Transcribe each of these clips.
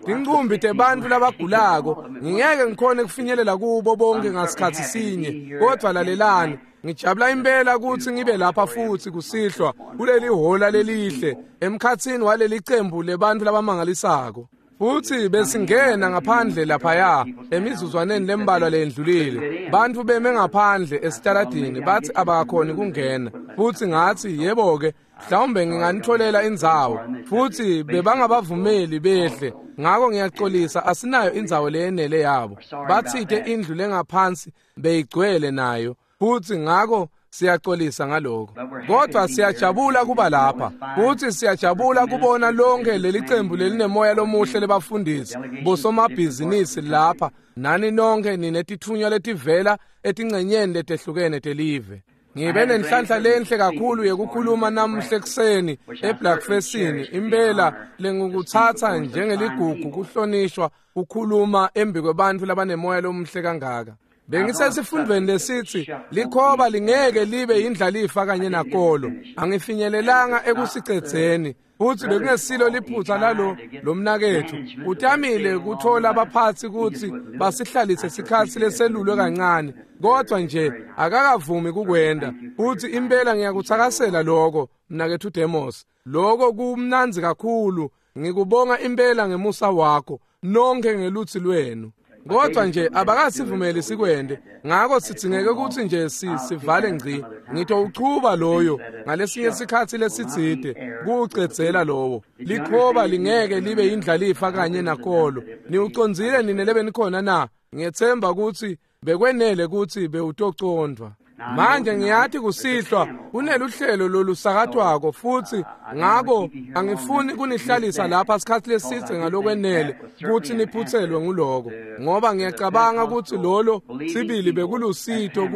Tinqumbi tebantfu labagulako, ngingeke ngikhone kufinyelela kubo bonke ngasikhatsi sinye, kodvwa lalelani, ngijabula impela kutsi ngibe lapha futsi kusihlwa kuleli hhola lelihle emkhatsini waleli cembu lebantfu labamangalisako. Futsi besingena ngaphandle laphaya emizuzwaneni lembalwa leyendlulile, bantfu beme ngaphandle esitaladini batsi abakhoni kungena. Futsi ngatsi, yebo-ke, mhlawumbe nginganitfolela indzawo. Futsi bebangabavumeli behle, ngako ngiyaxolisa, asinayo indzawo leyenele yabo. Batsite indlu lengaphansi beyigcwele nayo, futsi ngako siyaxolisa ngaloko. Kodwa siyajabula kuba lapha, futsi siyajabula kubona lonke leli cembu lelinemoya lomuhle lebafundisi bosomabhizinisi lapha, nani nonke ninetitfunywa letivela etingcenyeni letehlukene telive. Ngibe nenhlanhla lenhle kakhulu yekukhuluma namuhla ekuseni eBlackfestini, impela lengikutsatsa njengeligugu kuhlonishwa kukhuluma embi kwebantfu labanemoya lomuhle kangaka. Bengisesifundweni lesitsi likhoba lingeke libe yindlalifa kanye nakolo. Angifinyelelanga ekusicedzeni, futsi bekungesilo liphutsa lalo lomnaketfu. Utamile kutfola abaphatsi kutsi basihlalise sikhatsi leselulwe kancane, kodvwa nje akakavumi kukwenta. Futsi impela ngiyakutsakasela loko, mnaketfu Demos. Loko kumnandzi kakhulu. Ngikubonga impela ngemusa wakho, nonke ngelutsi lwenu. Kodwa nje abakasivumeli sikwente, ngako sidzingeke kutsi nje sivale ngci. Ngitowuchuba loyo ngalesinye sikhatsi lesitsite kuwucedzela lowo. Likhoba lingeke libe yindlalifa kanye nakolo. Niwucondzile nine lebenikhona na? Ngiyetsemba kutsi bekwenele kutsi bewutocondvwa. Manje ngiyati kusihlwa kuneluhlelo lolusakatwako, futsi ngako angifuni kunihlalisa lapha sikhatsi lesidze ngalokwenele kutsi niphutselwe nguloko, ngoba ngiyacabanga kutsi lolo sibili bekulusito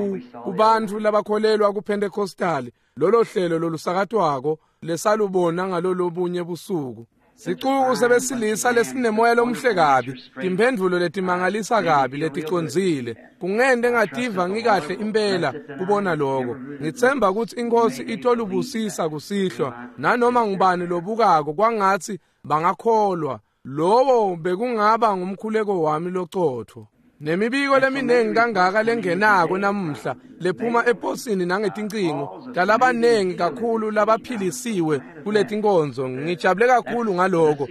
kubantfu labakholelwa kuPentecostali, lolo hlelo lolusakatwako lesalubona ngalolobunye busuku. Sicuku sebesilisa lesinemoya lomuhle kabi, timphendvulo letimangalisa kabi leticondzile. Kungente ngativa ngikahle impela kubona loko. Ngitsemba kutsi iNkhosi itolubusisa kusihlwa, nanoma ngubani lobukako kwangatsi bangakholwa. Lowo bekungaba ngumkhuleko wami locotfo. Nemibiko leminingi kangaka lengenako namuhla lephuma eposini nangetincingo talabanengi kakhulu labaphilisiwe kuletinkonzo. Ngijabule kakhulu ngaloko.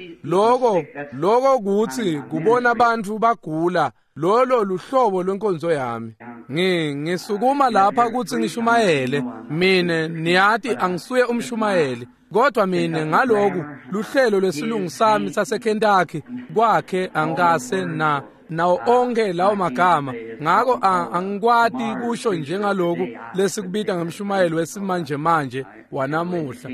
Loko kutsi kubona bantfu bagula, lolo luhlobo lwenkonzo yami. Ngisukuma lapha kutsi ngishumayele. Mine niyati angisuye umshumayeli, kodwa mine ngaloku luhlelo lesilungu sami saseKentucky kwakhe angikase na nawo onke lawo magama, ngako angikwati kusho njengaloku lesikubita ngemshumayelo wesimanje manje wanamuhla.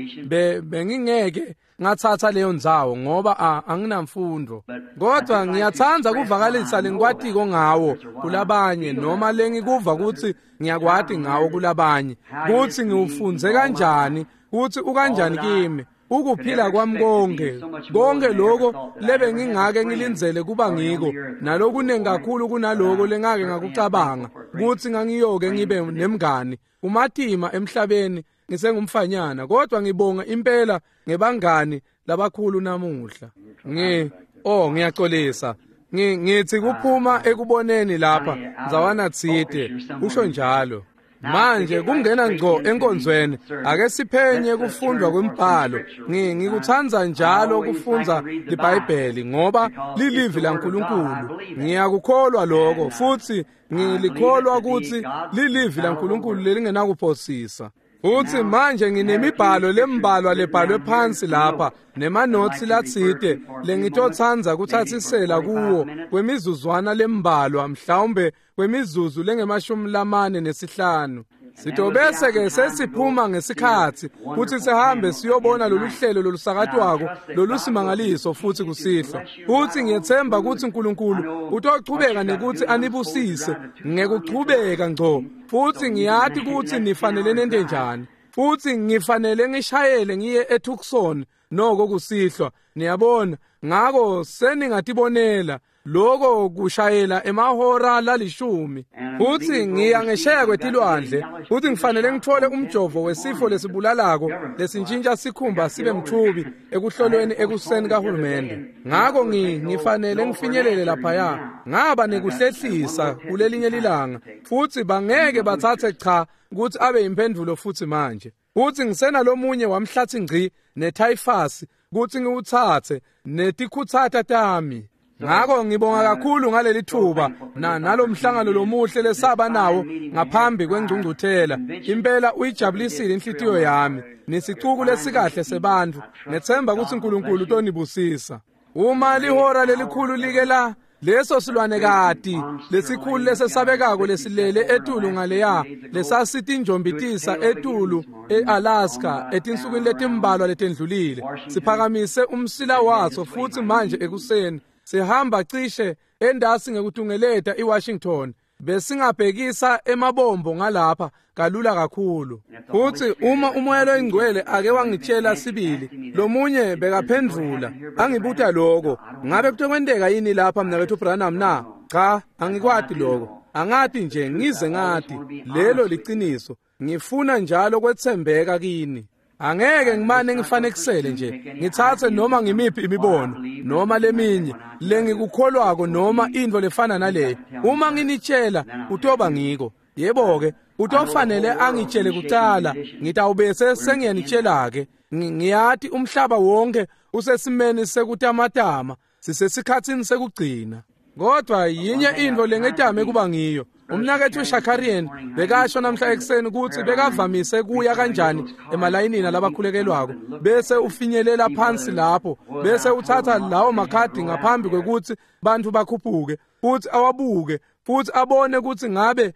Bengingeke ngatsatsa leyo ndzawo ngoba anginamfundo, kodwa ngiyatsandza kuvakalisa lengikwatiko ngawo kulabanye, noma lengikuva kutsi ngiyakwati ngawo kulabanye, kutsi ngiwufundze kanjani, kutsi ukanjani kimi ukuphila kwami konke. Konke lokho lebe ngingake ngilindzele kuba ngiko, nalokunengi kakhulu kunaloko lengake ngakucabanga kutsi ngangiyoke ngibe nemngani umatima emhlabeni ngisengumfanyana, kodwa ngibonga impela ngebangani labakhulu namuhla. Ngiyaxolisa. Ngithi kuphuma ekuboneni lapha ndzawana tsite, usho njalo. Manje kungena ngco enkonzweni, ake siphenye kufundwa kwembhalo. Ngikutsandza njalo kufundza liBhayibheli ngoba lilivi laNkulunkulu. Ngiyakukholwa lokho, futsi ngilikholwa kutsi lilivi laNkulunkulu lelingenakuphosisa. Futsi manje nginemibhalo lembalwa lebhalwe phansi lapha nemanotsi latsite lengitotsandza kutsatsisela kuwo kwemizuzwana lembalwa, mhlawumbe kwemizuzu lengemashumi 45. Sitobese ke sesiphuma ngesikhatsi kutsi sihambe siyobona lolu hlelo lolusakatwako lolusimangaliso futsi kusihlwa. Futsi ngiyetsemba kutsi uNkulunkulu utochubeka nekutsi anibusise ngekuchubeka ngco. Futsi ngiyati kutsi nifanele nente njani. Futsi ngifanele ngishayele ngiye eTucson noko kusihlwa. Niyabona, ngako seningatibonela. Loko kushayela emahora lalishumi. Futsi ngiya ngesheya kwetilwandle, futsi ngifanele ngitfole umjovo wesifo lesibulalako lesintjintja sikhumba sibe mtfubi ekuhlolweni ekuseni kahulumende. Ngako ngifanele ngifinyelele laphaya. Ngaba nekuhlehlisa kulelinye lilanga, futsi bangeke batsatse cha kutsi abe imphendvulo futsi manje. Futsi ngisenalomunye wamhlathi ngci netyphus kutsi ngiwutsatse netikhutsata tami. Ngako ngibonga kakhulu ngaleli thuba nalomhlangano lomuhle lesaba nawo ngaphambi kwengcungcuthela. Impela uyijabulisile inhlitiyo yami. Nisicuku lesikahle sebantfu. Ngethemba kutsi uNkulunkulu utonibusisa. Uma lihora lelikhulu like la leso silwanekati lesikhulu lesesabekako lesilele etulu ngaleya lesasitinjombitisa etulu eAlaska etinsukwini letimbalwa letendlulile siphakamise umsila waso futsi manje ekuseni sihamba cishe endasi ngekutungeleta iWashington besingabhekisa emabombo ngalapha kalula kakhulu. Futsi uma umoya loyingcwele ake wangitshela sibili, lomunye bekaphendvula angibuta lokho, ngabe kutokwenteka yini lapha mnaketfu Branham na? Cha, angikwati lokho, angati nje, ngize ngati lelo liciniso. Ngifuna njalo kwetsembeka kini. Angeke ngimane ngifanekisele nje, ngitsatse noma ngimiphi imibono noma leminye lengikukholwako noma intfo lefana naleyo. Uma nginitshela utoba ngiko. Yebo-ke, utofanele angitshele kucala, ngitawubese sengiyanitshela-ke. Ngiyati umhlaba wonke usesimeni sekutamatama, sisesikhatsini sekugcina. Kodwa yinye intfo lengetame kuba ngiyo. Umnaketfu Shakarian bekasho namhla ekuseni kutsi bekavamise kuya kanjani emalayinini alabakhulekelwako, bese ufinyelela phansi lapho, bese utsatsa lawo makhadi ngaphambi kwekutsi bantfu bakhuphuke, futsi awabuke, futsi abone kutsi ngabe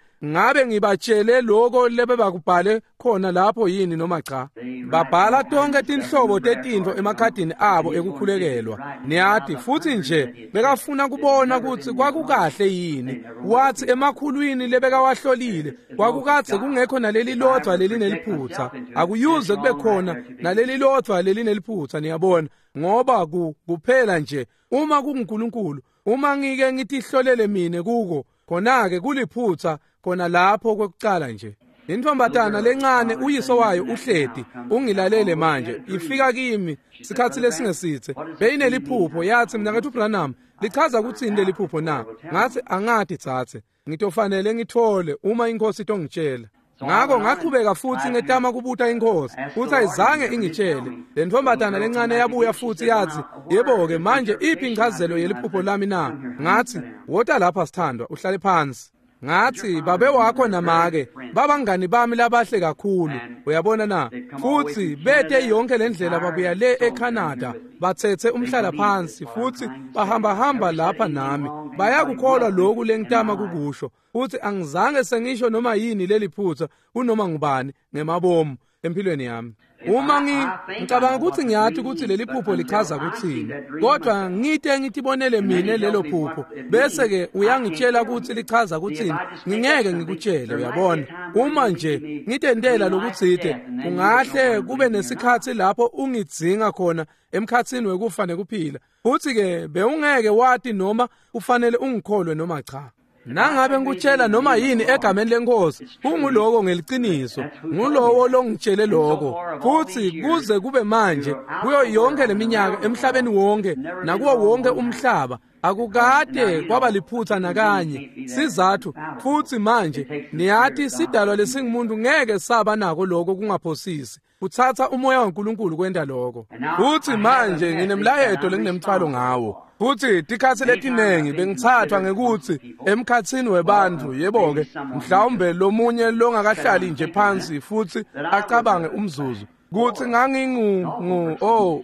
ngibatshele loko lebebakubhale khona lapho yini noma cha. Babhala tonke tinhlobo tetintfo emakhadini abo ekukhulekelwa. Niyati, futsi nje bekafuna kubona kutsi kwakukahle yini. Watsi emakhulwini lebekawahlolile kwakukadze kungekho naleli lodvwa lelineliphutsa. Akuyuze kube khona naleli lodvwa lelineliphutsa, niyabona, ngoba kuphela nje uma kunguNkulunkulu. Uma ngike ngitihlolele mine kuko, khona-ke kuliphutsa khona lapho kwekucala nje. Intombatana lencane uyiso wayo uhleti, ungilalele manje, ifika kimi sikhatsi lesingesitse. Beyineliphupho, yathi mnaketfu Branham, lichaza kutsini leliphupho na? Ngathi angati tsatse, ngitofanele ngithole uma inkosi itongitshela. Ngako ngaqhubeka futsi ngetama kubuta inkosi, futsi ayizange ingitshele. Le ntombatana lencane yabuya futsi yathi, yebo-ke manje iphi inchazelo yeliphupho lami na? Ngathi, wota lapha sithandwa, uhlale phansi. Ngathi, babe wakho namake babangani bami labahle kakhulu, uyabona na? Futsi bete yonke lendlela babuya le eCanada, batsetse umhlala phansi futsi bahamba lapha nami. Bayakukholwa lokhu lengitama kukusho. Futsi angizange sengisho noma yini leliphutsa kunoma ngubani ngemabomu empilweni yami. Uma ngicabanga ukuthi ngiyati ukuthi leli phupho lichaza kutsini, kodwa ngite ngitibonele mine lelo phupho, bese-ke uyangitshela ukuthi lichaza kutsini, ngingeke ngikutshele, uyabona. Uma nje ngitentela lokutsite, kungahle kube nesikhatsi lapho ungidzinga khona emkhatsini wekufa nekuphila. Futsi-ke bewungeke wati noma ufanele ungikholwe noma cha. Nangabe ngikutshela noma yini egameni lenkosi, kunguloko ngeliciniso, ngulowo longitshele lokho. Futsi kuze kube manje, kuyo yonke leminyaka emhlabeni wonke nakuwo wonke umhlaba, akukade kwaba liphutsa nakanye. Sizathu futsi manje niyati sidalwa lesingumuntu ngeke saba nako lokho kungaphosisi. Kutsatsa umoya waNkulunkulu kwenta lokho. Futsi manje nginemlayeto lenginemthwalo ngawo. Futsi tikhatsi letinengi bengitsathwa ngekutsi emkhatsini webantfu, yebo-ke, mhlawumbe lomunye longakahlali nje phansi futsi acabange umzuzu, kutsi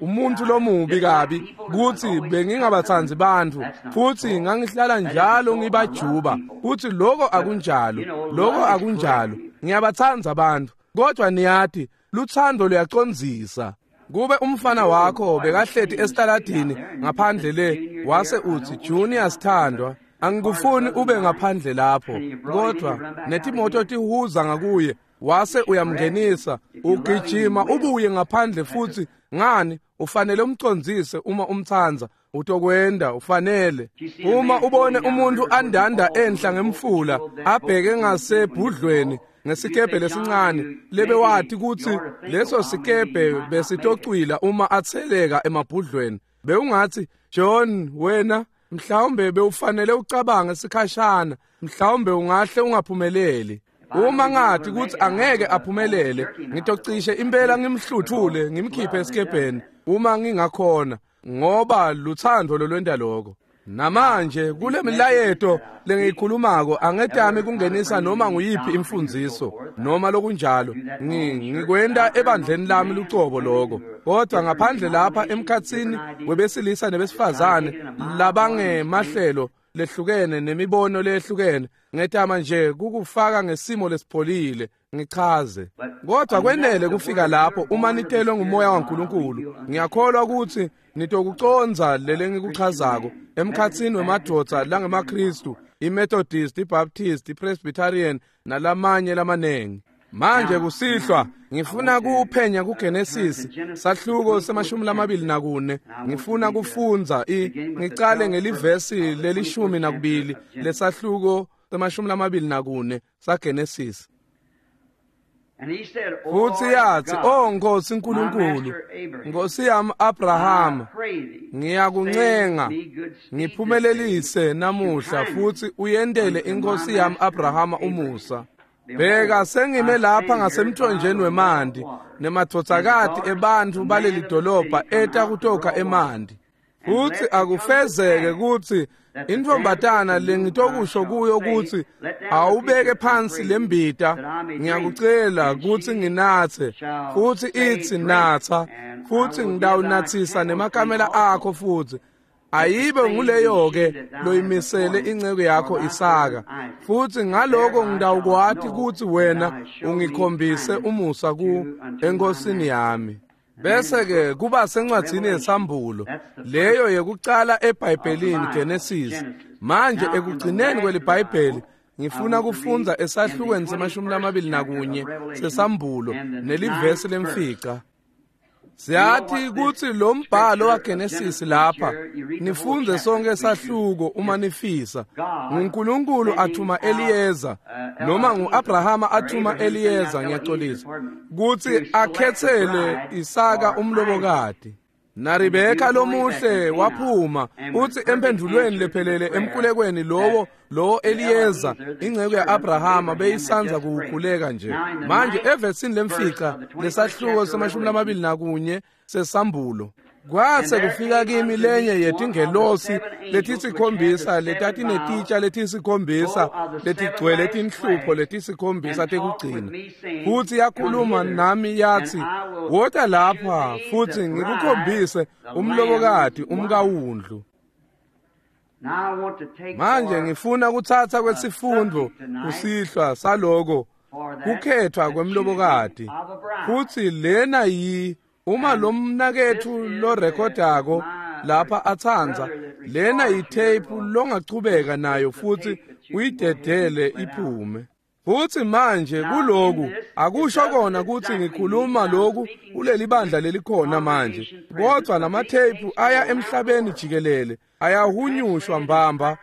umuntu lomubi kabi, kutsi bengingabatsandzi bantfu, futsi ngangihlala njalo ngibajuba, kutsi loko akunjalo, loko akunjalo, ngiyabatsandza bantfu, kodwa niyati, lutsandvo luyacondzisa. Kube umfana wakho bekahleti esitaladini ngaphandle le, wase utsi, Junior sithandwa, angikufuni ube ngaphandle lapho, kodwa netimoto tihuza ngakuye, wase uyamngenisa, ugijima ubuye ngaphandle futhi ngani ufanele umcondzise uma umtsandza, utokwenda ufanele. Uma ubone umuntu andanda enhla ngemfula abheke ngasebhudlweni ngesikebhe lesincane lebe wathi kutsi leso sikebhe besitocwila uma atseleka emabhudlweni, bewungathi John wena mhlawumbe bewufanele ucabange sikhashana, mhlawumbe ungahle ungaphumeleli. Uma ngathi kutsi angeke aphumelele, ngitocishe impela ngimhluthule ngimkhiphe esikebheni uma ngingakhona, ngoba luthando lolwenta lokho. Namanje kule milayeto lengiyikhulumako angetami kungenisa noma nguyiphi imfundziso noma lokunjalo, ngikwenta ebandleni lami lucobo lokho, kodwa ngaphandle lapha emkhatsini webesilisa nebesifazane labangemahlelo lehlukene nemibono lehlukene, ngetama nje kukufaka ngesimo lesipholile ngichaze. Kodwa kwenele kufika lapho uma nitelwe ngumoya waNkulunkulu, ngiyakholwa ukuthi nitokuconza lele ngikuchazako emkhatsini wemadvodza langemaKristu, iMethodist, iBaptist, iPresbyterian nalamanye lamanengi. Manje kusihlwa ngifuna kuphenya kuGenesis sahluko se-24. Ngifuna kufundza ngicale ngelivesi leli-12 lesahluko se-24 saGenesis. Futhi yathi, "O Nkosi Nkulunkulu, Nkosi yami Abrahama, ngiyakuncenga ngiphumelelise namuhla futhi uyendele inkosi yami Abrahama umusa. Bheka sengime lapha ngasemthonjeni wemanti, nemadvodzakati ebantfu baleli dolobha eta kutokha emanti. Futhi akufezeke kutsi intfombatana lengitokusho kuyo kutsi awubeke phansi lembita, ngiyakucela kutsi nginatse, futhi itsi natsa, futhi ngitawunatsisa nemakamela akho futhi. Ayibe nguleyo ke loyimisele inceku yakho Isaka, futhi ngaloko ngitawukwati kutsi wena ungikhombise umusa ku enkosini yami." Bese ke kuba sencwadzini yesambulo, leyo yekucala eBhayibhelini Genesis. Manje ekugcineni kweliBhayibheli ngifuna kufundza esahlukweni se-21 sesambulo nelivesi lemfica. Siyathi kutsi lo mbhalo waGenesis lapha, nifundze sonke sahluko uma nifisa. NguNkulunkulu athuma Eliyeza, noma nguAbrahama athuma Eliyeza, ngiyaxolisa, kutsi akhetsele Isaka umlobokati. NaRebeka lomuhle waphuma uthi empendulweni lephelele emkulekweni lowo Eliyeza inceku yaAbrahama beyisanza kukhuleka nje. Manje evesini lemfica lesahluko se-21 sesambulo, kwase kufika kimi lenye yetingelosi letisikhombisa letatinetitsha letisikhombisa letigcwele tinhlupho letisikhombisa tekugcina, futhi yakhuluma nami yathi, "Wota lapha futhi ngikukhombise umlobokati umkawundlu." Manje ngifuna kutsatsa kwesifundo kusihlwa saloko kukhethwa kwemlobokati. Futhi lena yi uma lo mnaketfu lorekhodako lapha atsandza, lena yitape longachubeka nayo futhi uyidedele iphume. Futhi manje kuloku akusho kona kutsi ngikhuluma loku kuleli bandla lelikhona manje, kodwa lamatheyiphu aya emhlabeni jikelele, ayahunyushwa mbamba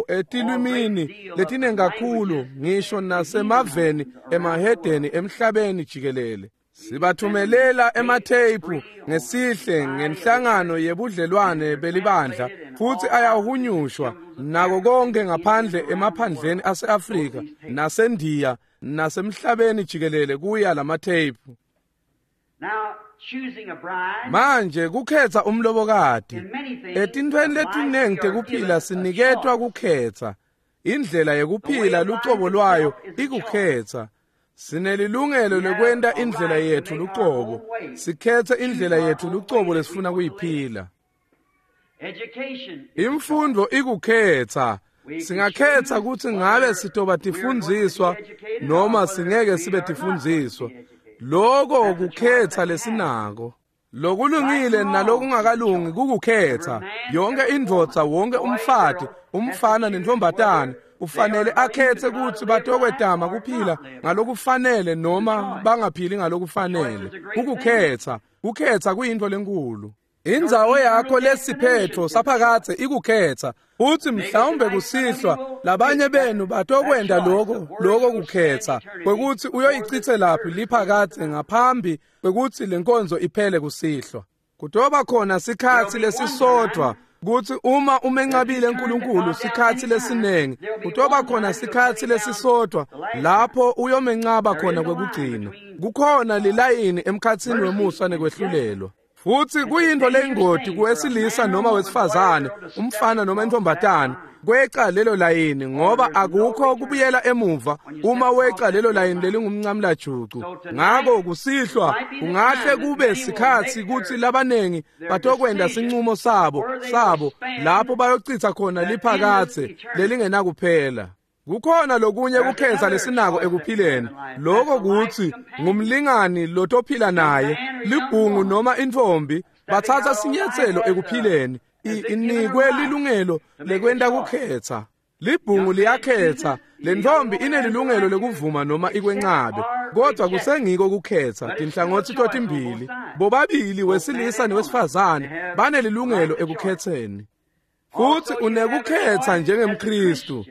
etilwimini letinengi kakhulu, ngisho nasemaveni emahedeni emhlabeni jikelele. Sibathumelela ematheyiphu ngesihle ngenhlangano yebudlelwane belibandla, futhi ayahunyushwa nako konke ngaphandle emaphandleni ase-Afrika naseNdiya nasemhlabeni jikelele kuya lamatheyiphu. Manje kukhetha umlobokati etintfweni letinengi tekuphila siniketwa kukhetha. Indlela yekuphila lucobo lwayo ikukhetha. Sinelilungelo lekwenta indlela yethu lucobo, sikhethe indlela yethu lucobo lesifuna kuyiphila. Imfundo ikukhetha. Singakhetha kutsi ngabe sitoba tifundziswa noma singeke sibe tifundziswa. Loko kukhetha lesinako. Lokulungile nalokungakalungi kukukhetha. Yonke indvodza, wonke umfati, umfana nentombatane ufanele akhethe ukuthi batokwetama kuphila ngalokufanele noma bangaphili ngalokufanele. Kukukhetha, kukhetha kuyintfo lenkulu. Indzawo yakho lesiphetho saphakadze ikukhetha. Uthi mhlawumbe kusihlwa labanye benu batokwenda lokho kukhetha kwekuthi uyoyichithelaphi liphakadze ngaphambi kwekuthi lenkonzo iphele kusihlwa. Kutoba khona sikhatsi lesisodvwa kutsi uma umencabile uNkulunkulu sikhatsi lesinengi, kutoba khona sikhatsi lesisodvwa lapho uyomencaba khona kwekugcina. Kukhona lilayini emkhatsini wemusa nekwehlulelwa. Futhi kuyintfo leyingoti kuwesilisa noma wesifazane, umfana noma intombatane, kweca lelo layini ngoba akukho kubuyela emuva uma weca lelo layini lelingumncamlajucu. Ngako kusihlwa kungahle kube sikhatsi kutsi labanengi batokwenda sincumo sabo lapho bayochitha khona liphakadze lelingenakuphela. Kukhona lokunye kukhetha lesinako ekuphileni, lokho kutsi ngumlingani lotophila naye, libhungu noma intfombi, bathatha sinyatselo ekuphileni, inikwe lilungelo lekwenta kukhetha. Libhungu liyakhetha, lentfombi inelilungelo lekuvuma noma ikwencabe, kodwa kusengiko kukhetha tinhlangotsi totimbili. Bobabili wesilisa newesifazane banelilungelo ekukhetheni. Futhi unekukhetha njengemKhristu.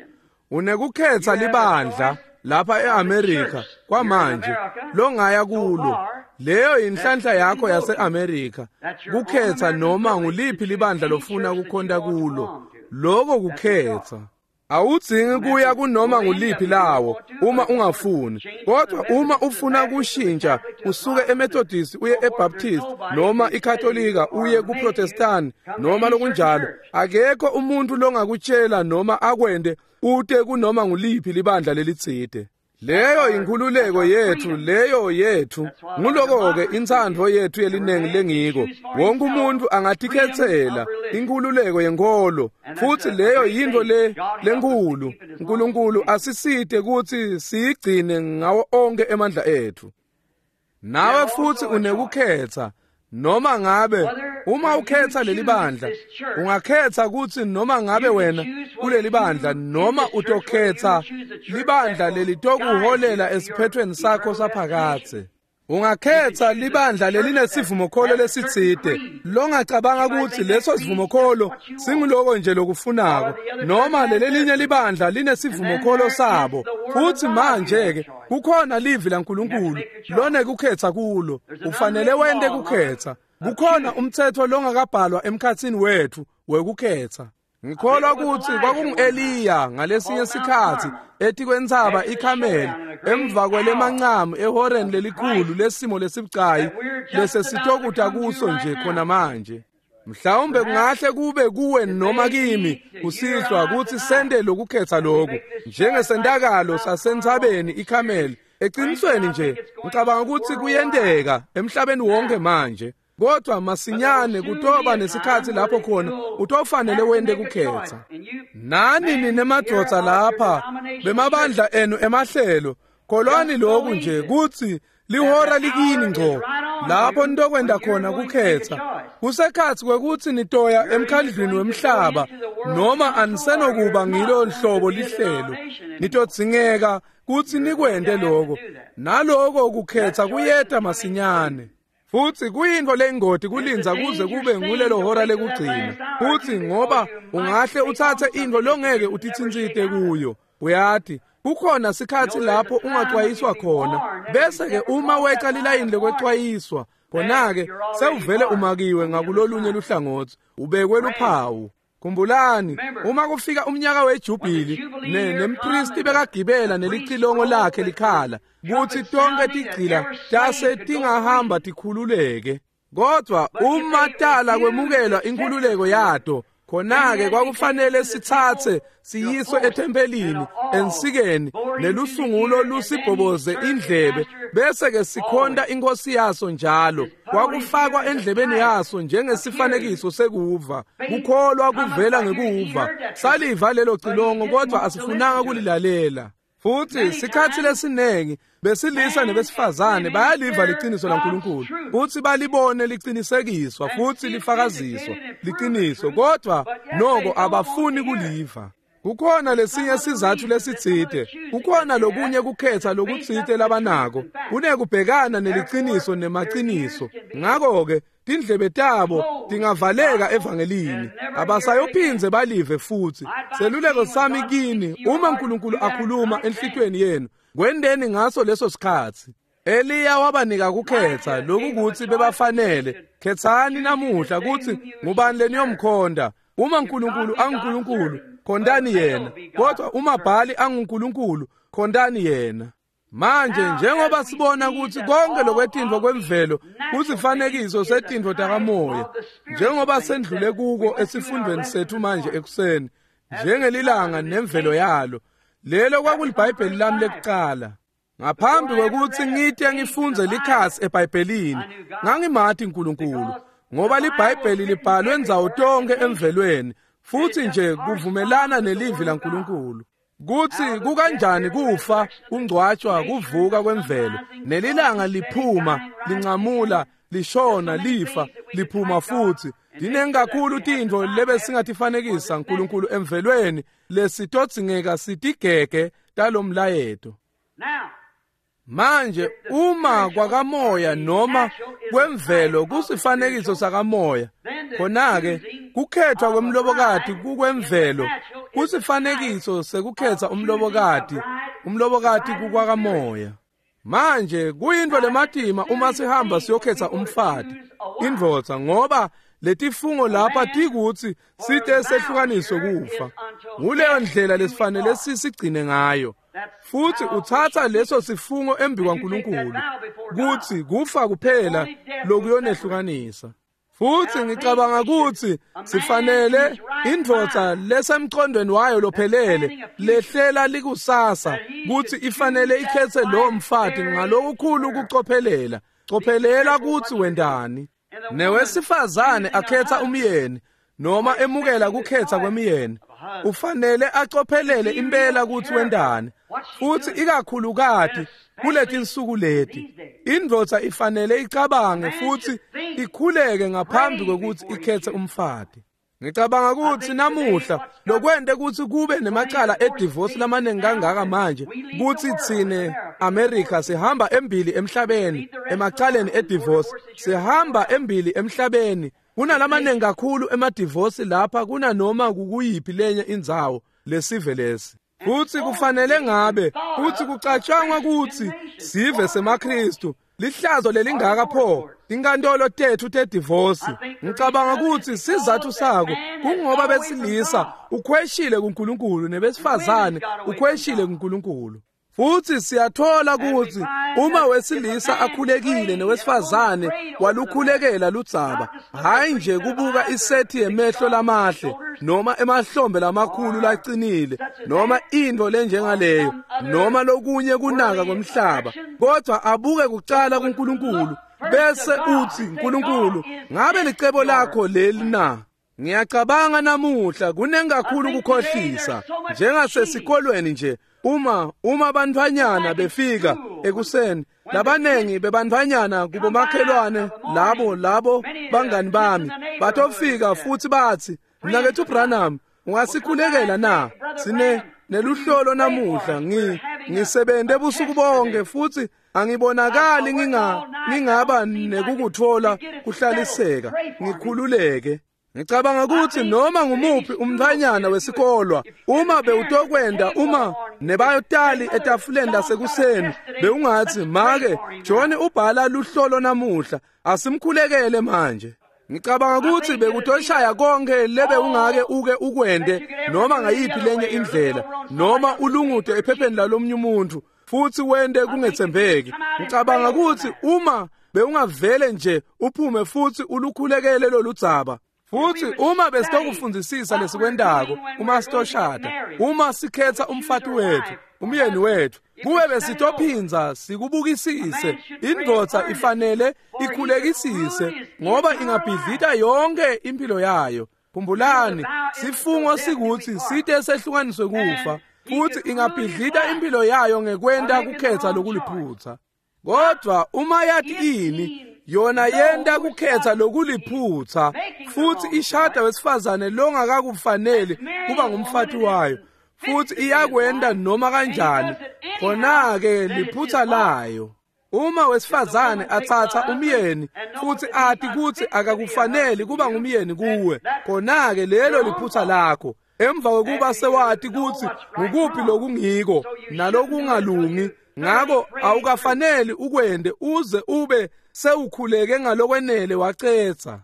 Unekukhetha libandla lapha eAmerica kwamanje longaya kulo. Leyo inhlanhla yakho yaseAmerica, kukhetha noma nguliphi libandla lofuna kukhonta kulo. Lokho kukhetha. Awudzingi kuya kunoma nguliphi lawo uma ungafuni, kodwa uma ufuna kushintsha usuke eMethodist uye eBaptist noma iKatolika uye kuProtestant noma lokunjalo, akekho umuntu longakutshela noma akwende ute kunoma nguliphi libandla lelitsite. Leyo inkhululeko yethu, leyo yethu. Nguloko-ke intsandvo yethu yelinengi lengiko. Wonke umuntu angatikhetsela inkhululeko yenkolo, futhi leyo yintfo lenkulu. uNkulunkulu asisite kutsi siyigcine ngawo onke emandla ethu. Nawe futhi unekukhetha. Noma ngabe uma ukhetha leli bandla, ungakhetha kutsi noma ngabe wena kuleli bandla noma utokhetha libandla lelitokuholela esiphethweni sakho saphakadze. Ungakhetha libandla lelinesivumokholo lesitsite longacabanga kutsi leso sivumokholo singuloko nje lokufunako, noma lelelinye libandla linesivumokholo sabo. Futhi manje-ke kukhona livi laNkulunkulu lonekukhetha kulo, ufanele wente kukhetha. Kukhona umthetho longakabhalwa emkhatsini wethu wekukhetha. Ngikholwa kutsi kwakungu-Eliya ngalesinye sikhatsi etikwentsaba iKhameli, emva kwelemancamu ehoreni lelikhulu lesimo lesibucayi lesesitokuta kuso nje khona manje. Mhlawumbe kungahle kube kuwe noma kimi kusihlwa kutsi sente lokukhetha loku njengesentakalo sasentsabeni iKhameli. Eqinisweni nje ngicabanga ukuthi kuyenteka emhlabeni wonke manje, kodwa masinyane kutoba nesikhatsi lapho khona utofanele wente kukhetha. Nani ninemadvodza lapha bemabandla enu emahlelo, kholwani lokhu nje kutsi lihora likini ngco lapho nitokwenda khona kukhetha. Kusekhatsi kwekutsi nitoya emkhandlwini wemhlaba noma anisenokuba ngilo nhlobo lihlelo, nitodzingeka kutsi nikwente lokho, naloko kukhetha kuyeta masinyane. Futhi kuyintfo lengoti kulindza kuze kube ngulelo hora lekugcina, futhi ngoba ungahle utsatse intfo longeke utitsintsite kuyo. Uyati kukhona sikhatsi lapho ungacwayiswa khona, bese-ke uma weca lilayini lekwecwayiswa, khona-ke sewuvele umakiwe ngakulolunye luhlangotsi, ubekwe luphawu. Khumbulani, uma kufika umnyaka wejubhili, nempristi bekagibela nelicilongo lakhe likhala, kutsi tonke tigcila tase tingahamba tikhululeke. Kodwa uma tala kwemukelwa inkhululeko yato, khona-ke kwakufanele sitsatse siyiswe ethempelini ensikeni nelusungulo lusibhoboze indlebe, bese-ke sikhonta inkosi yaso njalo. Kwakufakwa endlebeni yaso njengesifanekiso sekuva, kukholwa kuvela ngekuva. Saliva lelo cilongo kodwa asifunanga kulilalela. Futhi sikhathi lesiningi besilisa nebesifazane bayaliva liqiniso laNkulunkulu futhi balibone liqinisekiswa futhi lifakaziswa liqiniso, kodwa noko abafuni kuliva. Kukhona lesinye sizathu lesitsite, kukhona lokunye kukhetha lokutsite labanako, kunekubhekana neliqiniso nemaqiniso. Ngakho-ke tindlebe tabo tingavaleka evangelini, abasayophindze balive futhi. Seluleko sami kini, uma uNkulunkulu akhuluma enhlitweni yenu, kwendeni ngaso leso sikhathi. Eliya wabanika kukhetha lokukuthi bebafanele. Khethani namuhla kuthi ngubani leniyomkhonda. Uma uNkulunkulu anguNkulunkulu, khondani yena, kodwa uma Bhali anguNkulunkulu, khondani yena. Manje njengoba sibona ukuthi konke lokwetintfo kwemvelo kusifanekiso setintfo takamoya, njengoba sendlule kuko esifundweni sethu manje ekuseni, njengelilanga nemvelo yalo, lelo kwakuliBhayibheli lami lekucala. Ngaphambi kwekuthi ngite ngifunze likhasi eBhayibhelini, ngangimati uNkulunkulu, ngoba liBhayibheli libhalwe ndzawo tonke emvelweni, futhi nje kuvumelana nelivi laNkulunkulu. Kuthi kukanjani kufa, kungcwatshwa, kuvuka kwemvelo, nelilanga liphuma, lincamula, lishona, lifa, liphuma futhi. Dinengi kakhulu tintfo lebesingatifanekisa uNkulunkulu emvelweni lesitodzingeka sitigege talomlayeto. Manje uma kwakamoya noma kwemvelo kusifanekiso sakamoya, khona-ke kukhethwa kwemlobokati kukwemvelo kusifanekiso sekukhetha umlobokati, umlobokati kukwakamoya. Manje kuyintfo lematima uma sihamba siyokhetha umfati, indvodza, ngoba letifungo lapha tikuthi site sehlukaniswe kufa. Nguleyo ndlela lesifanele sisigcine ngayo. Futhi uthatha leso sifungo embi kwaNkulunkulu kuthi kufa kuphela lokuyonehlukanisa. Futhi ngicabanga ukuthi sifanele indvodza lesemqondweni wayo lophelele lehlela likusasa kuthi ifanele ikhethe lo mfati ngalokukhulu ukucophelela. Cophelela ukuthi wendani. Newesifazane akhetha umyeni noma emukela kukhetha kwemiyeni, ufanele acophelele impela ukuthi wendani. Futhi ikakhulukati kuletinsuku leti, indvodza ifanele icabange futhi ikhuleke ngaphambi kokuthi ikhethe umfati. Ngicabanga ukuthi namuhla lokwente ukuthi kube nemacala edivorce lamaningi kangaka manje, kuthi tsine America sihamba embili emhlabeni emacaleni edivorce, sihamba embili emhlabeni. Kunalamaningi kakhulu emadivorce lapha kunanoma kukuyiphi lenye indzawo lesive lesi. Futhi kufanele ngabe futhi kucatshangwa ukuthi sive semaKristu lihlazo lelingaka pho inkantolo tethu tedivorce. Ngicabanga ukuthi sizathu sako kungoba besilisa ukhweshile kuNkulunkulu nebesifazane ukhweshile kuNkulunkulu. Futhi siyathola ukuthi uma wesilisa akhulekile nowesifazane walukhulekela ludzaba, hayi nje kubuka isethi yemehlo lamahle noma emahlombe lamakhulu lacinile noma into lenjengaleyo noma lokunye kunaka komhlaba, kodwa abuke kucala kuNkulunkulu bese uthi, Nkulunkulu, ngabe licebo lakho leli na? Ngiyacabanga namuhla kunengi kakhulu ukukhohlisa njengasesikolweni nje. Uma bantfwanyana befika ekuseni, labanengi bebantfwanyana kubomakhelwane labo bangani bami batofika futhi bathi, Mnaketfu Branham, ungasikhulekela na? Sine neluhlolo namuhla, ngisebenze busuku bonke futhi angibonakali ngingaba nekukuthola kuhlaliseka ngikhululeke. Ngicabanga ukuthi noma ngumuphi umntfwanyana wesikolwa uma bewutokwenda uma nebayotali etafuleni lasekuseni bewungathi, make John ubhala luhlolo namuhla, asimkhulekele manje. Ngicabanga ukuthi bekutoshaya konke lebe ungake uke ukwende noma ngayiphi lenye indlela noma ulungute ephepheni lalomnye umuntu futhi wende kungethembeki. Ngicabanga ukuthi uma bewungavele nje uphume futhi ulukhulekele loludzaba. Futhi uma besitokufundisisa lesikwendako uma sitoshada, uma sikhetha umfati wethu, umyeni wethu, kube besitophinza sikubukisise. Indvodza ifanele ikhulekisise ngoba ingabhidlita yonke impilo yayo. Khumbulani, sifungo sikuthi site sehlukaniswe kufa. Futhi ingabhidlita impilo yayo ngekwenta kukhetsa lokuliphutsa. Kodwa uma yathi ini, yona yenta kukhetsa lokuliphutsa futhi ishada wesifazane longakakufanele kuba ngumfati wayo, futhi iyakwenta noma kanjani, khona-ke liphutsa layo. Uma wesifazane atsatsa umyeni futhi ati kutsi akakufaneli kuba ngumyeni kuwe, khona-ke lelo liphutsa lakho. Emva kokuba sewati kutsi ngukuphi lokungiko nalokungalungi, ngako awukafaneli ukwende uze ube sewukhuleke ngalokwenele wacetsa.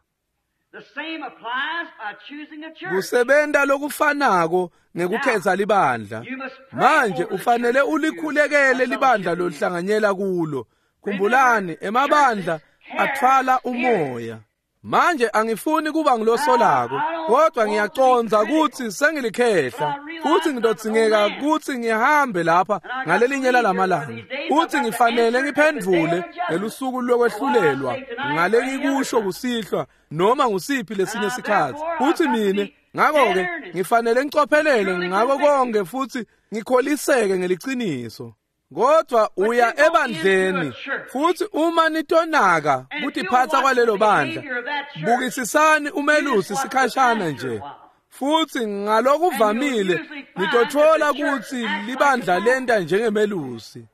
Kusebenta lokufanako ngekukhetsa libandla. Manje ufanele ulikhulekele libandla loluhlanganyela kulo. Khumbulani, emabandla atfwala umoya. Manje angifuni kuba ngilosolako, kodwa ngiyacondza kutsi sengilikhehla, futhi ngitodzingeka kutsi ngihambe lapha ngalelinye lalamalanga. Futhi ngifanele ngiphendvule ngelusuku lokwehlulelwa ngalekikusho kusihlwa noma ngusiphi lesinye sikhatsi. Futhi mine ngakho-ke ngifanele ngicophelele ngako konke futhi ngikholiseke ngeliciniso. Kodwa uya ebandleni futhi uma nitonaka kutiphatsa kwalelo bandla, bukisisani umelusi sikhashana nje. Futhi ngalokuvamile nitothola kutsi libandla lenta njengemelusi.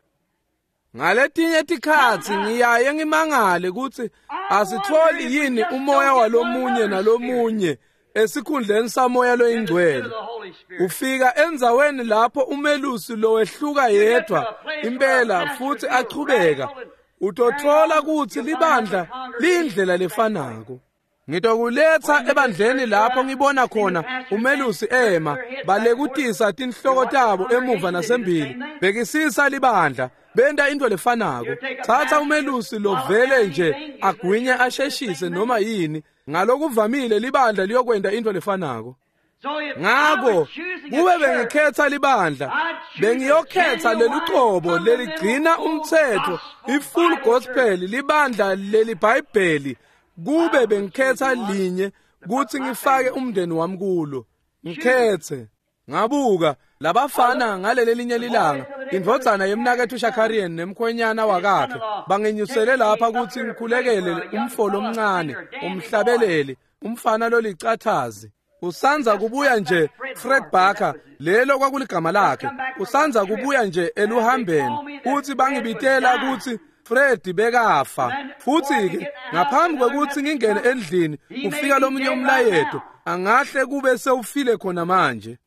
Ngaletinye tikhatsi ngiyaye ngimangale kutsi asitholi yini umoya walomunye nalomunye esikhundleni samoya loyingcwele. Ufika endzaweni lapho umelusi lowehluka yedwa impela futhi achubeka, utothola kutsi libandla liyindlela lefanako. Ngitokuletsa ebandleni lapho ngibona khona umelusi ema balekutisa tinhloko tabo emuva nasembili, bekisisa libandla, benta into lefanako. Thatha umelusi lovele nje agwinye asheshise noma yini, ngalokuvamile libandla liyokwenta into lefanako. Ngako kube bengikhetsa libandla, bengiyokhetsa lelucobo leligcina umtsetfo, i-full gospel, libandla leliBhayibheli. Kube bengikhetsa linye kutsi ngifake umndeni wami kulo, ngikhetse. Ngabuka labafana ngalelelinye lilanga, indvodzana yemnaketfu Shakarian nemkhwenyana wakakhe bangenyusele lapha kutsi ngikhulekele umfo lomncane, umhlabeleli, umfana lolicathazi. Usanza kubuya nje Fred Barker, lelo kwakuligama lakhe. Usanza kubuya nje eluhambeni, futhi bangibitela kutsi Fred bekafa. Futhi-ke ngaphambi kwekutsi ngingene endlini ufika lomunye umlayeto, angahle kube sewufile khona manje.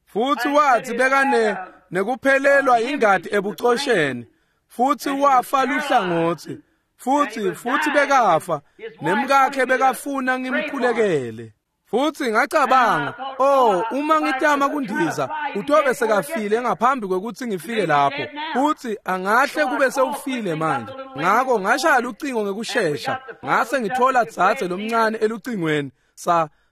Futhi wathi bekane nekuphelelwa ingati ebucosheni, futhi wafa luhlangotsi, futhi bekafa, nemkakhe bekafuna ngimkhulekele. Futhi ngacabanga, oh, uma ngitama kundiza, utobe sekafile ngaphambi kwekutsi ngifike lapho. Futhi angahle kube sewufile manje. Ngako ngashaya lucingo ngekushesha, ngase ngithola dzadze lomncane elucingweni.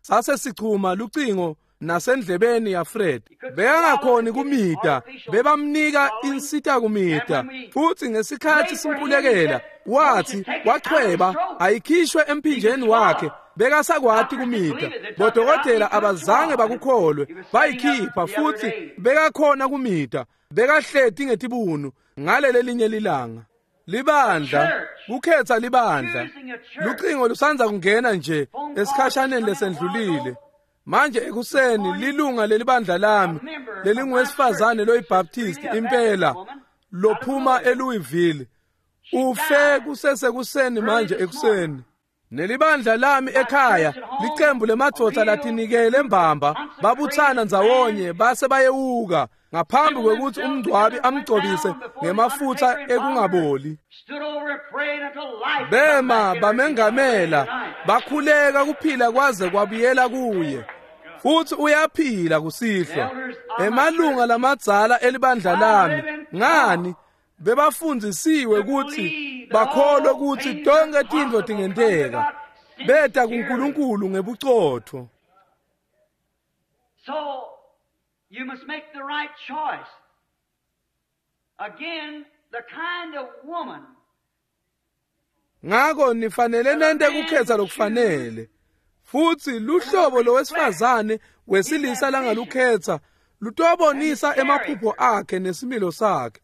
Sase sichuma lucingo nasendlebeni ya Fred. Bekangakhoni kumita, bebamnika insita kumita. Futhi ngesikhatsi simkhulekela, wathi wachweba ayikhishwe emphinjeni wakhe. Bekasakwati kumita. Bodokotela abazange bakukholwe, bayikhipha futhi bekakhona kumita. Bekahleti ngetibunu ngalelelinye lilanga. Libandla, kukhetsa libandla. Lucingo lusanza kungena nje esikhashaneni lesendlulile. Manje ekuseni lilunga lelibandla lami lelinguwesifazane loyiBaptist impela lophuma eLouisville ufe kusesekuseni manje ekuseni. Nelibandla lami ekhaya licembu lemadvodza latinikele mbamba babutsana ndzawonye base bayewuka ngaphambi kwekutsi umngcwabi amgcobise ngemafutsa ekungaboli. Bema bamengamela bakhuleka kuphila kwaze kwabuyela kuye. Futhi uyaphila kusihlwa. Emalunga lamadzala elibandla lami ngani bebafundzisiwe kutsi bakholwe kutsi tonke tintfo tingenteka. Beta kuNkulunkulu ngebucotfo. So you must make the right choice. Again, the kind of woman. Ngako nifanele nente kukhetsa lokufanele. Futhi luhlobo lowesifazane wesilisa langalukhetsa Lutobonisa emaphupho akhe nesimilo sakhe.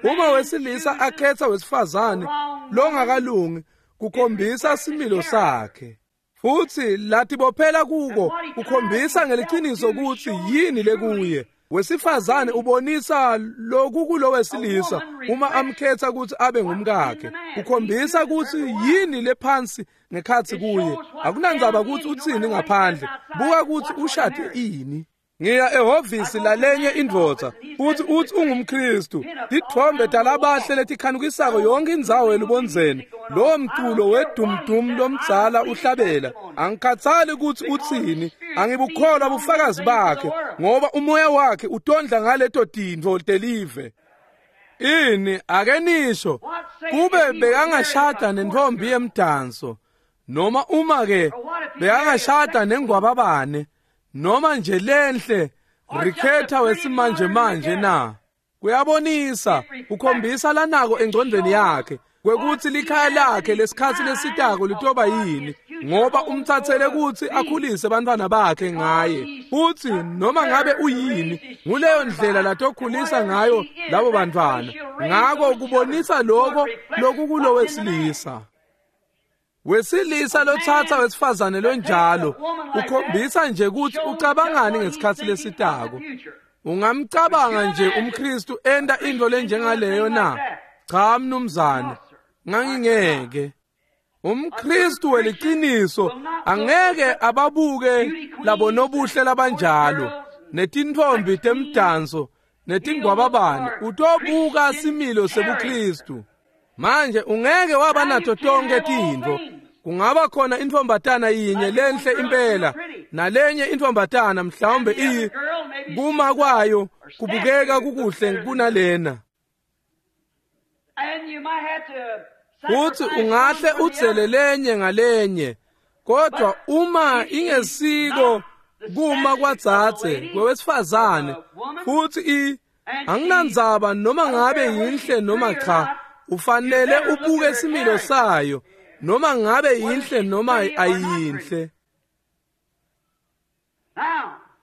Uma wesilisa akhetha wesifazane longakalungi, kukhombisa similo sakhe. Futhi latibophela kuko kukhombisa ngeliciniso ukuthi yini lekuye. Wesifazane ubonisa lokhu kulowesilisa uma amkhetha ukuthi abe ngumkakhe. Kukhombisa ukuthi yini lephansi ngekhathi kuye. Akunandzaba ukuthi uthini ngaphandle, buka ukuthi ushade ini. Ngiya ehhovisi lalenye indvodza futhi uthi ungumKristu. Tithombe talabahle letikhanukisako yonke indzawo elubondzeni. Lowo mculo wedumdum lomdzala uhlabela. Angikhathali ukuthi uthini, angibukholwa bufakazi bakhe ngoba umoya wakhe utondla ngaleto tintfo telive. Ini ake nisho kube bekangashada nentombi yemdanso, noma uma ke bekangashada nengwababane, noma nje lenhle rikhetha wesimanje manje na. Kuyabonisa, ukhombisa lanako engcondweni yakhe kwekuthi likhaya lakhe lesikhatsi lesitako litoba yini, ngoba umthathele ukuthi akhulise bantwana bakhe ngaye. Futhi noma ngabe uyini, nguleyo ndlela latokhulisa ngayo labo bantwana. Ngako kubonisa lokho lokukulo wesilisa. Wesilisa lothatha wesifazane lonjalo ukhombisa nje ukuthi ucabangani ngesikhatsi lesitako. Ungamcabanga nje umKristu enda into lenjengaleyo na? Cha mnumzane, ngangingeke. UmKristu weliciniso angeke ababuke labo nobuhle labanjalo, netintfombi temdanso, netingwababane. Utobuka similo sebuKristu. Manje ungeke waba nato tonke tintfo. Kungaba khona intfombatana yinye lenhle impela, nalenye intfombatana mhlawumbe iyi kuma kwayo kubukeka kukuhle kunalena. Futhi ungahle udzele lenye ngalenye, kodwa uma ingesiko kuma kwadzadze kwewesifazane, futhi anginandzaba noma ngabe yinhle noma cha, ufanele ubuke similo sayo noma ngabe yinhle noma ayinhle.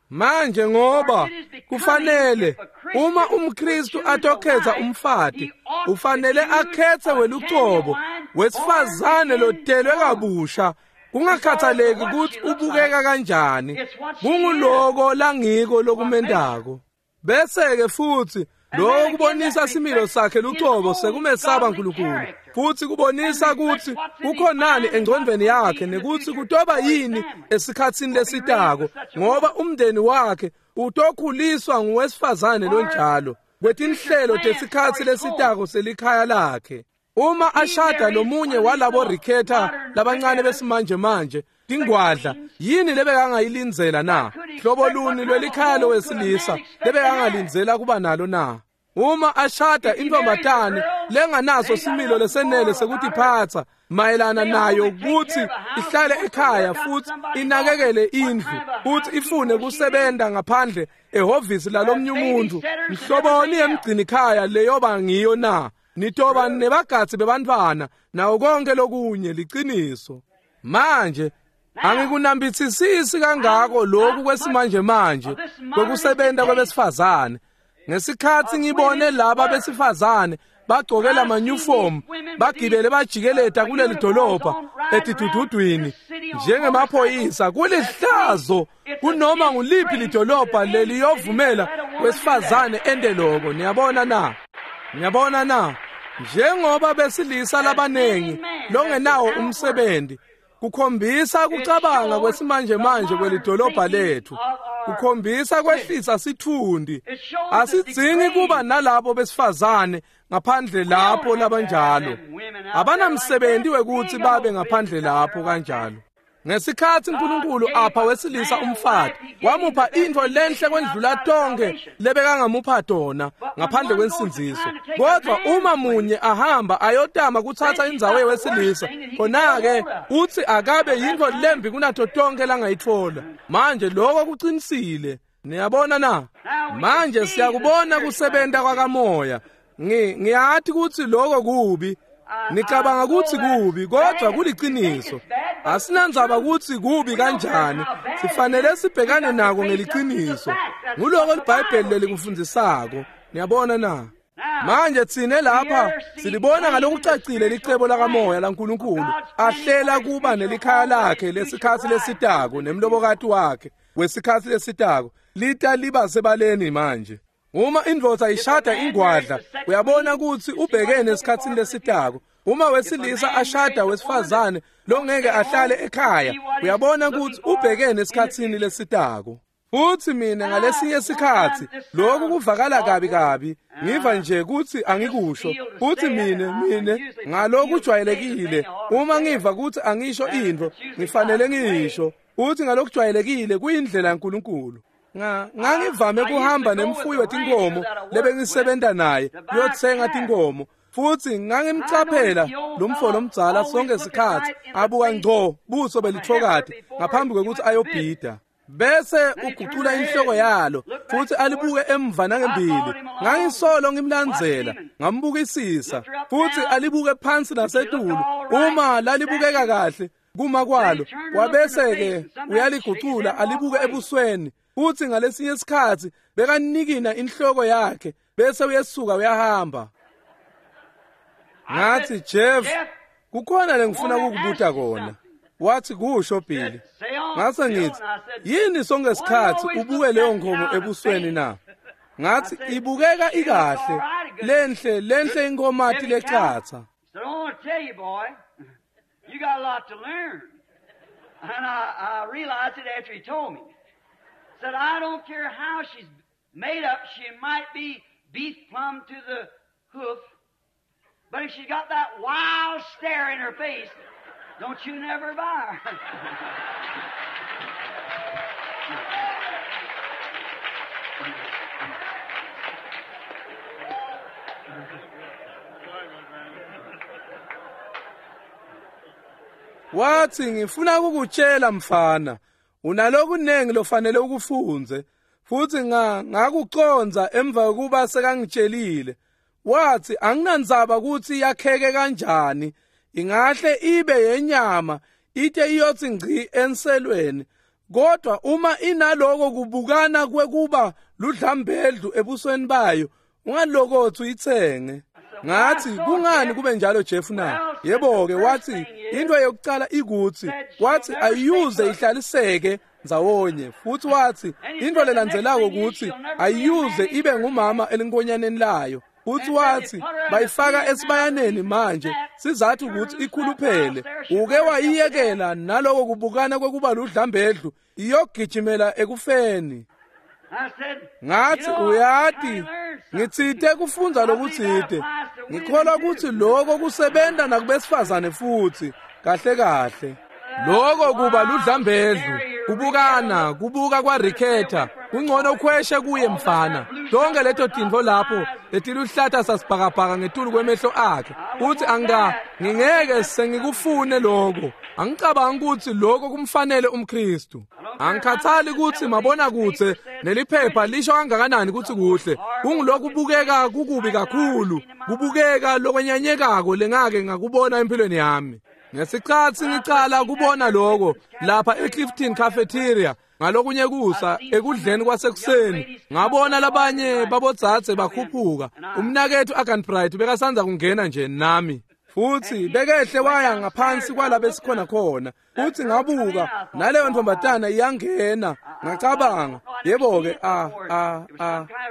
Manje ngoba kufanele uma umKristu atokhetha umfati, ufanele akhethe welucobo wesifazane lotelwe kabusha, kungakhathaleki ukuthi ubukeka kanjani, kunguloko langiko lokumendako. Bese ke futhi lokho kubonisa similo sakhe lucobo sekumesaba uNkulunkulu, futhi kubonisa ukuthi kukhonani engcondweni yakhe nekuthi kutoba yini esikhatsini lesitako, ngoba umndeni wakhe utokhuliswa nguwesifazane lonjalo kwetinhlelo tesikhatsi lesitako selikhaya lakhe. Uma ashada lomunye walabo rikhetha labancane besimanje manje tingwadla, yini lebekangayilindzela na? Hlobo luni lwelikhaya lowesilisa lebekangalindzela kuba nalo na? Uma ashada intfombatane lenganaso similo lesenele sekutiphatsa mayelana nayo ukuthi ihlale ekhaya futhi inakekele indlu futhi ifune kusebenta ngaphandle ehhovisi lalomnye umuntu, mhloboni yemgcinikhaya leyoba ngiyo na? Nitoba nebagadzi bebantfwana nawo konke lokunye. Liciniso. Manje angikunambitsisisi kangako lokhu kwesimanje manje kwekusebenta kwebesifazane. Ngesikhatsi ngibone laba besifazane bagcoke lamanyufomu bagibele bajikeleta kuleli dolobha etidududwini njengemaphoyisa, kulihlazo kunoma nguliphi lidolobha leliyovumela wesifazane ende loko. Niyabona na? Niyabona na? Njengoba besilisa labanengi longenawo umsebenzi, kukhombisa kucabanga kwesimanje manje kwelidolobha lethu, kukhombisa kwehlisa sithundi. Asidzingi kuba nalabo besifazane ngaphandle lapho labanjalo. Abanamsebenzi wekuthi babe ngaphandle lapho kanjalo. Ngesikhatsi uNkulunkulu apha wesilisa umfati, wamupha intfo lenhle kwendlula tonke lebekangamupha tona ngaphandle kwensindziso. Kodwa uma munye ahamba ayotama kutsatsa indzawo yewesilisa, khona-ke uthi akabe yintfo lembi kunato tonke langayitfola. Manje lokho kucinisile. Niyabona na? Manje siyakubona kusebenta kwakamoya. Ngiyati kutsi lokho kubi. Nicabanga kutsi kubi, kodwa kuliciniso. Asinandzaba kutsi kubi kanjani, sifanele sibhekane nako ngeliciniso. Nguloko liBhayibheli lelikufundzisako. Niyabona na? Manje tsine lapha silibona ngalokucacile licebo lakamoya laNkulunkulu ahlela kuba nelikhaya lakhe lesikhatsi lesitako nemlobokati wakhe wesikhatsi lesitako lita liba sebaleni manje. Uma indvodza ishada ingwadla, uyabona kutsi ubhekene esikhatsini lesitako. Uma wesilisa ashada wesifazane longeke ahlale ekhaya, uyabona kutsi ubhekene esikhatsini lesitako. Futhi mina ngalesinye sikhatsi lokhu kuvakala kabi kabi, ngiva nje kutsi angikusho. Futhi mina ngalokujwayelekile uma ngiva kutsi angisho into, ngifanele ngiyisho. Futhi ngalokujwayelekile kuyindlela yaNkulunkulu. Ngangivame kuhamba nemfuyi wetinkomo lebengisebenta naye kuyotsenga tinkomo. Futhi ngangimcaphela lo mfo lomdzala sonke sikhatsi abuka ngco buso belithokati ngaphambi kwekutsi ayobhida. Bese ugucula inhloko yalo futhi alibuke emva nangembili. Ngangisolo ngimlandzela, ngambukisisa futhi alibuke phansi nasetulu. Uma lalibukeka kahle kuma kwalo, wabese ke uyaligucula alibuke ebusweni. Futhi ngalesinye isikhatsi bekanikina inhloko yakhe bese uyesuka uyahamba. Ngathi, Jeff, kukhona lengifuna ukukubuta kona. Wathi, kusho Billy. Ngase ngithi, yini sonke isikhatsi ubuke leyo nkomo ebusweni na? Ngathi, ibukeka ikahle, lenhle lenhle inkomati lecatsa. So I want to tell you, boy, you got a lot to learn. And I realized it after he told me. Said, I don't care how she's made up, she might be beef plumb to the hoof, but if she's got that wild stare in her face, don't you never buy her. Wathi, ngifuna ukukutshela mfana, unalokunengi lofanele ukufunze. Futhi ngakuconza emva kokuba sekangitshelile. Wathi, anginandzaba ukuthi yakheke kanjani, ingahle ibe yenyama ite iyothi ngci enselweni, kodwa uma inaloko kubukana kwekuba ludlambedlu ebusweni bayo, ungalokothi uyitsenge. Ngathi, kungani kube njalo Jeff na? Yebo-ke, wathi into yokucala ikuthi, wathi ayuze ihlaliseke ndzawonye. Futhi wathi into lelandzelako ukuthi ayuze ibe ngumama elinkonyaneni layo. Futhi wathi bayifaka esibayaneni manje sizathu ukuthi ikhuluphele. Uke wayiyekela naloko kubukana kwekuba ludlambedlu, iyogijimela ekufeni. Ngathi, uyati, ngitsite kufundza lokutsite. Ngikholwa ukuthi lokho kusebenta nakubesifazane futhi kahle kahle. Lokho kuba ludlambedlu, kubukana, kubuka kwaRiketha, kungcono ukhweshe kuye mfana. Tonke leto tintfo lapho letiluhlata sasibhakabhaka ngetulu kwemehlo akhe. Uthi ngingeke sengikufune lokho. Angicabangi ukuthi lokho kumfanele umKristu. Angikhathali ukuthi mabona kutse neliphepha lisho kangakanani ukuthi kuhle. Kungilokhu kubukeka kukubi kakhulu, kubukeka lokwenyanyekako lengake ngakubona empilweni yami. Ngesikhatsi ngicala kubona lokho lapha eClifton Cafeteria ngalokunye kusa ekudleni kwasekuseni, ngabona labanye babodzadze bakhuphuka. Umnakethu Agan Bright bekasanza kungena nje nami. Futhi bekehle waya ngaphansi kwalapho esikhona khona. Futhi ngabuka naleyo ntombatana iyangena. Ngacabanga, yebo-ke,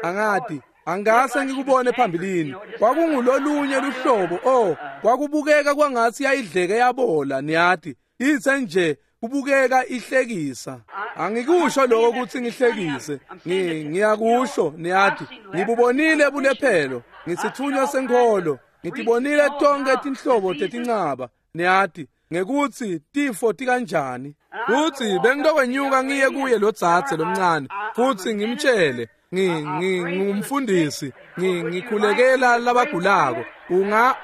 angati angase ngikubone phambilini. Kwakungulolunye luhlobo, kwakubukeka kwangathi yayidleke yabola, niyati. Ithe nje kubukeka ihlekisa. Angikusho lokho ukuthi ngihlekise, ngiyakusho, niyati. Ngibubonile bulephelo, ngisithunywa senkholo, ngitibonile tonke tinhlobo tetincaba, niyati, ngekuthi tifo tikanjani. Futhi bengitokwenyuka ngiye kuye lo dzadze lomncane, futhi ngimtshele, ngingumfundisi, ngikhulekela labagulako.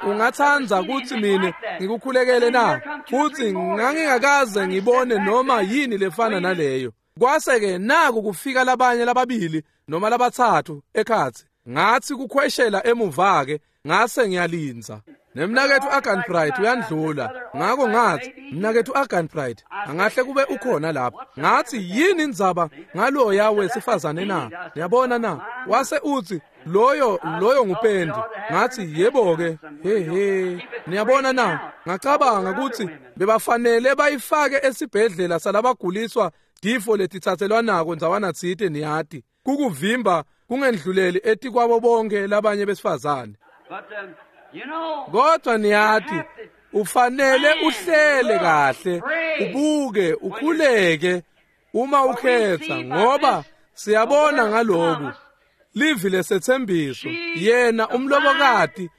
Ungathanda ukuthi mina ngikukhulekele na? Futhi ngangingakaze ngibone noma yini lefana naleyo. Kwase-ke naku kufika labanye lababili noma labathathu ekhatsi. Ngathi kukhweshela emuva-ke, ngase ngiyalindza. Nemnaketfu Arganbright uyandlula. Ngako ngathi, mnaketfu Arganbright, angahle kube ukhona lapha. Ngathi, yini indzaba ngaloya wesifazane na? Niyabona na? Wase uthi, loyo ngupendi. Ngathi, yebo-ke, he he. Niyabona na? Ngacabanga ukuthi bebafanele bayifake esibhedlela salabaguliswa tifo letitsatselwanako ndzawana tsite niyati. Kukuvimba kungendluleli etikwabo bonke labanye besifazane. Kodwa niyati, ufanele uhlele kahle, ubuke, ukhuleke uma ukhetha, ngoba siyabona ngaloku livi lesetsembiso yena umlobokati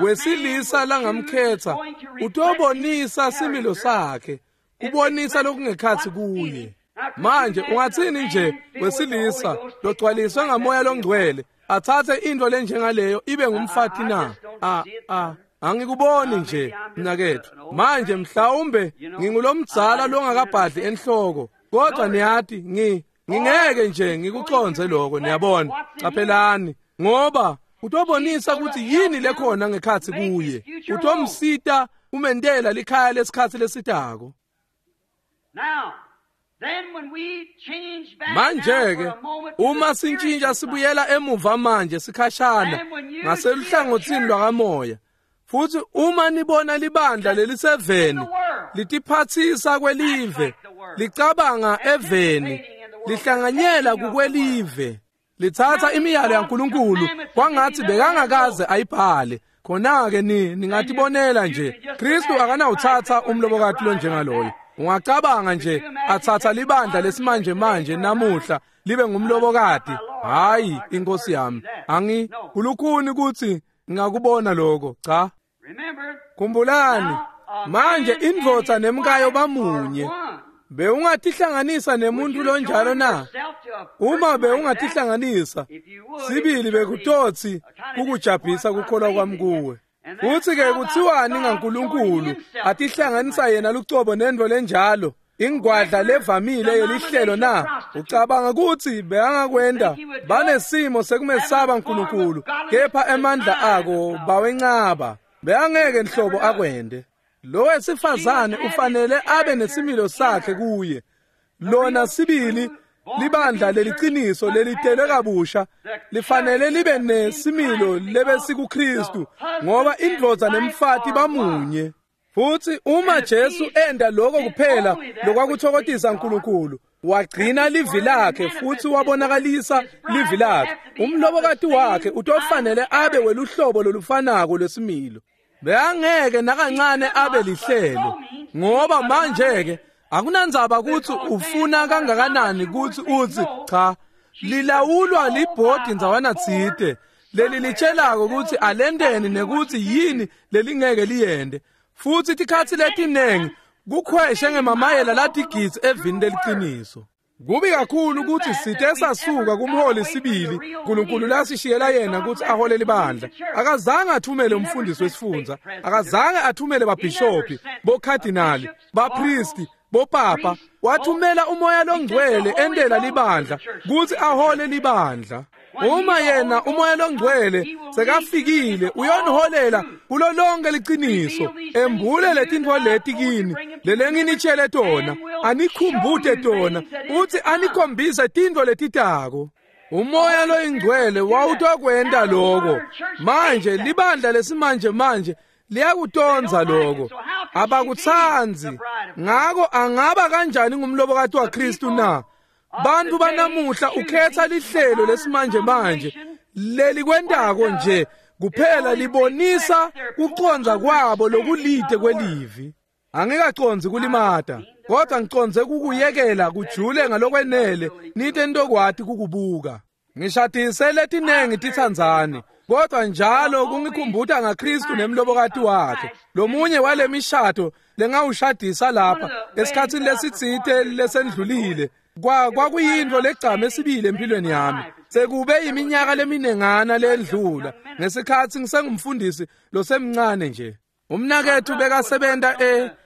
wesilisa langamkhetha utobonisa similo sakhe, kubonisa lokungekhathi kuye. Manje ungathini nje wesilisa logcwaliswe ngamoya longcwele athathe into lenjengaleyo ibe ngumfati na? Angikuboni nje mnaketfu. Manje mhlawumbe ngingulomdzala longakabhadli enhloko, kodwa niyati ngingeke nje ngikuconze lokho, niyabona. Caphelani, ngoba utobonisa ukuthi yini lekhona ngekhathi kuye. Utomsita umentela likhaya lesikhathi lesitako. Manje-ke uma sintshintsha sibuyela emuva manje sikhashana ngaseluhlangothini lwakamoya, futhi uma nibona libandla leliseveni litiphathisa kwelive, licabanga eveni, lihlanganyela kukwelive, lithatha imiyalo yaNkulunkulu kwangathi bekangakaze ayibhale, khona-ke ningatibonela nje Kristu akanawuthatha umlobokati lonjengaloyo. Ungacabanga nje athatha libandla lesimanje manje namuhla libe ngumlobokati? Hayi, inkosi yami, angikulukhuni ukuthi ngingakubona lokho. Cha. Khumbulani manje, indvodza nemkayo bamunye. Bewungatihlanganisa nemuntu lonjalo na? Uma bewungatihlanganisa sibili, bekutotsi kukujabhisa kukholwa kwami kuwe. Futhi-ke kuthiwani ngaNkulunkulu atihlanganisa yena lucobo nento lenjalo, ingwadla levamile yelihlelo na? Ucabanga ukuthi bekangakwenda? Banesimo sekumesaba uNkulunkulu, kepha emandla ako bawencaba. Bekangeke nhlobo akwende. Lo wesifazane ufanele abe nesimilo sakhe kuye. Lona sibili libandla leliciniso lelitelwe kabusha lifanele libe nesimilo lebesikuKristu, ngoba indvodza nemfati bamunye. Futhi uma Jesu enda lokho kuphela lokwakuthokozisa uNkulunkulu, wagcina livi lakhe futhi wabonakalisa livi lakhe, umlobokati wakhe utofanele abe weluhlobo lolufanako lwesimilo. Bekangeke nakancane abe lihlelo, ngoba manje-ke akunandzaba ukuthi ufuna kangakanani ukuthi uthi cha, lilawulwa libhodi ndzawana tsite leli litshelako ukuthi alenteni nekuthi yini lelingeke liyende. Futhi tikhatsi letinengi kukhweshe ngemamayela latigidzi evini leliciniso. Kubi kakhulu ukuthi sithe sasuka kumholi sibili uNkulunkulu lasishiyela yena ukuthi ahole libandla. Akazange athumele umfundisi wesifundza, akazange athumele babhishophi, bokhadinali, bapristi, bopapa. Wathumela umoya longcwele endela libandla ukuthi ahole libandla. Uma yena umoya longcwele sekafikile, uyoniholela kulo lonke liciniso, embule letintfo leti kini lelenginitshele tona, anikhumbute tona, uthi anikhombise tintfo letitako. Umoya loyingcwele wawutokwenta lokho. Manje libandla lesimanje manje liyakutonza lokho, abakutsandzi. Ngako angaba kanjani ngumlobokati waKristu na? Bantu banamuhla ukhetha lihlelo lesimanje manje lelikwentako nje kuphela libonisa kucondza kwabo lokulide kwelivi. Angikacondzi kulimata, kodwa ngicondze kukuyekela kujule ngalokwenele nite ntokwati kukubuka. Ngishadise letinengi titsandzani, kodwa njalo kungikhumbuta ngaKristu nemlobokati wakhe. Lomunye wale mishado lengawushadisa lapha esikhatsini lesitsite lesendlulile, kwakuyintfo legcame sibili empilweni yami. Sekube iminyaka leminengana lendlula ngesikhatsi ngisengumfundisi losemncane nje. Umnaketfu bekasebenta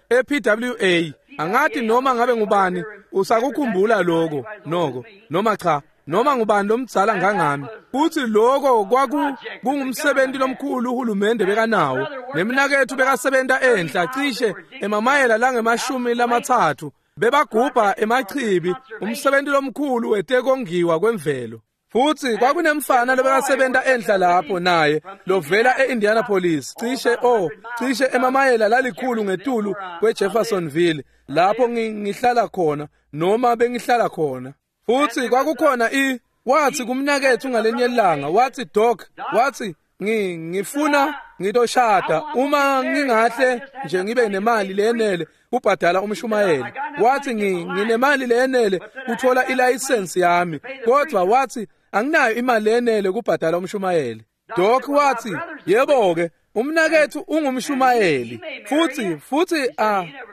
e-PWA. Angati noma ngabe ngubani usakukhumbula lokho noko noma cha. noma ngubani lomdzala ngangami. Futhi lokho kwakungumsebenzi lomkhulu uhulumende bekanawo. Nemnaketfu bekasebenta enhla cishe emamayela langemashumi lamatsatfu. Bebagubha emachibi, umsebenzi lomkhulu wetekongiwa kwemvelo. Futhi kwakunemfana lobekasebenta enhla lapho naye lovela e-Indianapolis, cishe emamayela lalikhulu ngetulu kweJeffersonville, lapho ngihlala khona noma bengihlala khona. Futhi kwakukhona wathi kumnaketfu ngalenye ilanga, wathi, "Doc," wathi, "ngifuna ngitoshada uma ngingahle nje ngibe nemali leyenele kubhadala umshumayeli." Wathi, "Nginemali leyenele kuthola ilayisensi yami, kodwa," wathi, "anginayo imali leyenele kubhadala umshumayeli." Doc wathi, "Yebo-ke, umnaketfu ungumshumayeli futhi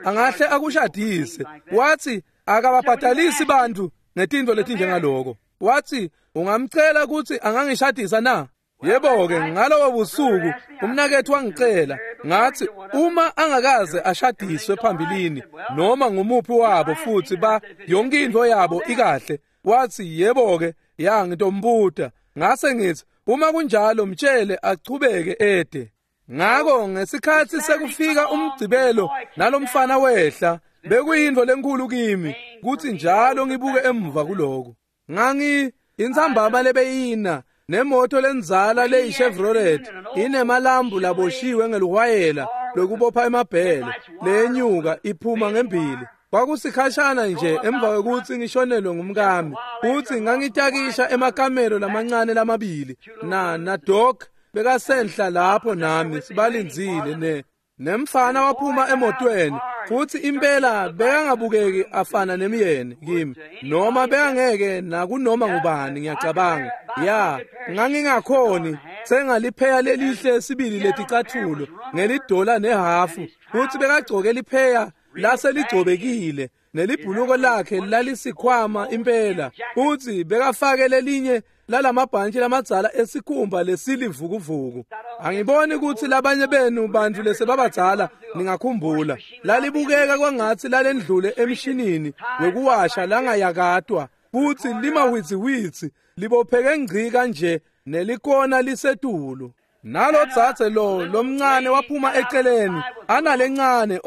angahle akushadise." Wathi, "Akababhadalisi bantu ngetintfo letinjengaloko." Wathi, "Ungamcela ukuthi angangishadisa na?" Yebo-ke, ngalobo busuku umnaketfu wangicela, ngathi uma angakaze ashadiswe phambilini noma ngumuphi wabo futhi yonke into yabo ikahle. Wathi, "Yebo-ke, ya ngitombuta." Ngase ngithi, "Uma kunjalo mtshele achubeke ede." Ngako ngesikhathi sekufika umgcibelo nalomfana wehla, bekuyintfo lenkulu kimi kuthi njalo ngibuke emuva kuloko. Ngangi intsambama lebeyina nemoto lendzala leyi-Chevrolet inemalambu laboshiwe ngeluhwayela lokubopha emabhele lenyuka iphuma ngembili. Kwakusikhashana nje emva kwekutsi ngishonelwe ngumkami, futsi ngangitakisha emakamelo lamancane lamabili na Doc bekasenhla lapho nami sibalindzile nemfana waphuma emotweni, futhi impela bekangabukeki afana nemyeni kimi noma bekangeke nakunoma ngubani, ngiyacabanga. Ya, ngangingakhoni sengalipheka lelihle sibili leticathulo ngelidola nehafu, futhi bekagcoke lipheya laseligcobekile nelibhuluko lakhe lalisikhwama impela, futhi bekafake lelinye lalamabhantshi lamadzala esikhumba lesilivukuvuku. Angiboni ukuthi labanye benu bantu lesebabadzala ningakhumbula, lalibukeka kwangatsi lalendlule emshinini wekuwasha langayakatwa, futhi limawitsiwitsi libopheke ngci kanje nelikona lisetulu. Nalo dzadze lo lomncane waphuma eceleni analencane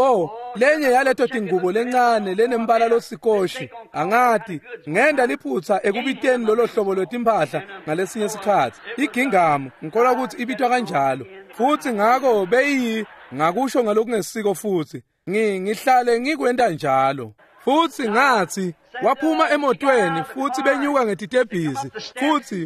lenye yaleto tingubo lencane lenembala losikoshi. Angati ngenda liphutsa ekubiteni lolo hlobo lwetimphahla ngalesinye sikhatsi, igingamu ngikholwa ukuthi ibitwa kanjalo. Futhi ngako beyi ngakusho ngalokungesiko, futhi ngihlale ngikwenta njalo. Futhi ngathi waphuma emotweni futhi benyuka ngetitebhisi,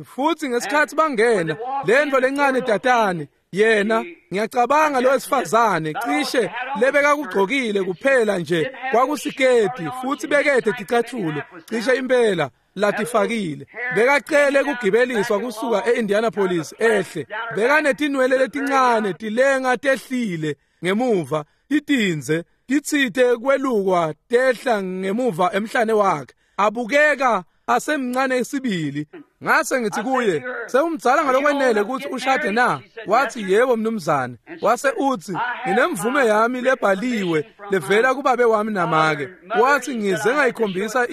futhi ngesikhathi bangena lento lencane tatane, yena ngiyacabanga lo wesifazane cishe lebekakugcokile kuphela nje kwakusiketi, futhi bekede ticathulo cishe impela latifakile. Bekacele kugibeliswa kusuka e-Indianapolis ehle, bekanetinwele letincane tilenga tehlile ngemuva, titindze titsite kwelukwa tehla ngemuva emhlane wakhe, abukeka asemncane isibili. Ngase ngithi kuye, "Sewumdzala ngalokwenele ukuthi ushade na?" Wathi, "Yebo mnumzane." Wase uthi, "Nginemvume yami lebhaliwe levela kubabe wami namake." Wathi, "Ngize ngayikhombisa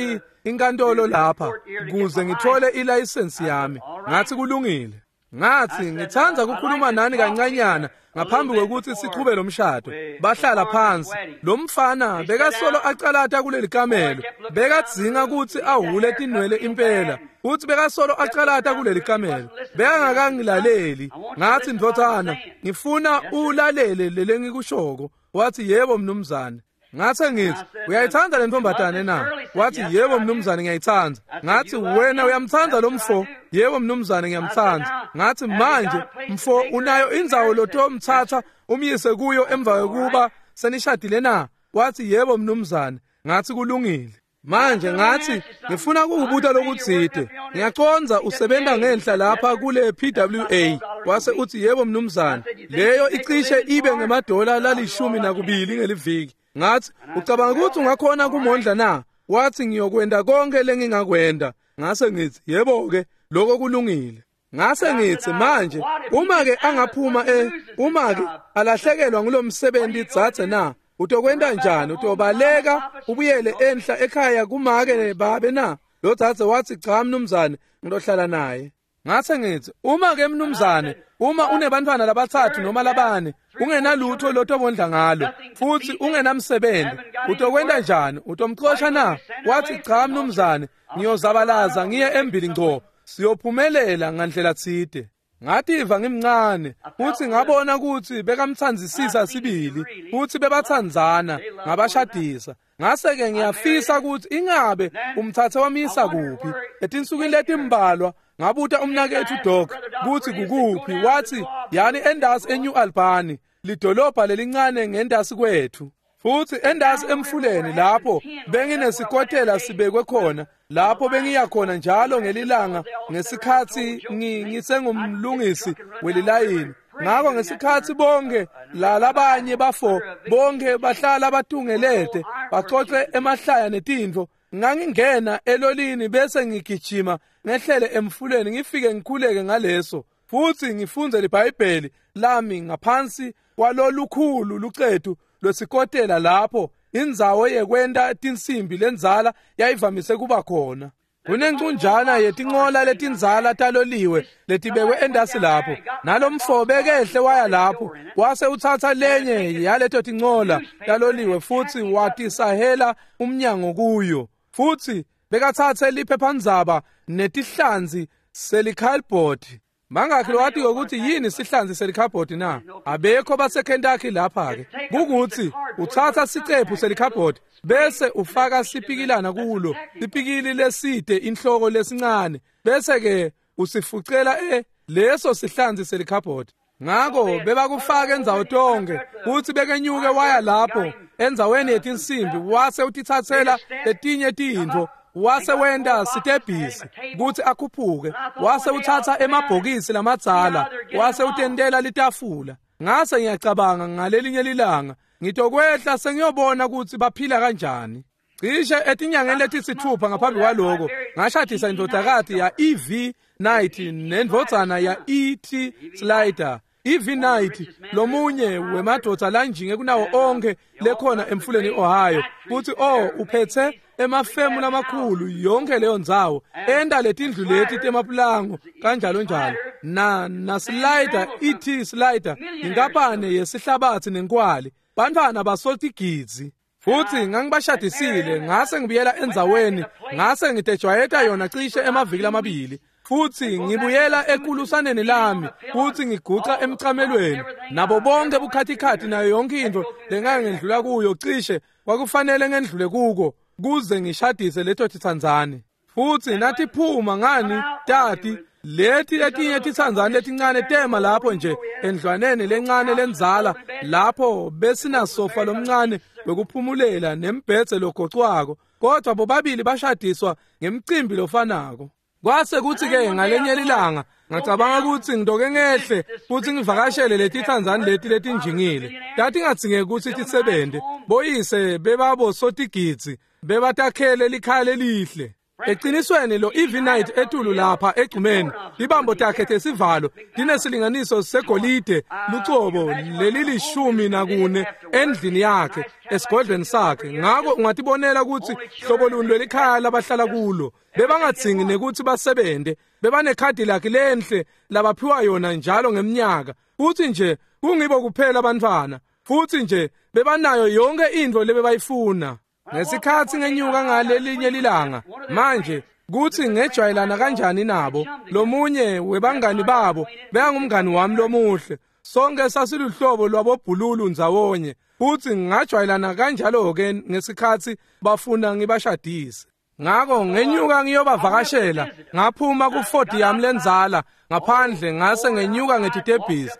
inkantolo lapha kuze ngithole ilayisensi yami." Ngathi, "Kulungile." Ngathi, "Ngithanda ukukhuluma nani kancanyana ngaphambi kwekuthi sichube lo mshado." Bahlala phansi. Lo mfana bekasolo acalata kuleli kamelo, bekadzinga ukuthi ahule tinwele impela, futhi bekasolo acalata kuleli kamelo, bekangakangilaleli. Ngathi, "Ndvodzana, ngifuna ulalele lelengikushoko." Wathi, "Yebo mnumzane." Ngase ngithi, "Uyayithanda le ntombazane na?" Wathi, "Yebo mnumzane, ngiyayithanda." Ngathi, "Wena uyamthanda lo mfo?" "Yebo mnumzane, ngiyamthanda." Ngathi, "Manje mfo unayo indzawo lotomthatha umyise kuyo emva kokuba senishadile na?" Wathi, "Yebo mnumzane." Ngathi, "Kulungile." Manje ngathi, "Ngifuna ukukubuta lokutsite. Ngiyacondza usebenta ngenhla lapha kule PWA." Wase uthi, "Yebo mnumzane." Leyo icishe ibe ngemadola la12 ngeliviki. Ngathi, "Ucabanga ukuthi ungakhona kumondla na?" Wathi, "Ngiyokwenda konke lengingakwenda." Ngase ngithi, "Yebo-ke, lokho kulungile." Ngase ngithi, "Manje uma-ke angaphuma uma-ke alahlekelwa ngulomsebenzi dzadze na, utokwenta njani? Utobaleka ubuyele enhla ekhaya kumake babe na?" Lo dzadze watsi, cha mnumzane, ngilohlala naye. Ngase ngithi, uma ke mnumzane, uma unebantfwana labatsatfu noma labane, ungenalutho lotobondla ngalo, futsi ungenamsebenzi, utokwenta njani? Utomxosha na? Wathi, cha mnumzane, ngiyozabalaza ngiye embili ngco, siyophumelela ngandlela tsite. Ngativa ngimncane, futhi ngabona ukuthi bekamtsandzisisa sibili, futhi bebatsandzana, ngabashadisa. Ngase-ke ngiyafisa ukuthi ingabe umtsatse wamyisa kuphi. Etinsukwini letimbalwa ngabuta umnaketfu Doc kutsi kukuphi, wathi yani endasi eNew Albany, lidolobha lelincane ngendasi kwethu. Futhi endasi emfuleni lapho benginesikotela sibekwe khona, lapho bengiya khona njalo ngelilanga ngesikhatsi ngisengumlungisi welilayini. Ngako ngesikhatsi bonke lalabanye bafo bonke bahlala batungelete bacoce emahlaya netintfo, ngangingena elolini bese ngigijima ngehlele emfuleni ngifike ngikhuleke ngaleso futhi ngifundze liBhayibheli lami ngaphansi kwalolukhulu lucetu lwesikotela lapho indzawo yekwenta tinsimbi lendzala yayivamise kuba khona. Kunencunjana yetincola letindzala taloliwe letibekwe endasi lapho, nalomfo bekehle waya lapho wase utsatsa lenye yaleto tincola taloliwe futsi watisahela umnyango kuyo, futhi bekatsatse liphephandzaba netihlanzi selikhalibhodi. Mangakhi lowatiko ukuthi yini sihlanzi selikhabhodi na? Abekho baseKentucky lapha-ke. Kukuthi utsatsa sicephu selikhabhodi bese ufaka sipikilana kulo, sipikili leside inhloko lesincane, bese-ke usifucela leso sihlanzi selikhabhodi. Ngako bebakufaka endzawo tonke, futsi bekenyuke waya lapho endzaweni yetinsimbi wase utitsatsela letinye tintfo, wase wenta sitebhisi kutsi akhuphuke, wase utsatsa emabhokisi lamadzala wase utentela litafula. Ngase ngiyacabanga ngalelinye lilanga ngitokwehla sengiyobona kutsi baphila kanjani. Cishe etinyangeni letisithupha ngaphambi kwaloko ngashadisa indvodzakati ya E.V. Knight nendvodzana ya E.T. Slider. E.V. Knight lomunye wemadvodza lanjinge kunawo onke lekhona emfuleni Ohio, futhi uphethe emafemu lamakhulu yonke leyo ndzawo, enta letindlu leti temapulango kanjalo njalo. Na Slider, E.T. Slider, inkampani yesihlabatsi nenkwali, bantfwana basotigidzi. Futhi ngangibashadisile, ngase ngibuyela endzaweni, ngase ngitejwayeta yona cishe emaviki lamabili. Futhi ngibuyela ekulusaneni lami, futhi ngiguca emcamelweni nabo bonke bukhatikhathi nayo yonke into lengake ngendlula kuyo, cishe kwakufanele ngendlule kuko kuze ngishadise leto titsandzane. Futhi natiphuma ngani tati leti letinye titsandzane letincane tema lapho nje endlwaneni lencane lendzala lapho besinasofa lomncane wekuphumulela nembhedze logocwako, kodwa bobabili bashadiswa ngemcimbi lofanako. Kwase kuthi-ke ngalenye lilanga ngacabanga ukuthi ngitoke ngehle futhi ngivakashele letitsandzane leti letinjingile. Tatingadzingeki kutsi tisebente, boyise bebabosotigidzi, bebatakhele likhaya lelihle. Eqinisweni lo E.V. Knight etulu lapha egcumeni, ibambo takhe tesivalo tinesilinganiso segolide lucobo lelili-14 endlini yakhe esigodlweni sakhe. Ngako ungatibonela ukuthi hlobo luni lwelikhaya labahlala kulo. Bebangadzingi nekuthi basebente, bebanekhadi lakhe lenhle labaphiwa yona njalo ngemnyaka, futhi nje kungibo kuphela abantwana, futhi nje bebanayo yonke intfo lebebayifuna. Ngesikhatsi ngenyuka ngalelinye lilanga manje kutsi ngejwayelana kanjani nabo, lomunye webangani babo bekangumngani wami lomuhle, sonke sasiluhlobo lwabobhululu ndzawonye, futhi ngajwayelana kanjalo-ke ngesikhatsi bafuna ngibashadise. Ngako ngenyuka ngiyobavakashela, ngaphuma kuFord yami lendzala ngaphandle, ngase ngenyuka ngetitebhisi,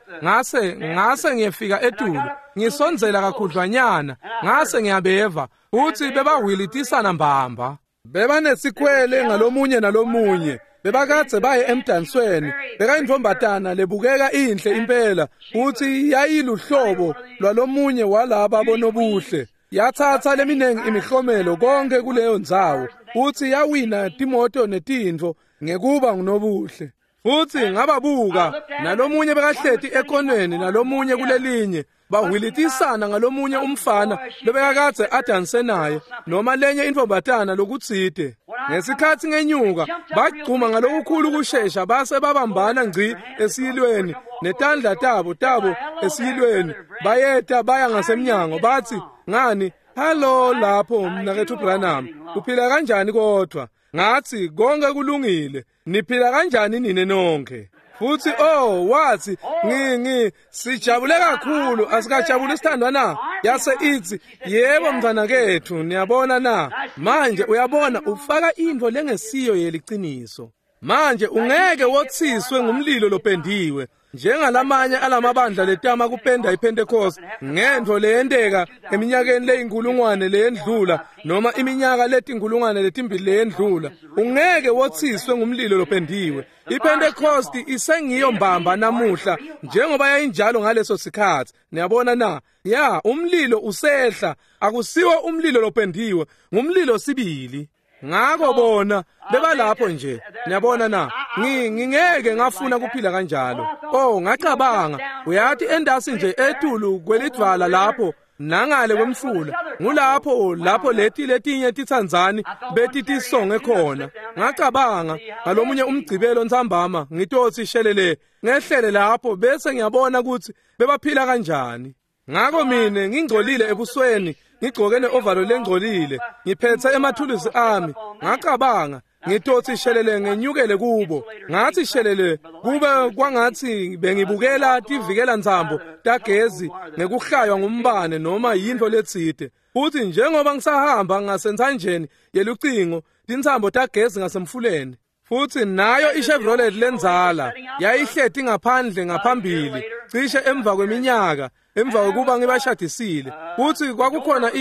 ngase ngiyefika etulu, ngisondzela kakhudlwanyana, ngase ngiyabeva futhi bebahwilitisana mbamba, bebanesikhwele ngalomunye nalomunye, bebakadze baye emdansweni. Bekayintfombatana lebukeka inhle impela, futhi yayiluhlobo lwalomunye walaba bonobuhle. Yatsatsa leminingi imihlomelo konke kuleyo ndzawo, futhi yawina timoto netintfo ngekuba ngunobuhle. Futhi ngababuka, nalomunye bekahleti ekoneni nalomunye kulelinye, bahwilitisana ngalomunye umfana lobekakadze adanse naye noma lenye intfombatana lokutsite. Ngesikhatsi ngenyuka bagcuma ngalokukhulu kushesha base babambana ngci esiyilweni netandla tabo esiyilweni bayeta baya ngasemnyango bathi ngani hallo lapho mnaketfu Branham uphila kanjani kodwa? Ngathi konke kulungile, niphila kanjani nine nonke? Futhi oh wathi ngi sijabule kakhulu, asikajabuli sithandwa na? Yase ithi yebo mntwana kethu, niyabona na? Manje uyabona ufaka into lengesiyo yeliciniso. Manje ungeke wothiswe ngumlilo lopendiwe njengalamanye alamabandla letama kupenda iPentecost ngento leyenteka eminyakeni leyinkulungwane leyendlula noma iminyaka letinkulungwane letimbili leyendlula. Ungeke wothiswe ngumlilo lopendiwe. iPentecost isengiyo mbamba namuhla njengoba yayinjalo ngaleso sikhathi. Niyabona na? Ya, umlilo usehla, akusiwo umlilo lopendiwe, ngumlilo sibili. Ngako bona bebalapho nje, niyabona na? Ngingeke ngafuna kuphila kanjalo. Oh, ngacabanga, uyathi endasi nje etulu kwelidvwala lapho nangale kwemfula, ngulapho lapho leti letinye titsandzani betitisonge khona. Ngacabanga ngalomunye umgcibelo ntsambama ngitotsi shelele ngehlele lapho bese ngiyabona ukuthi bebaphila kanjani. Ngako mine ngingcolile ebusweni, ngigcoke neovalo lengcolile, ngiphethe emathulusi ami. Ngacabanga ngitotsi shelele ngenyukele kubo. Ngathi shelele kube kwangathi bengibukela tivikela ntsambo tagezi ngekuhlaywa ngumbane noma yinto letsite. Futhi njengoba ngisahamba ngasentsanjeni yelucingo, tintsambo tagezi ngasemfuleni. Futhi nayo iChevrolet lenzala yayihleti ngaphandle ngaphambili cishe emva kweminyaka emva kokuba ngibashadisile. Futhi kwakukhona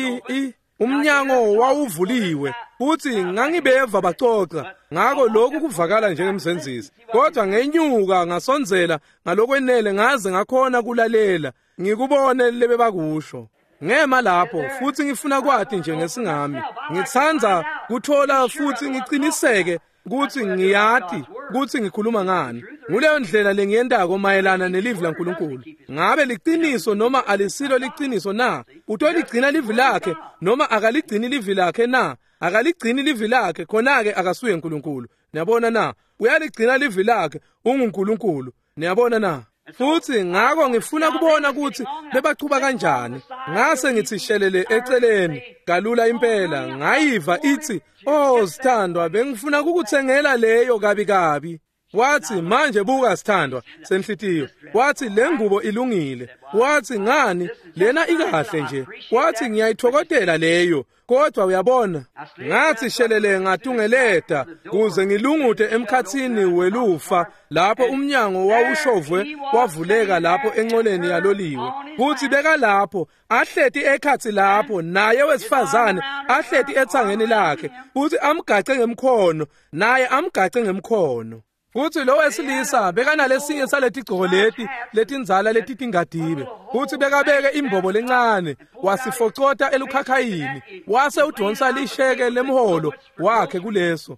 umnyango wawuvuliwe futhi ngangibeva baxoxa. Ngako lokhu kuvakala njengemzenzisi, kodwa ngenyuka ngasondzela ngalokwenele ngaze ngakhona kulalela ngikubone lebebakusho. Ngema lapho futhi ngifuna kwati nje ngesingami, ngitsandza kuthola futhi ngiciniseke kuthi ngiyati kuthi ngikhuluma ngani. Nguleyo ndlela lengiyentako mayelana nelivi laNkulunkulu. Ngabe liciniso noma alisilo liciniso na? Utoligcina livi lakhe noma akaligcini livi lakhe na? Akaligcini livi lakhe, khona-ke akasuye uNkulunkulu. Niyabona na? Uyaligcina livi lakhe, unguNkulunkulu. Niyabona na? Futhi ngako ngifuna kubona ukuthi bebachuba kanjani. Ngase ngithi shelele eceleni kalula impela, ngayiva ithi oh sithandwa, bengifuna ukukuthengela leyo kabi kabi. Wathi manje buka sithandwa senhlitiyo, wathi le ngubo ilungile. Wathi ngani lena ikahle nje. Wathi ngiyayithokotela leyo, kodwa uyabona. Ngathi shelele ngatungeleta kuze ngilungute emkhathini welufa lapho umnyango wawushovwe wavuleka lapho encoleni yaloliwe. Kuthi bekalapho ahleti ekhathi lapho naye wesifazane ahleti ethangeni lakhe, futhi amgace ngemkhono naye amgace ngemkhono. Futhi lo wesilisa bekanalesinye saletigcoko leti letindzala letitingadibe, futhi bekabeke imbobo lencane wasifocota elukhakhayini, wase udonsa lisheke lemholo wakhe kuleso.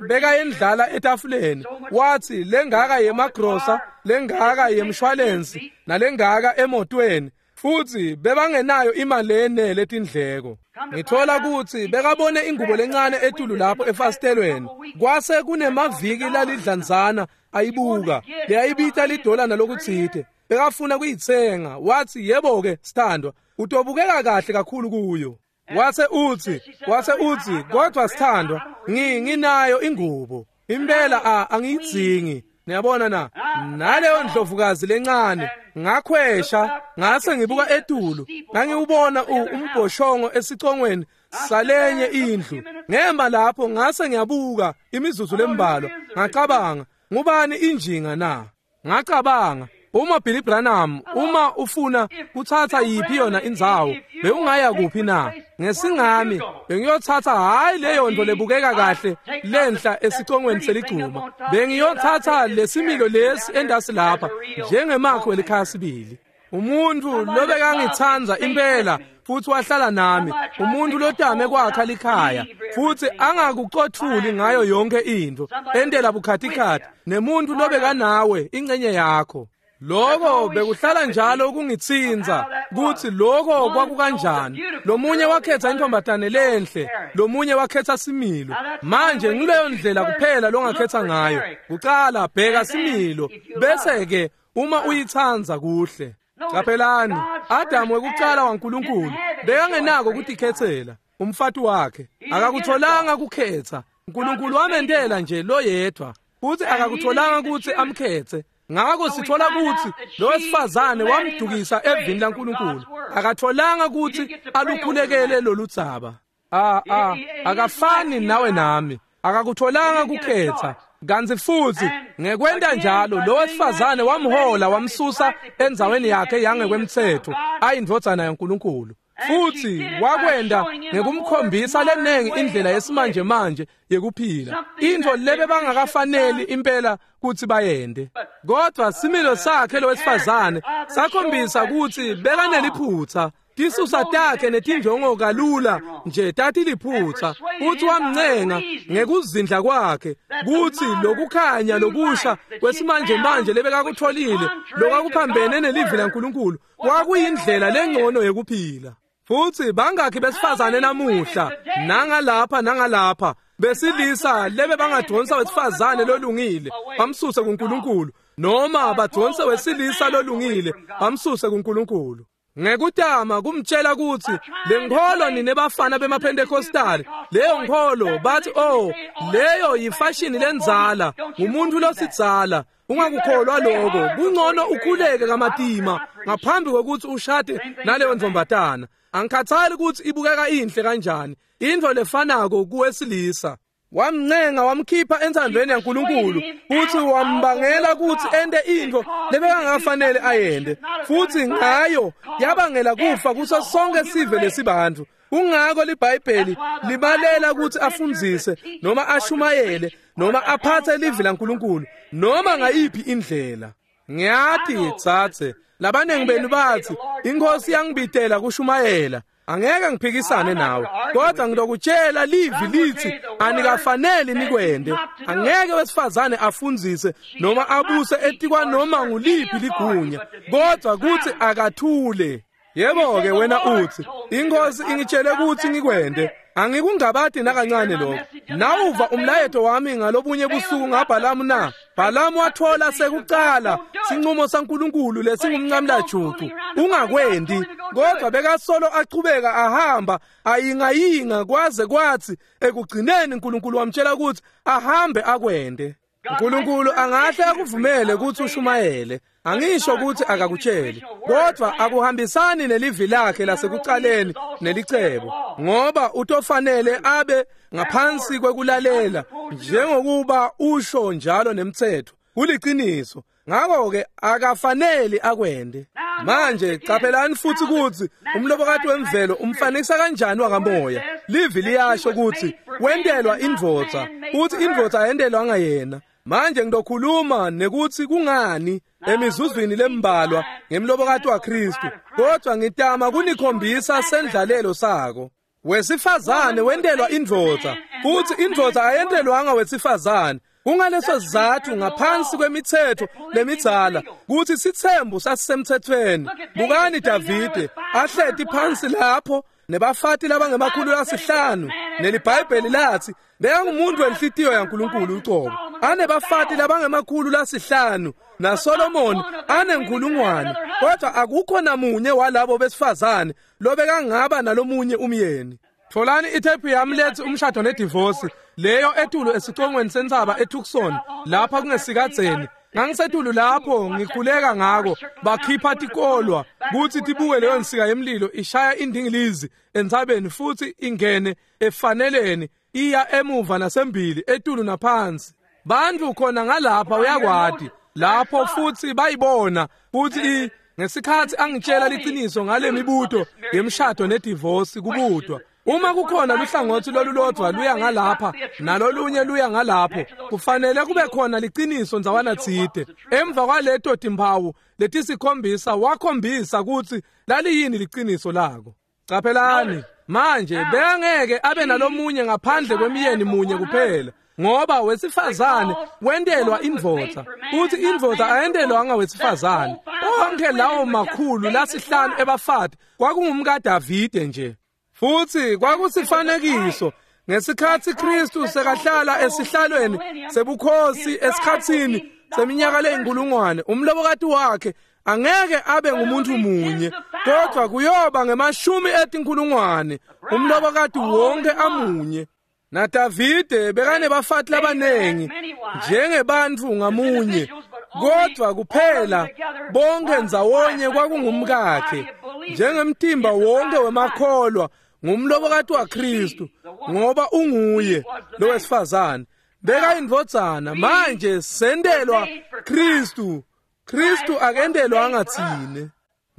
Bekayendlala etafuleni. Wathi lengaka yemagrosa, lengaka yemshwalensi, nalengaka emotweni. Futhi bebangenayo imali lenele etindleko. Ngithola ukuthi bekabone ingubo lencane etulu lapho efasitelweni. Kwase kunemaviki lalidlanzana ayibuka, leyayibita lidola nalokutsite. Bekafuna kuyitsenga. Wathi yebo ke sithandwa, utobukeka kahle kakhulu kuyo. Wase uthi kodwa sithandwa, nginayo ingubo. Impela angiyidzingi. Niyabona na? Naleyo ndlovukazi lencane ngakhwesha ngase ngibuka etulu, ngangiwubona umbhoshongo esicongweni salenye indlu. Ngema lapho ngase ngiyabuka imizuzu lembalwa, ngacabanga ngubani injinga na? Ngacabanga uma Billy Branham uma ufuna kuthatha yiphi yona indzawo bewungaya kuphi na? Ngesingami bengiyothatha hayi leyo nto lebukeka kahle lenhla esicongweni seligcuma, bengiyothatha lesimilo lesi endasi lapha njengemakho welikhaya sibili. Umuntu lobekangitsandza impela futhi wahlala nami, umuntu lotame kwakha likhaya futhi angakucothuli ngayo yonke into, entela bukhatikhathi nemuntu lobekanawe ingcenye yakho. Lokho bekuhlala njalo kungitsinza kutsi lokho kwakukanjani. Lomunye wakhetha intombatane lenhle, lomunye wakhetha similo. Manje ngileyo ndlela kuphela longakhetha ngayo. Kucala bheka similo, bese ke uma uyitsanza kuhle. Caphelani, Adamu wekucala waNkulunkulu bekangenako kutikhetsela umfati wakhe. Akakutholanga kukhetha. uNkulunkulu wamentela nje loyedwa, futhi akakutholanga kutsi amkhetse. Ngakho sithola kutsi lo wesifazane wamdukisa evini laNkulunkulu. Akatholanga kutsi alukhulekele loludzaba. Akafani nawe nami. Akakutholanga kukhetha. Kantsi futhi ngekwenta njalo lo wesifazane wamhola wamsusa endzaweni yakhe yangekwemtsetfo ayindvodzana yaNkulunkulu. Futhi wakwenda ngekumkhombisa lenengi indlela yesimanje manje yekuphila, intfo lebe bangakafaneli impela kutsi bayende. Kodwa similo sakhe lo wesifazane sakhombisa kutsi bekaneliphutsa. Tisusa takhe netinjongo kalula nje tatiliphutsa. Futhi wamncenga ngekuzindla kwakhe kutsi lokukhanya lokusha kwesimanje manje lebekakutholile lokakuphambene nelivi laNkulunkulu kwakuyindlela lengcono yekuphila. Futhi bangakhi besifazane namuhla nangalapha nangalapha besilisa lebe bangadonsa wesifazane lolungile bamsuse kuNkulunkulu, noma badonse wesilisa lolungile bamsuse kuNkulunkulu. Ngekutama kumtshela kutsi lenkholo ninebafana bemaPentecostal, leyo nkholo bathi oh leyo yifashini lenzala, umuntu losidzala, ungakukholwa lokho, kungcono ukhuleke kamatima ngaphambi kokuthi ushade naleyo ntombatana. Angikhathali ukuthi ibukeka inhle kanjani, intfo lefanako kuwesilisa. Wamncenga wamkhipha entsandvweni yaNkulunkulu futhi wambangela kutsi ente intfo lebekangafanele ayende, futhi ngayo yabangela kufa kuso sonke sive lesibantfu. Kungako liBhayibheli libalela kutsi afundzise noma ashumayele noma aphathe livi laNkulunkulu noma ngayiphi indlela. Ngiyati tsatse labanengi benu bathi inkosi yangibitela kushumayela. Angeke ngiphikisane nawe, kodwa ngilokutshela livi lithi anikafaneli nikwende. Angeke wesifazane afundzise noma abuse etikwa noma nguliphi ligunya, kodwa kuthi akathule. Yebo-ke wena uthi inkosi ingitshele kutsi ngikwende. Angikungabati nakancane lokho. Nawuva umlayeto wami ngalobunye busuku ngaBhalamu na? Bhalamu wathola sekucala sinqumo saNkulunkulu lesingumncamlajucu, ungakwendi. Kodwa bekasolo achubeka ahamba ayingayinga kwaze kwathi ekugcineni uNkulunkulu wamtshela ukuthi ahambe akwende. uNkulunkulu angahle akuvumele ukuthi ushumayele. Angisho ukuthi akakutsheli, kodwa akuhambisani nelivi lakhe lasekucaleni nelicebo, ngoba utofanele abe ngaphansi kwekulalela njengokuba usho njalo nemtsetfo. Kuliciniso. Ngakho-ke akafaneli akwende. Manje caphelani futhi kutsi umlobokati wemvelo umfanekisa kanjani wakamoya. Livi liyasho kutsi wentelwa indvodza, futhi indvodza ayentelwanga yena. Manje ngizokhuluma nekutsi kungani emizuzwini lembalwa ngemlobokati waKristu, kodwa ngitama kunikhombisa sendlalelo sako. Wesifazane wentelwa indvodza, futhi indvodza ayentelwanga wesifazane. Kungaleso sizatfu ngaphansi kwemitsetfo lemidzala kutsi sitsembu sasisemtsetfweni. Bukani Davide ahleti phansi lapho nebafati labangemakhulu lasihlanu, neliBhayibheli lathi bekangumuntu wenhlitiyo yaNkulunkulu ucobo, anebafati labangemakhulu lasihlanu, naSolomoni anenkhulungwane, kodwa akukho namunye walabo besifazane lobekangaba nalomunye umyeni. Tholani ithephu yami lethi umshado nedivosi, leyo etulu esicongweni sentsaba eTucson lapha kungesikadzeni. Ngangisetulu lapho ngikhuleka ngako, bakhipha tikolwa kutsi tibuke leyo nsika yemlilo ishaya indingilizi entsabeni futhi ingene efaneleni iya emuva nasembili etulu naphansi. Bantfu khona ngalapha uyakwati lapho futhi bayibona futhi ngesikhatsi angitshela liciniso ngale mibuto yemshado nedivosi kubutwa. Uma kukhona luhlangotsi lolulodvwa luya ngalapha nalolunye luya ngalapho, kufanele kube khona liciniso ndzawana tsite. Emva kwaleto timphawu letisikhombisa wakhombisa kutsi laliyini liciniso lako. Caphelani manje bekangeke abe nalomunye ngaphandle kwemiyeni munye kuphela. Ngoba wesifazane wentelwa indvodza, futhi indvodza ayentelwanga wesifazane. Onke lawo 500 ebafati kwakungumkaDavide nje. Futhi kwakusifanekiso ngesikhathi Kristu sekahlala esihlalweni sebukhosi esikhatsini seminyaka leyinkulungwane, umlobokati wakhe angeke abe ngumuntu munye, kodwa kuyoba ngemashumi etinkulungwane, umlobokati wonke amunye. NaDavide bekanebafati labanengi njengebantfu ngamunye, kodwa kuphela bonke ndzawonye kwakungumkakhe, njengemtimba wonke wemakholwa ngumlobokati waKristu, ngoba unguye lowesifazane. Bekayindvodzana, manje sentelwa Kristu. Kristu akentelwanga tsine.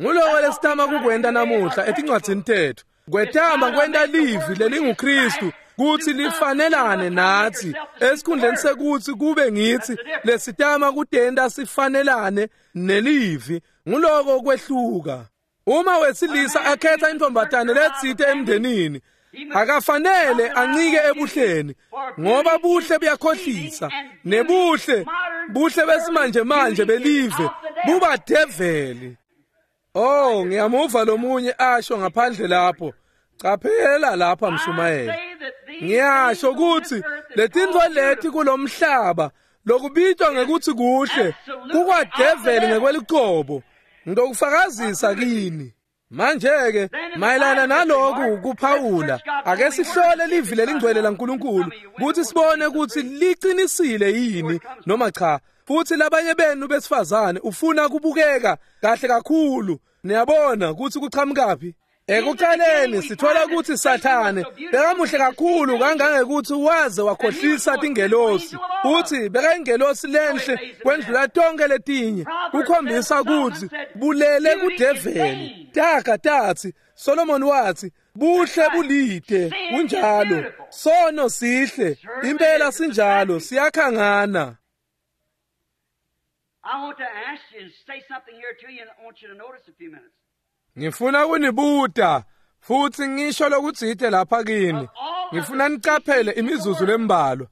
Nguloko lesitama kukwenta namuhla etincwadzini tetfu, kwetama kwenta livi lelinguKristu kutsi lifanelane natsi, esikhundleni sekutsi kube ngitsi lesitama kutenta sifanelane nelivi. Nguloko kwehluka. Uma wesilisa akhetha intombatane letsite emndenini, akafanele ancike ebuhleni, ngoba buhle buyakhohlisa, nebuhle buhle besimanje manje belive buba develi. Oh, ngiyamuva lomunye asho ngaphandle lapho, caphela lapha mshumayeli. Ngiyasho ukuthi letintfo leti kulomhlaba lokubitwa ngekuthi kuhle kukwadeveli ngekwelicebo. Ngitokufakazisa kini. Manje-ke mayelana naloku kuphawula, ake sihlole livi lelingcwele laNkulunkulu ukuthi sibone ukuthi liqinisile yini noma cha. Futhi labanye benu besifazane ufuna kubukeka kahle kakhulu, niyabona ukuthi kuqhamukaphi. Ekuqaleni sithola ukuthi Sathane bekamuhle kakhulu kangangekuthi waze wakhohlisa tingelosi. Uthi bekayingelosi lenhle kwendlula tonke letinye, kukhombisa ukuthi bulele kudeveli. Taga tatsi, Solomon wathi, buhle bulide, kunjalo. Sono sihle, impela sinjalo, siyakhangana. I want to ask you and say something here to you, and I want you to notice a few minutes. Ngifuna kunibuta futhi ngisho lokutsite lapha kini. Ngifuna nicaphele imizuzu lembalwa.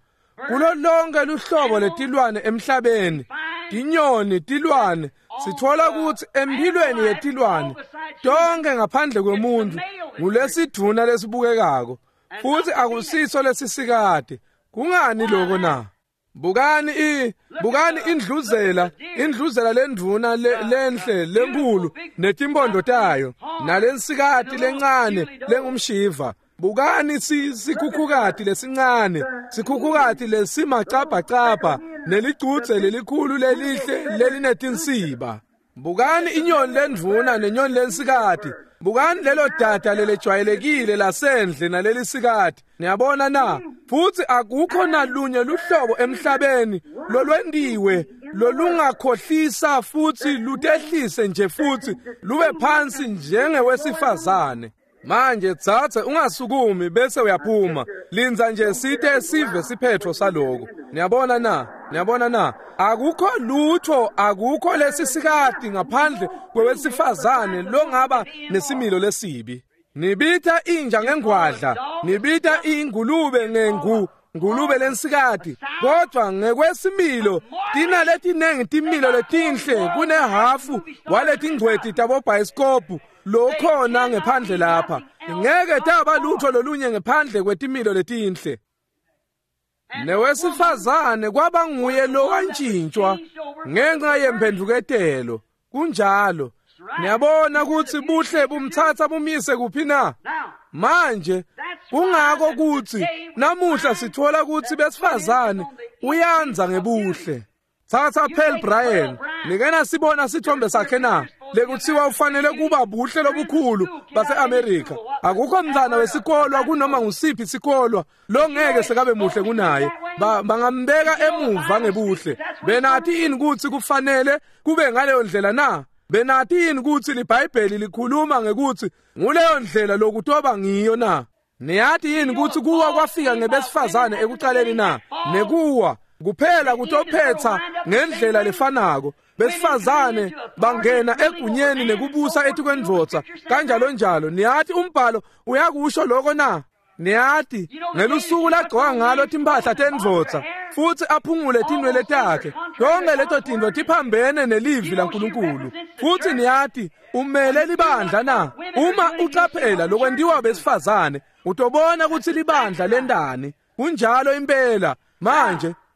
Kulo lonke luhlobo letilwane emhlabeni, tinyoni, tilwane, sithola ukuthi empilweni yetilwane tonke ngaphandle kwemuntu ngulesidvuna lesibukekako, futhi akusiso lesisikade. Kungani lokho na? Bukani bukani indluzela, indluzela lendvuna lenhle lenkulu netimpondo tayo, nalensikati lencane lengumshiva. Bukani sikhukhukati lesincane, sikhukhukati lesimacabhacabha nelicudze lelikhulu lelihle lelinetinsiba. Bukani inyoni lendvuna nenyoni lensikati. Bukani lelo dada lelejwayelekile lasendle nalelisikati. Niyabona na? Futhi akukho nalunye luhlobo emhlabeni lolwendiwe lolungakhohlisa futhi lutehlise nje futhi lube phansi njengewesifazane. Manje tsatse ungasukumi bese uyaphuma. Linza nje site sive siphetho saloko. Niyabona na? Niyabona na? Akukho lutho, akukho lesisikati ngaphandle kwewesifazane longaba nesimilo lesibi. Nibita inja ngengwadla, nibita ingulube ngengu ngulube lensikati, kodwa ngekwesimilo tina letinengi timilo letinhle kunehafu waletingcweti tabobhayisikobhu lokhona ngephandle lapha. Ngeke taba lutho lolunye ngephandle kwetimilo letinhle. Newesifazane kwaba nguye lowantshintshwa ngenxa yemphendvuketelo. Kunjalo. Niyabona ukuthi buhle bumthatha bumise kuphi na? Manje kungako kuthi namuhla sithola ukuthi besifazane uyanza ngebuhle. Thatha Pearl Bryan, nikena sibona sithombe sakhe na? Lekuthiwa ufanele kuba buhle lobukhulu base-Amerika. Akukho mntwana wesikolwa kunoma ngusiphi isikolwa longeke sekabe muhle kunaye. Bangambeka emuva ngebuhle. Benathi yini ukuthi kufanele kube ngaleyo ndlela na? Benathi yini ukuthi liBhayibheli likhuluma ngekuthi nguleyo ndlela lokutoba ngiyo na? Niyathi yini ukuthi kuwa kwafika ngebesifazane ekuqaleni na? Nekuwa kuphela kutophetha ngendlela lefanako. Besifazane bangena egunyeni nekubusa etikwendvodza kanjalo njalo. Niyathi umbhalo uyakusho lokho na? Niyati ngelusuku lagcoka ngalo timphahla tendvodza futsi aphungule tinwele takhe, tonke leto tintfo tiphambene nelivi laNkulunkulu. Futsi niyati umele libandla na? Uma ucaphela lokwentiwa besifazane, utobona kutsi libandla lendani. Kunjalo impela.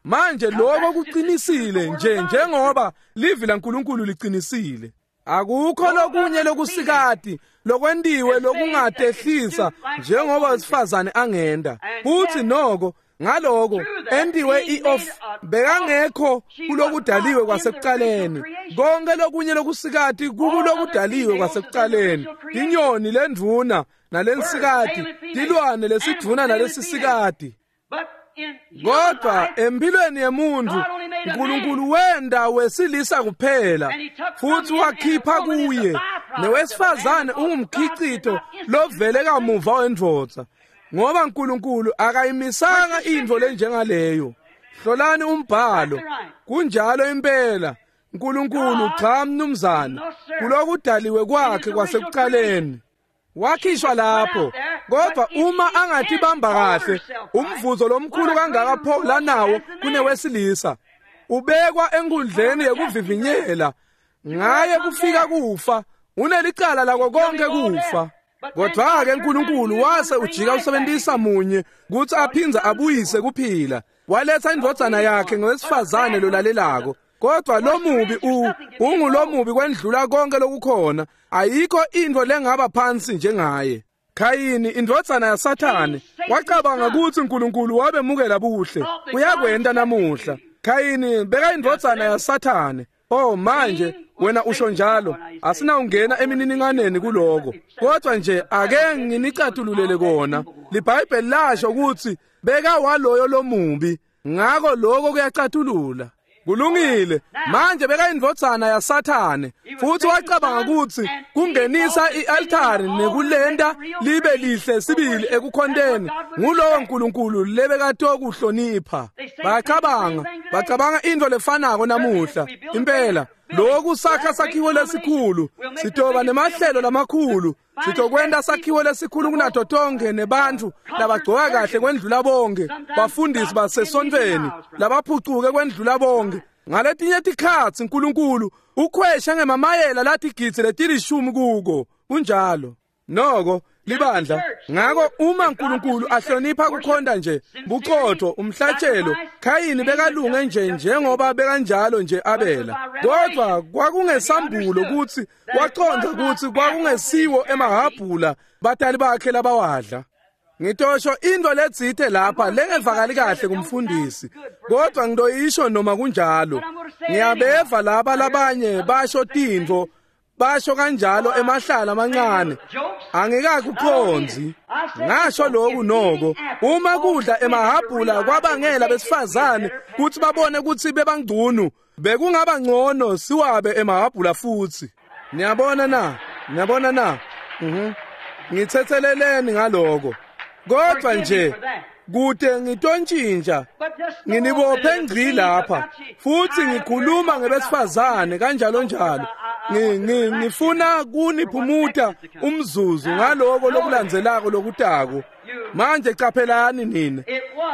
Manje lokho kuqinisile nje njengoba livi laNkulunkulu liqinisile. Akukho lokunye lokusikati lokwentiwe lokungatehlisa njengoba wesifazane angenda. Futhi noko ngaloko entiwe i-off bekangekho kulokudaliwe kwasekuqaleni. Konke lokunye lokusikati kukulokudaliwe kwasekuqaleni. Inyoni lendvuna nalensikati, tilwane lesidvuna nalesisikati. Kodwa empilweni yemuntu uNkulunkulu wenda wesilisa kuphela, futhi wakhipha kuye newesifazane ungumkhicito lovele kamuva wendvodza, ngoba uNkulunkulu akayimisanga intfo lenjengaleyo. Hlolani umbhalo. Kunjalo impela. uNkulunkulu cha mnumzane, kulokudaliwe kwakhe kwasekuqaleni wakhishwa lapho. Kodwa uma angatibamba kahle, umvuzo lomkhulu kangaka pho lanawo kunewesilisa ubekwa enkundleni yekuvivinyela. Ngaye kufika kufa, unelicala lako konke kufa. Kodwa-ke uNkulunkulu wase ujika usebenzisa munye kutsi aphindze abuyise kuphila. Waletha indvodzana yakhe ngowesifazane lolalelako. Kodwa lomubi ungulomubi kwendlula konke lokukhona. Ayikho intfo lengaba phansi njengaye. Khayini indvodzana yaSathane wacabanga kutsi uNkulunkulu wabemukela buhle. Uyakwenta namuhla. Khayini beka indvodzana yaSathane. Oh manje wena usho njalo, asinawungena emininingwaneni kuloko. Kodwa nje ake nginicatululele kona. LiBhayibheli lasho kutsi beka waloyo lomubi, ngako lokho kuyacatulula. Kulungile. Manje beka indvodzana yaSathane futhi wacabanga kutsi kungenisa i-altari nekulenta libe lihle sibili ekukhonteni ngulowo uNkulunkulu lebekatokuhlonipha. Bacabanga intfo lefanako namuhla. Impela lokhu sakha sakhiwo lesikhulu, sitoba nemahlelo lamakhulu, sitokwenta sakhiwo lesikhulu kunato tonke nebantfu labagcoka kahle kwendlula bonke, bafundisi basesontfweni labaphucuke kwendlula bonke. Ngaletinye tikhatsi uNkulunkulu ukhweshe ngemamayela latigidzi letilishumi kuko. Kunjalo. Noko libandla. Ngako uma uNkulunkulu ahlonipha kukhonta nje buqotho umhlatshelo, Khayini bekalunge nje njengoba bekanjalo nje Abela. Kodwa kwakungesambulo kutsi waqonda kutsi kwakungesiwo emahabhula batali bakhe labawadla. Ngitosho into letsite lapha lengevakali kahle kumfundisi, kodwa ngitoyisho noma kunjalo. Ngiyabeva laba labanye basho tintfo, basho kanjalo emahlala amancane. Angikakuqondzi. Ngasho lokhu noko, uma kudla emahabhula kwabangela besifazane kutsi babone kutsi bebangcunu, bekungaba ngcono siwabe emahabhula futsi. Niyabona na? Niyabona na? Ngithetheleleni ngaloko. Kodwa nje kude ngitontshintsha, nginibophe ngci lapha futhi ngikhuluma ngebesifazane kanjalo njalo. Ngifuna kuniphumuta umzuzu ngaloko lokulandzelako lokutako. Manje caphelani nina,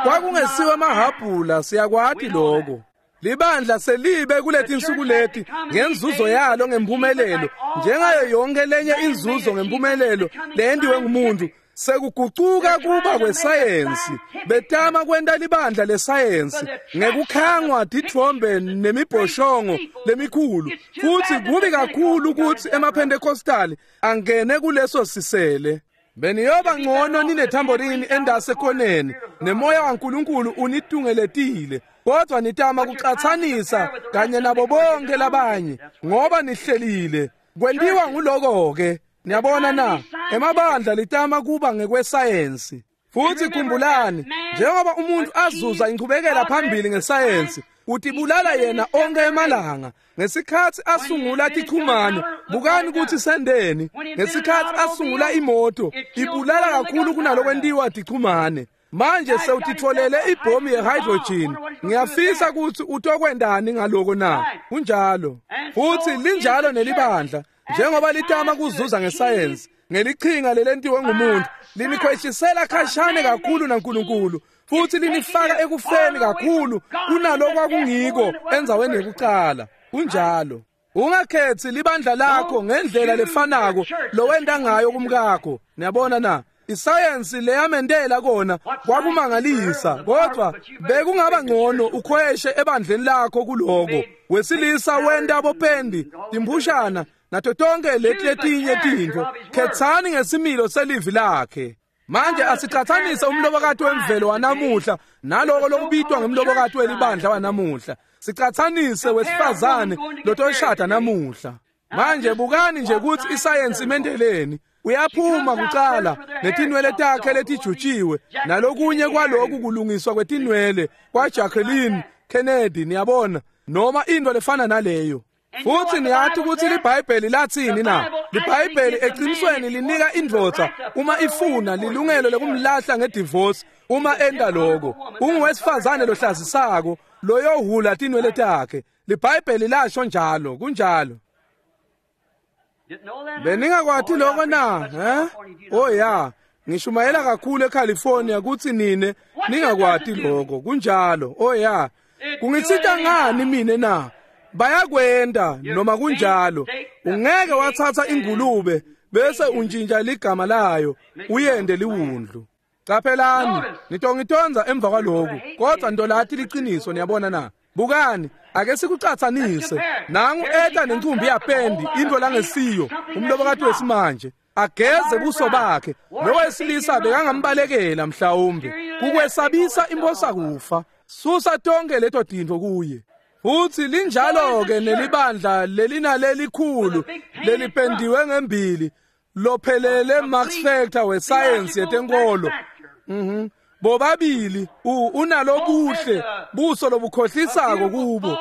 kwakungesiwe emahabhula, siyakwati lokho. Libandla selibe kuletinsuku leti ngenzuzo yalo ngempumelelo, njengayo yonke lenye inzuzo ngempumelelo leyentiwe ngumuntu. Sekugucuka kuba kwesayensi, betama kwenta libandla lesayensi ngekukhangwa titfombe nemibhoshongo lemikhulu. Futhi kubi kakhulu kutsi emaPentecostali angene kuleso sisele. Beniyoba ngcono ninethamborini endasekhoneni nemoya waNkulunkulu unitungeletile, kodwa nitama kucatsanisa kanye nabo bonke labanye ngoba nihlelile. Kwentiwa nguloko-ke. Niyabona na? Emabandla litama kuba ngekwesayensi. Futhi khumbulani, njengoba umuntu azuza inchubekela phambili ngesayensi, utibulala yena onke emalanga. Ngesikhatsi asungula tichumane, bukani kutsi sendeni. Ngesikhatsi asungula imoto, ibulala kakhulu kunalokwentiwa tichumane. Manje sewutitfolele ibhomu ye-hydrogen. Ngiyafisa kutsi utokwentani ngaloko na? Kunjalo. Futhi linjalo nelibandla, njengoba litama kuzuza ngesayensi. ngelichinga lelentiwe ngumuntu linikhweshisela khashane kakhulu naNkulunkulu futhi linifaka ekufeni kakhulu kunalokwakungiko endzaweni yekucala. Kunjalo. Ungakhethi libandla lakho ngendlela lefanako lowenta ngayo kumkakho. Niyabona na? Isayensi leyamendela kona kwakumangalisa, kodwa bekungaba ngcono ukhweshe ebandleni lakho kuloko. Wesilisa wenta bopendi, timphushana nato tonke leti letinye tintfo. Khetsani ngesimilo selivi lakhe. Manje asicathanise umlobokati wemvelo wanamuhla naloko lokubitwa ngemlobokati welibandla wanamuhla. Sicathanise wesifazane lotoshada namuhla. Manje bukani nje ukuthi isayensi imendeleni. Uyaphuma kucala netinwele takhe letijutshiwe nalokunye kwaloku kulungiswa kwetinwele kwa Jacqueline Kennedy, niyabona, noma into lefana naleyo. Futhi niyathi ukuthi liBhayibheli lathini na? LiBhayibheli eqinisweni linika indvodza uma ifuna lilungelo lekumlahla ngedivorce uma enda lokho. Unguwesifazane lohlazisako loyohula tinwele takhe. LiBhayibheli lasho njalo, kunjalo. Beningakwati lokho na? Oh ya, ngishumayela kakhulu eCalifornia kuthi nine ningakwati lokho, kunjalo. Oh ya, kungitsita ngani mine na? Bayakwenda noma kunjalo. Ungeke wathatha ingulube bese untshintsha ligama layo uyende liwundlu. Qaphelani, nitongitonza emva kwaloku, kodwa ndolathi liqiniso, niyabona na? Bukani, ake sikucathanise. Nangu eta nencumbi yapendi into langesiyo umlobokati wesimanje ageze buso bakhe. Lo wesilisa bekangambalekela mhlawumbe kukwesabisa imposa kufa. Susa tonke leto tintfo kuye. Futhi linjalo ke nelibandla lelinalelikhulu lelipendiwe ngembili lophelele Max Factor wesayensi yetenkolo. Bobabili unalobuhle buso lobukhohlisako kubo,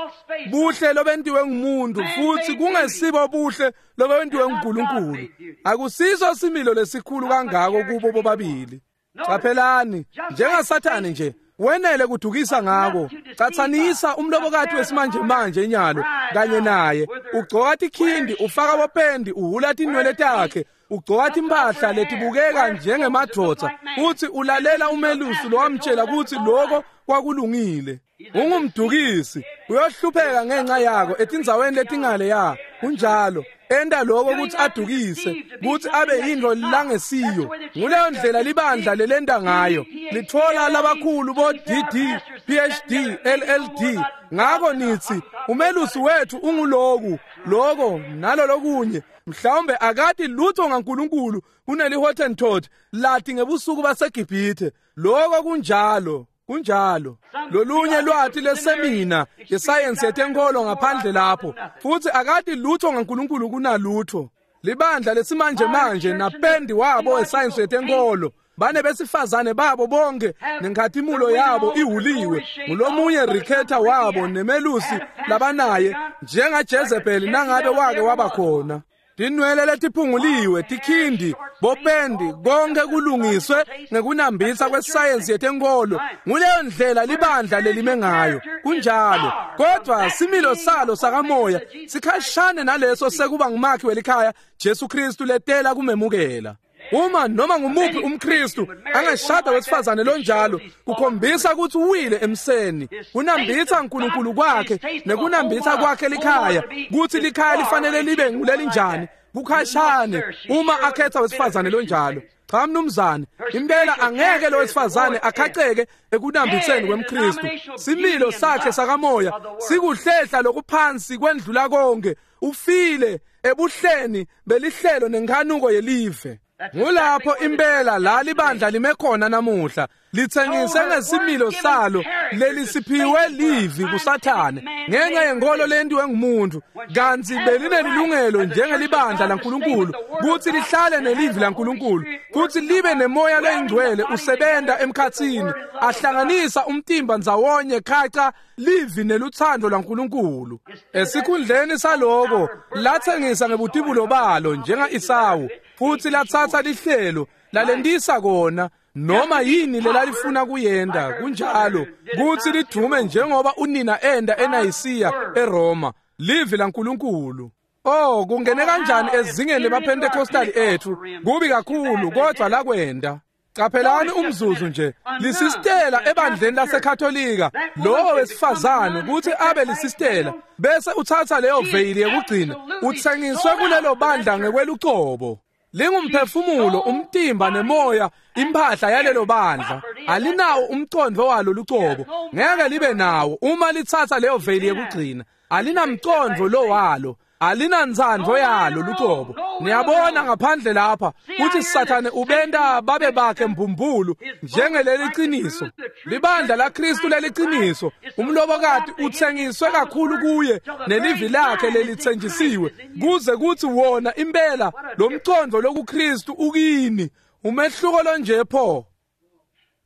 buhle lobentiwe ngumuntu futhi kungesibo buhle lobentiwe nguNkulunkulu. Akusiso similo lesikhulu kangako kubo bobabili. Qaphelani, njengaSathane nje wenele kudukisa ngako. Cathanisa umlobokati wesimanje manje nyalo kanye naye. Ugcoka tikhindi, ufaka bopendi, uhula tinwele takhe, ugcoka timpahla letibukeka njengemadvodza, futhi ulalela umelusi lowamtshela ukuthi lokho kwakulungile. Ungumdukisi, uyohlupheka ngenxa yako etindzaweni letingale ya. Kunjalo. Enda lokho ukuthi adukise, ukuthi abe yinto langesiyo. Nguleyo ndlela libandla lelenda ngayo. Lithola labakhulu bo DD, PhD, LLD. Ngakho nithi umelusi wethu unguloku, lokho nalolokunye. Mhlawumbe akati lutho ngaNkulunkulu kuneli Hottentot lathi ngebusuku baseGibhithe. Lokho kunjalo. Kunjalo. Lolunye lwathi lesemina yesayensi yetenkolo ngaphandle lapho, futhi akati lutho ngaNkulunkulu kunalutho. Libandla lesimanje manje napendi wabo wesayensi yetenkolo bane besifazane babo bonke nenkhatimulo yabo ihuliwe ngulomunye rikhetha wabo nemelusi labanaye njengaJezebeli nangabe wake waba khona. Tinwele letiphunguliwe, tikhindi, bopendi, konke kulungiswe ngekunambitha kwesayensi yetenkolo. Nguleyo ndlela libandla lelime ngayo. Kunjalo. Kodwa similo salo sakamoya sikhashane naleso sekuba ngumakhi welikhaya Jesu Kristu letela kumemukela. Uma noma ngumuphi umKristu angashada wesifazane lonjalo, kukhombisa ukuthi uwile emseni. Kunambitha uNkulunkulu kwakhe nekunambitha kwakhe likhaya, kuthi likhaya lifanele libe ngulelinjani. Kukhashane uma akhetha wesifazane lonjalo. Cha mnumzane, impela angeke lo wesifazane akhaceke ekunambitheni kwemKristu. Similo sakhe sakamoya sikuhlehla lokuphansi kwendlula konke. Ufile ebuhleni belihlelo nenkanuko yelive. Ngulapho impela la libandla lime khona namuhla, lithengise ngesimilo salo lelisiphiwe livi kuSathane ngenxa yenkolo lentiwe ngumuntu, kanti belinelilungelo njengelibandla laNkulunkulu kuthi lihlale nelivi laNkulunkulu futhi libe nemoya loyingcwele usebenta emkhathini ahlanganisa umtimba ndzawonye khaca livi neluthando lwaNkulunkulu. Esikhundleni saloko lathengisa ngebutibulo balo njenga-Esawu, futhi lathatha lihlelo lalentisa kona noma yini lelalifuna kuyenda. Kunjalo kuthi lidume njengoba unina enda eNayisiya eRoma. Livi laNkulunkulu. Oh, kungene kanjani ezingeni lemaPentecostal ethu? Kubi kakhulu, kodwa lakwenda. Qaphelani umzuzu nje, lisistela ebandleni laseKatolika, lowo wesifazane ukuthi abe lisistela, bese uthatha leyo veyili yekugcina, uthengiswe kulelo bandla ngekwelucobo. Lingumphefumulo, umtimba nemoya, impahla yalelo bandla. Alinawo umcondo walo lucobo, ngeke libe nawo uma lithatha leyo veyili yekugcina. Alinamcondo lo walo, alinantsandvo yalo lucobo. Niyabona ngaphandle lapha kuthi Sathane ubenta babe bakhe mbumbulu njengeleliqiniso. Libandla laKristu leliqiniso, umlobokati uthengiswe kakhulu kuye nelivi lakhe lelithenjisiwe, kuze kuthi wona impela lo mcondo lokuKristu ukini. Umehluko lonje pho.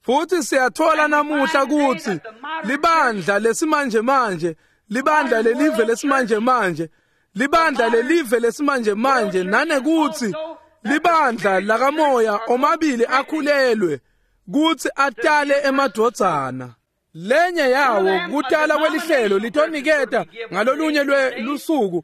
Futhi siyathola namuhla ukuthi libandla lesimanje manje, libandla lelive lesimanje manje, libandla lelive lesimanje manje, nanekuthi libandla lakamoya omabili akhulelwe kuthi atale emadvodzana. Lenye yawo kutala kwelihlelo litoniketa ngalolunye lwelusuku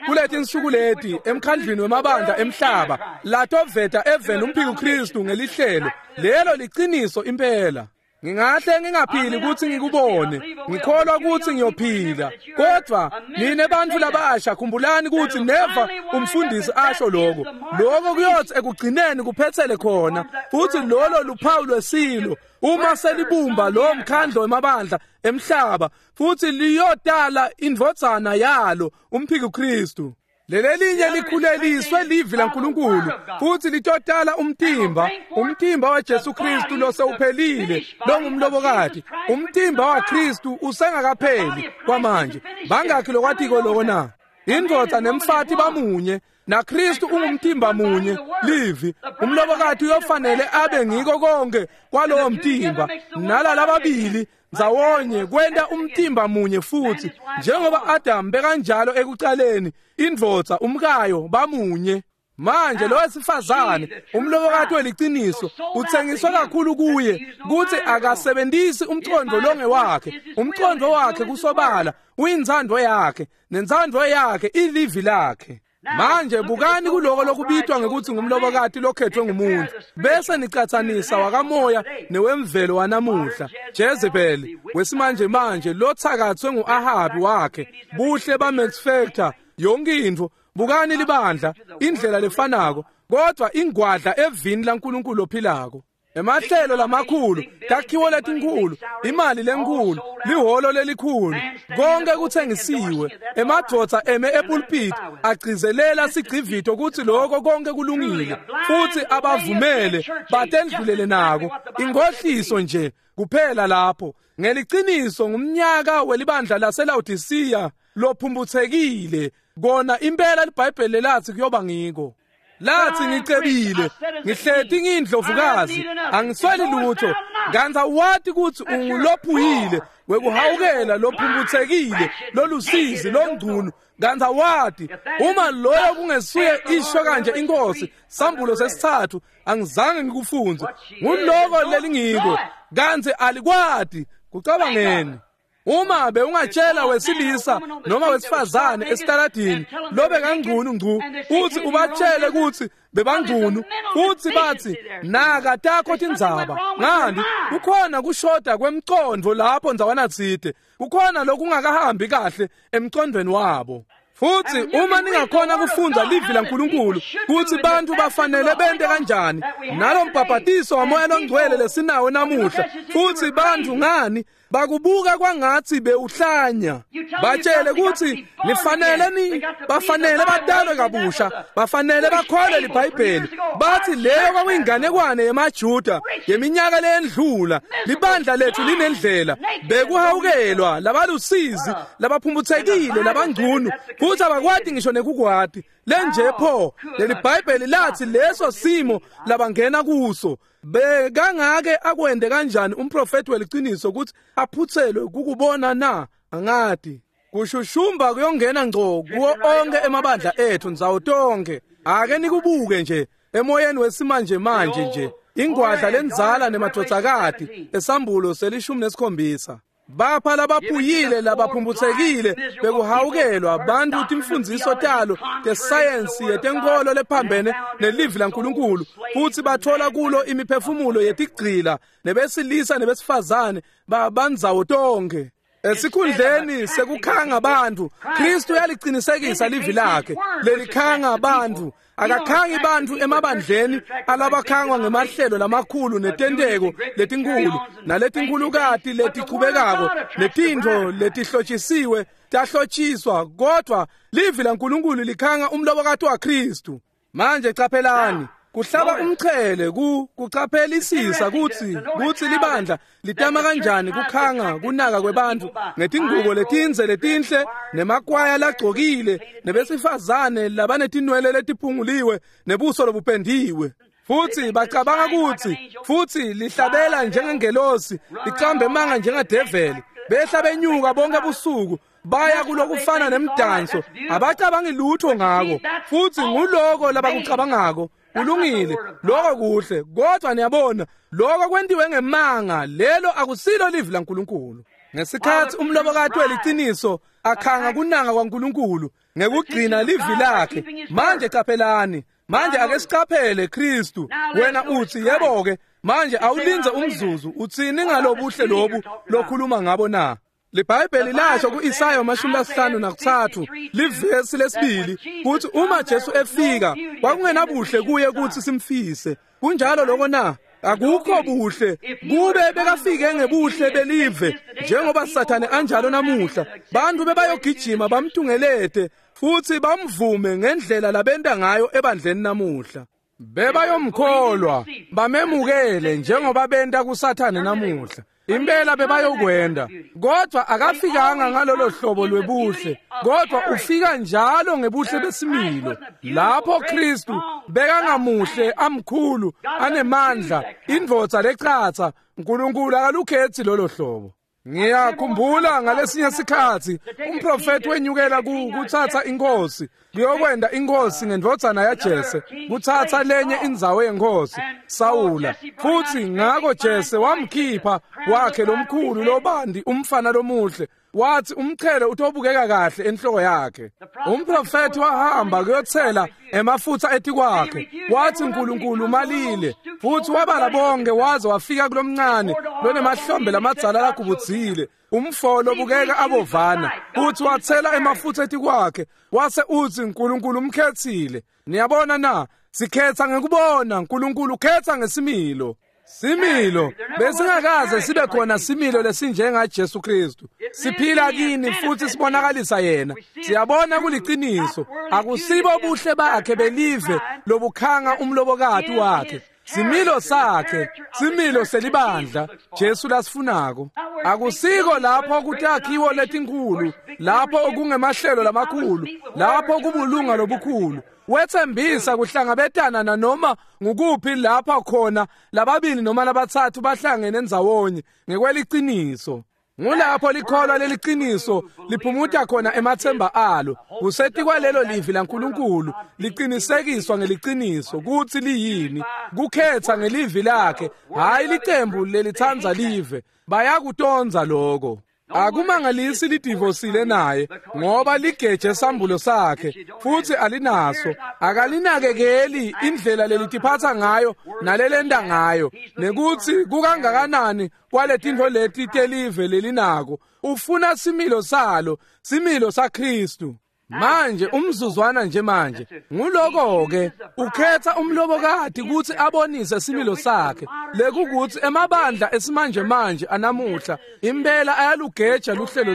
kuletinsuku leti emkhandlwini wemabandla emhlaba latoveta eveni umphiko Kristu ngelihlelo lelo liciniso impela. Ngingahle ngingaphili ukuthi ngikubone, ngikholwa ukuthi ngiyophila, kodwa nine bantfu labasha khumbulani ukuthi neva umfundisi asho lokho. Lokho kuyothi ekugcineni kuphethele khona, futhi lolo luphawu lwesilo uma selibumba lo mkhandlo wemabandla emhlaba, futhi liyotala indvodzana yalo umphiko Kristu. Lelelinye likhuleliswe livi laNkulunkulu futhi litotala umtimba, umtimba waJesu Kristu losewuphelile longumlobokati. Umtimba waKristu usengakapheli kwamanje. Bangakhi lokwatiko lokho na? Indvodza nemfati bamunye, naKristu ungumtimba munye, livi. Umlobokati uyofanele abe ngiko konke kwalowo mtimba, nalalababili ndzawonye kwenta umtimba munye futhi, njengoba Adam bekanjalo ekucaleni, indvodza umkayo bamunye. Manje lo wesifazane umlobokati weliciniso uthengiswe kakhulu kuye kuthi akasebenzisi umcondo longewakhe. Umcondo wakhe kusobala uyintsandvo yakhe, nentsandvo yakhe ilivi lakhe. Manje bukani kuloko lokubitwa ngekuthi ngumlobokati lokhethwe ngumuntu, bese nicatsanisa wakamoya newemvelo wanamuhla. Jezebel wesimanje manje lothakathwe nguAhabi wakhe, buhle ba Max Factor, yonke intfo. Bukani libandla indlela lefanako, kodwa ingwadla evini laNkulunkulu ophilako. Emahlelo lamakhulu, takhiwo letinkhulu, imali lenkulu, lihholo lelikhulu, konke kuthengisiwe. Emadvodza eme epulpit agcizelela sigcivito kutsi lokho konke kulungile, futhi abavumele batendlulele nako. Inkohliso nje kuphela lapho. Ngeliciniso ngumnyaka welibandla laseLaodicea lophumbuthekile. Kona impela liBhayibheli lathi kuyoba ngiko. Lathi ngicebile, ngihleti ngiyindlovukazi, angisweli lutho, kantsi awati kutsi ungulophuyile wekuhawukela lophumbuthekile lolusizi longcunu, kantsi awati. Uma loyo kungesuye isho kanje inkosi, sambulo sesithathu angizange ngikufunze, nguloko lelingiko, kantsi alikwati. Kucabangeni. Uma bewungatshela wesilisa noma wesifazane esitaladini lobe kangcunu ngcu, uthi ubatshele ukuthi bebangcunu, uthi bathi naka takho tindzaba ngani, kukhona kushoda kwemcondvo lapho ndzawana tsite, kukhona lokungakahambi kahle emcondvweni wabo. Futhi uma ningakhona kufundza livi laNkulunkulu kutsi bantfu bafanele bente kanjani nalo mbhabhatiso wamoya longcwele lesinawo namuhla, futhi bantfu ngani bakubuka kwangatsi bewuhlanya. Batshele kutsi nifanele ni bafanele batalwe kabusha, bafanele bakholwe liBhayibheli. Bathi leyo kwakuyinganekwane yemaJuda yeminyaka leyendlula. Libandla lethu linendlela bekuhawukelwa labalusizi, labaphumbuthekile, labangcunu, futhi abakwati ngisho nekukwati lenje pho. Leli Bhayibheli lathi leso simo labangena kuso. Bekangake akwende kanjani umprofeti weliciniso ukuthi aphutselwe kukubona na? Angati. Kushushumba kuyongena ngco kuwo onke emabandla ethu ndzawo tonke. Ake nikubuke nje emoyeni wesimanje manje nje, ingwadla lenzala nemadvodzakati esambulo selishumi nesikhombisa. Bapha labaphuyile labaphumphutsekile bekuhawukelwa bantfu timfundziso talo tesayensi yetenkholo lephambene nelivi laNkulunkulu, futsi bathola kulo imiphefumulo yetigcila nebesilisa nebesifazane bandzawo tonkhe. Esikhundleni sekukhanga bantfu, Kristu uyalicinisekisa livi lakhe lelikhanga bantfu. Akakhangi bantfu emabandleni alabakhangwa ngemahlelo lamakhulu netenteko letinkhulu naletinkhulukati letichubekako netintfo letihlotshisiwe tahlotshiswa, kodvwa livi laNkulunkulu likhanga umlobokati waKristu. Manje caphelani, kuhlaba umchele kucaphelisisa kutsi libandla litama kanjani kukhanga kunaka kwebantfu ngetingubo letindze letinhle nemakwaya lagcokile nebesifazane labanetinwele letiphunguliwe nebuso lobupendiwe. Futsi bacabanga kutsi futsi lihlabela njengengelosi, licambe emanga njengadeveli, behla benyuka bonke busuku baya kulokufana nemdanso, abacabangi lutho ngako. Futsi nguloko labakucabangako. Kulungile, lokho kuhle, kodwa niyabona lokho kwentiwe ngemanga, lelo akusilo livi laNkulunkulu. Ngesikhatsi umlobokati weliciniso akhanga kunanga kwaNkulunkulu ngekugcina livi lakhe. Manje caphelani, manje ake sicaphele Kristu. Wena utsi yebo-ke, manje awulindze umzuzu, utsini ngalobuhle lobu lokhuluma ngabo na? LiBhayibheli lasho ku-Isaya 53 livesi lesibili kutsi uma Jesu efika kwakungenabuhle kuye kutsi simfise. Kunjalo lokho na? Akukho buhle. Kube bekafike ngebuhle belive njengoba Sathane anjalo namuhla, bantfu bebayogijima bamtungelete futsi bamvume ngendlela labenta ngayo ebandleni namuhla. Bebayomkholwa bamemukele njengoba benta kuSathane namuhla. Impela bebayokwenda, kodwa akafikanga ngalolo hlobo lwebuhle, kodwa ufika njalo ngebuhle besimilo. Lapho Kristu bekangamuhle, amkhulu, anemandla, indvodza lecatsa, uNkulunkulu akalukhetsi lolo hlobo. Ngiyakhumbula ngalesinye sikhatsi umprofeti wenyukela kutsatsa inkosi, kuyokwenda inkosi ngendvodzana yaJese, kutsatsa lenye indzawo yenkosi Sawula. Futsi ngako Jese wamkhipha wakhe lomkhulu lobandi umfana lomuhle, wathi umchele utobukeka kahle enhloko yakhe. Umprofeti wahamba kuyothela emafutha etikwakhe, wathi uNkulunkulu umalile, futhi wabala bonke waze wafika kulomncane lonemahlombe lamadzala lagubudzile, umfo lobukeka abovana, futhi wathela emafutha etikwakhe, wase uthi uNkulunkulu umkhethile. Niyabona na? Sikhetha ngekubona, uNkulunkulu ukhetha ngesimilo. Similo besingakaze sibe khona similo lesinjenga Jesu Kristu. Siphila kini futhi sibonakalisa yena. Siyabona kuliciniso, akusibo buhle bakhe belive lobukhanga umlobokati wakhe. Similo sakhe, similo selibandla Jesu lasifunako. Akusiko lapho kutakhiwo letinkhulu, lapho kungemahlelo lamakhulu, lapho kubulunga lobukhulu. Wethembisa kuhlangabetana nanoma ngukuphi lapha khona lababili noma labatsatfu bahlangene ndzawonye ngekweliciniso. Ngulapho likholwa leliciniso liphumuta khona emathemba alo. Kusetikwa lelo livi laNkulunkulu liqinisekiswa ngeliciniso kutsi liyini, kukhetha ngelivi lakhe, hhayi licembu lelitsandza live. Bayakutondza lokho. Akumangalisi lidivosile naye ngoba ligeje sambulo sakhe futhi alinaso. Akalinakekeli indlela lelitiphatha ngayo nalelenda ngayo, nekutsi kukangakanani kwaletintfo leti telive lelinako. Ufuna similo salo, similo saKristu. Manje umzuzwana nje manje nguloko-ke ukhetha umlobokati kutsi abonise similo sakhe, lekukuthi emabandla esimanje manje anamuhla impela ayalugeja luhlelo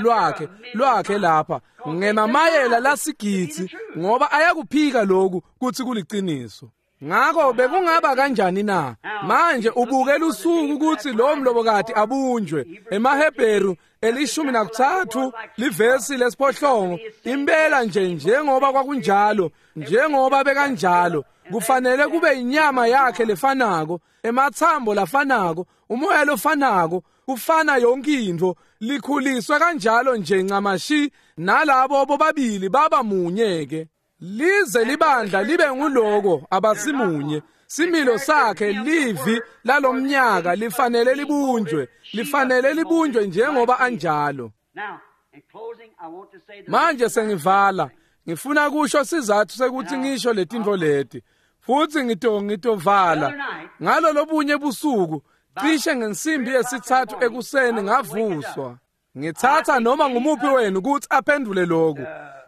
lwakhe lapha ngemamayela lasigidzi, ngoba ayakuphika lokhu kutsi kuliciniso. Ngako bekungaba kanjani na? Manje ubuke lusuku kutsi lo mlobokati abunjwe. EmaHebheru 13 livesi lesiphohlongo, impela nje njengoba kwakunjalo, njengoba bekanjalo, kufanele kube inyama yakhe lefanako, emathambo lafanako, umoya lofanako, kufana yonke intfo, likhuliswe kanjalo nje ncamashi, nalabo bobabili baba munye ke. Lize libandla libe nguloko abasimunye. Similo sakhe livi lalomnyaka lifanele libunjwe, lifanele libunjwe njengoba anjalo. Manje sengivala, ngifuna kusho sizathu sekuthi ngisho letintfo leti. Futsi ngitovala. Ngalo lobunye busuku, cishe ngensimbi yesithathu ekuseni ngavuswa. Ngithatha noma ngumuphi wenu ukuthi aphendule lokhu.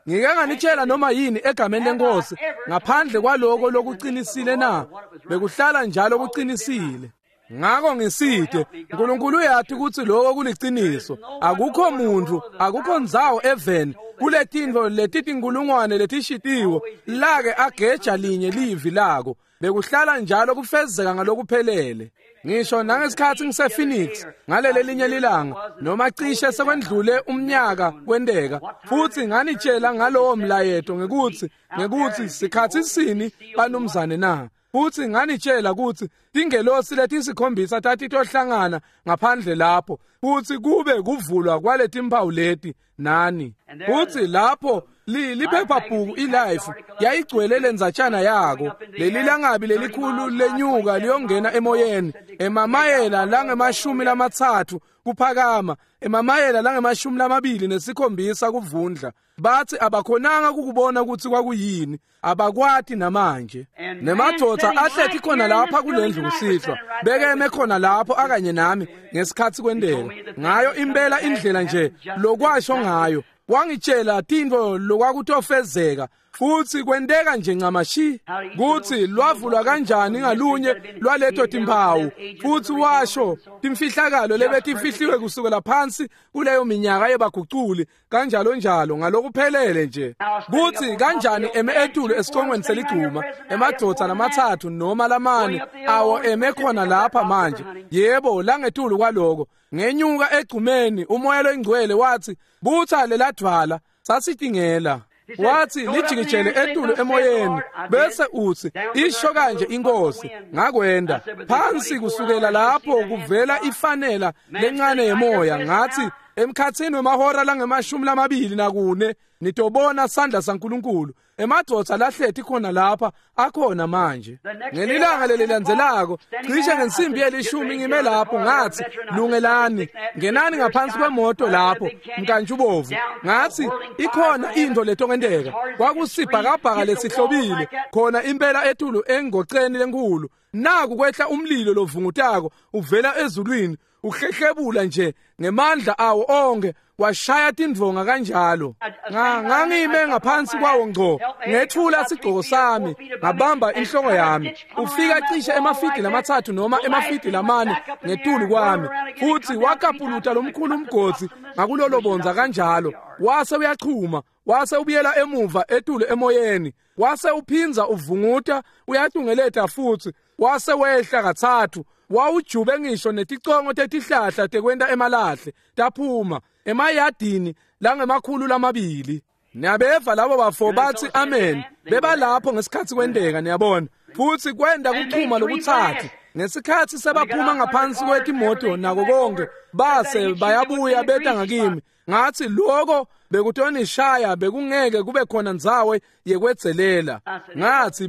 Ngike nganitshela noma yini egameni lenkosi ngaphandle kwaloko lokuqinisile na? Bekuhlala njalo kuqinisile. Ngako ngiside, uNkulunkulu uyathi ukuthi lokho kuliciniso. Akukho muntu, akukho ndzawo eveni kuletintfo letitinkulungwane letishitiwe lake ageja linye livi lako. Bekuhlala njalo kufezeka ngalokuphelele. Ngisho nangesikhathi ngise-Phoenix ngalele linye lilanga noma cishe sekwendlule umnyaka kwenteka, futhi nganitshela ngalowo mlayeto ngekuthi sikhathi sini banumzane na. Futhi nganitshela ukuthi tingelosi letisikhombisa tatitohlangana ngaphandle lapho futhi kube kuvulwa kwaletimpawu leti nani. Futhi lapho liphephabhuku iLife yayigcwele lendzatshana yako. Leli langabi lelikhulu lenyuka liyongena emoyeni emamayela langemashumi lamatsatfu kuphakama, emamayela langemashumi lamabili nesikhombisa kuvundla. Bathi abakhonanga kukubona ukuthi kwakuyini, abakwati namanje. Nemadvodza ahlethi khona lapha kulendlu kusihlwa, bekeme khona lapho akanye nami ngesikhathi kwenteka. Ngayo impela indlela nje lokwasho ngayo, wangitshela tintfo lokwakutofezeka, futhi kwenteka nje ncamashi kuthi lwavulwa kanjani ngalunye lwaleto timpawu. Futhi washo timfihlakalo lebetifihliwe kusukela phansi kuleyo minyaka yebaguculi kanjalo njalo ngalokuphelele nje, kuthi kanjani eme etulu esicongweni seligcuma emadvodza lamathathu noma lamane awo eme khona lapha manje. Yebo, langetulu kwaloko ngenyuka egcumeni, umoya loyingcwele wathi butha leladvala. Sasitingela. Wathi lijikijele etulu emoyeni bese uthi isho kanje inkosi. Ngakwenda phansi kusukela lapho kuvela ifanela lencane yemoya. Ngathi emkhathini wemahora langemashumi lamabili nakune nitobona sandla saNkulunkulu. Emadvodza lahlethi khona lapha akhona manje. Ngelilanga lelilandzelako cishe ngensimbi yelishumi ngime lapho, ngathi lungelani, ngenani ngaphansi kwemoto lapho mkantshubovu. Ngathi ikhona into letongenteka. Kwakusibhakabhaka lesihlobile khona impela etulu engoceni lenkulu. Naku kwehla umlilo lovungutako uvela ezulwini uhlehlebula nje ngemandla awo onke, washaya tindvonga kanjalo. Ngangime ngaphansi kwawo ngco, ngethula sigcoko sami, ngabamba inhloko yami. Ufika cishe emafidi lamatsatfu noma emafidi lamane ngetulu kwami, futhi wakapuluta lomkhulu umgodzi ngakulolo bonza kanjalo. Wase uyachuma, wase ubuyela emuva etulu emoyeni, wase uphinza uvunguta uyatungeleta futhi, wase wehla katsatfu. Wawujube ngisho neticongo tetihlahla tekwenta emalahle taphuma emayadini langemakhulu lamabili. Niyabeva labo bafo bathi amen. Bebalapho ngesikhathi kwenteka, niyabona. Futhi kwenda kuchuma lokutsatfu. Ngesikhathi sebaphuma ngaphansi kwetimoto nako konke, base bayabuya beta ngakimi. Ngathi lokho bekutonishaya, bekungeke kube khona ndzawo yekwedzelela. Ngathi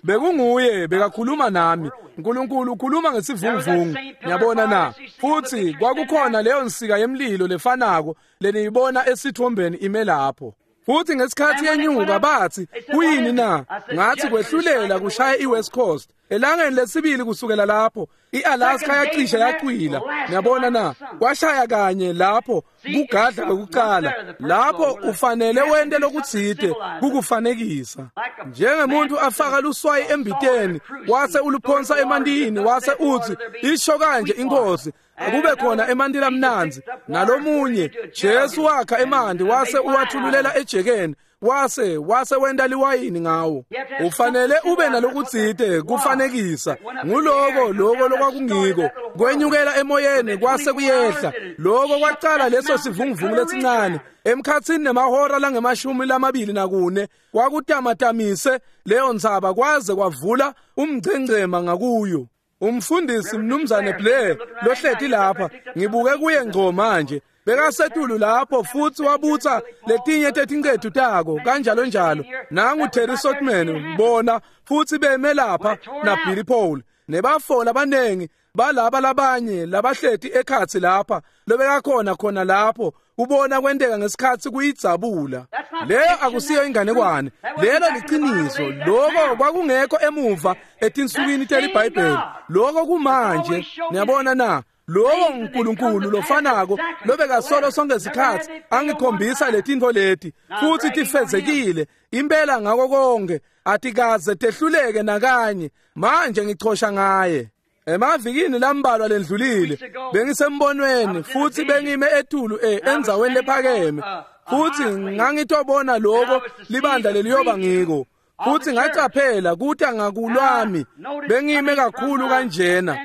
bekunguye bekakhuluma nami. uNkulunkulu ukhuluma ngesivunguvungu, niyabona na. Futhi kwakukhona leyo nsika yemlilo lefanako leniyibona esithombeni ime lapho. Futhi ngesikhathi yenyuka bathi kuyini na? Ngathi kwehlulela kushaya iWest Coast. Elangeni lesibili kusukela lapho iAlaska yacishe yacwila, niyabona na. Kwashaya kanye lapho kugadla kwekuqala. Lapho ufanele wente lokutsite kukufanekisa. Njengemuntu afaka luswayi embiteni wase uluphonsa emantini wase uthi isho kanje inkosi, akube khona emanti lamnandzi. Nalomunye Jesu wakha emanti wase uwathululela ejekeni, wase wenta liwayini ngawo. Ufanele ube nalokutsite kufanekisa. Nguloko loko lokwakungiko kwenyukela emoyeni kwase kuyehla. Loko kwacala leso sivunguvungu lesincane emkhathini nemahora langemashumi lamabili nakune kwakutamatamise leyo ntsaba kwaze kwavula umngcengcema ngakuyo. Umfundisi Mnumzane Blair lohleti lapha, ngibuke kuye ngco manje. Bekasetulu lapho futsi wabutsa letinye tetincetu tako kanjalo njalo. Nangu Terry Sotman bona futsi beme lapha na Billy Paul nebafo labanengi balaba labanye labahleti ekhatsi lapha lobekakhona khona lapho ubona kwenteka ngesikhatsi kuyidzabula. Leyo akusiyo inganekwane, lelo liciniso. Lokho kwakungekho emuva etinsukwini teliBhayibheli, lokho kumanje. Niyabona na? Lowo uNkulunkulu lofanako lobekasolo sonke isikhatsi angikhombisa letintfo leti futsi tifezekile impela ngako konke, atikaze tehluleke nakanye. Manje ngichosha ngaye. Emavikini lambalwa lendlulile bengisembonweni futsi bengime etulu endzaweni lephakeme futsi ngangitobona lokho libandla leliyoba ngiko futsi ngacaphela kuta ngakulwami bengime kakhulu kanjena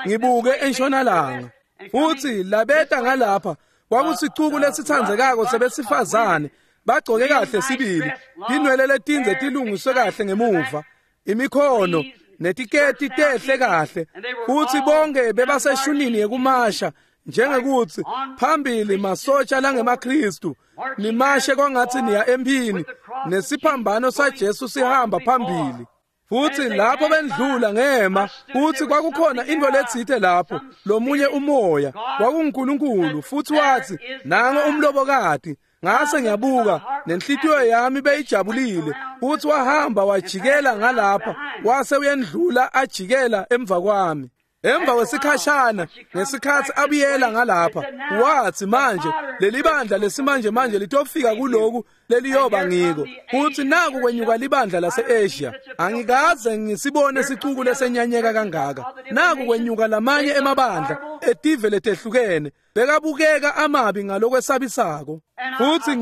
ngibuke entshonalanga futsi labeta ngalapha kwakusicuku lesitsandzekako sebesifazane bagcoke kahle sibili, tinwele letindze tilungiswe kahle ngemuva, imikhono netiketi tehle kahle futsi bonke bebaseshunini yekumasha njengekuthi phambili masotsha langemaKristu nimashe kwangathi niya emphini nesiphambano saJesu sihamba phambili. Futsi lapho bendlula ngema futsi kwakukhona into letsite lapho lomunye umoya kwakunguNkulunkulu futsi wathi nango umlobokati. Ngase ngiyabuka nenhlitiyo yami beyijabulile futsi wahamba wajikela ngalapha wase uyendlula ajikela emva kwami. Emva kwesikhashana ngesikhatsi abuyela ngalapha wathi manje lelibandla lesimanje manje litofika kuloku leliyoba ngiko futsi naku kwenyuka libandla lase-Asia. Angikaze ngisibone sicuku lesenyanyeka kangaka. Naku kwenyuka lamanye emabandla etive letehlukene bekabukeka amabi ngalokwesabisako. Futsi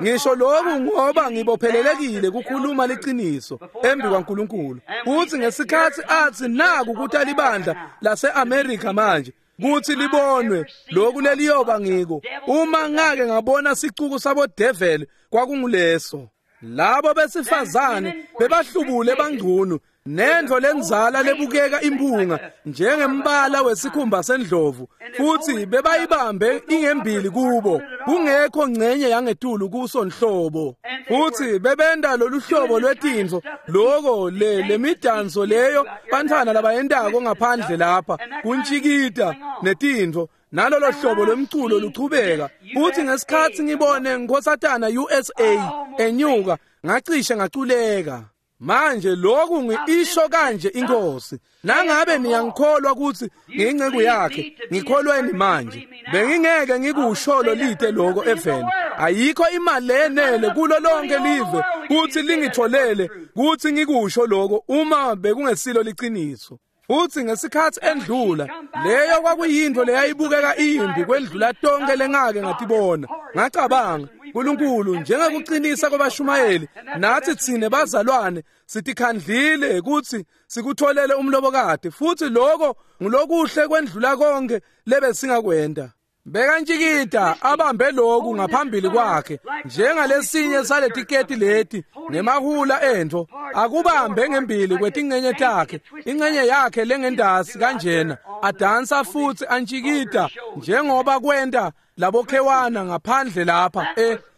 ngisho lokhu ngoba ngibophelelekile kukhuluma liciniso embi kwaNkulunkulu. Futsi ngesikhatsi athi naku kuta libandla lase-America manje kuthi libonwe lokhu leliyoba ngiko, uma ngake ngabona sicuku sabodeveli kwakunguleso. Labo besifazane bebahlubule bangcunu nendvo lenzala lebukeka impunga njengembala wesikhumba sendlovu futsi bebayibambe ingembili kubo kungekho ngcenye yangetulu kuso nhlobo. Futsi bebenda lolu hlobo lwetintfo loko lemidanso leyo bantfwana labayentako ngaphandle lapha kuntshikita netintfo nalolo hlobo lwemculo luchubeka. Futsi ngesikhatsi ngibone Nkhosatana USA enyuka ngacishe ngaculeka. Manje lokhu ngiisho kanje inkosi, nangabe niyangikholwa ukuthi ngiyinceku yakhe, ngikholweni manje. Bengingeke ngikusholo lite lokho eveni. Ayikho imali lenele kulo lonke live kuthi lingitholele kuthi ngikusho lokho uma bekungesilo liciniso. Futsi ngesikhatsi endlula leyo kwakuyintfo leyayibukeka imbi kwendlula tonke lengake ngatibona. Ngacabanga, uNkulunkulu njengekuqinisa kwabashumayeli nathi tsine bazalwane sitikhandlile ukuthi sikutholele umlobokati futsi lokho ngulokuhle kwendlula konke lebesingakwenta. Bekantshikita abambe lokhu ngaphambili kwakhe njengalesinye saletiketi leti nemahula entfo akubambe ngembili kwetincenye takhe, incenye yakhe lengendasi kanjena adansa futsi antshikita njengoba kwenta labokhewana ngaphandle lapha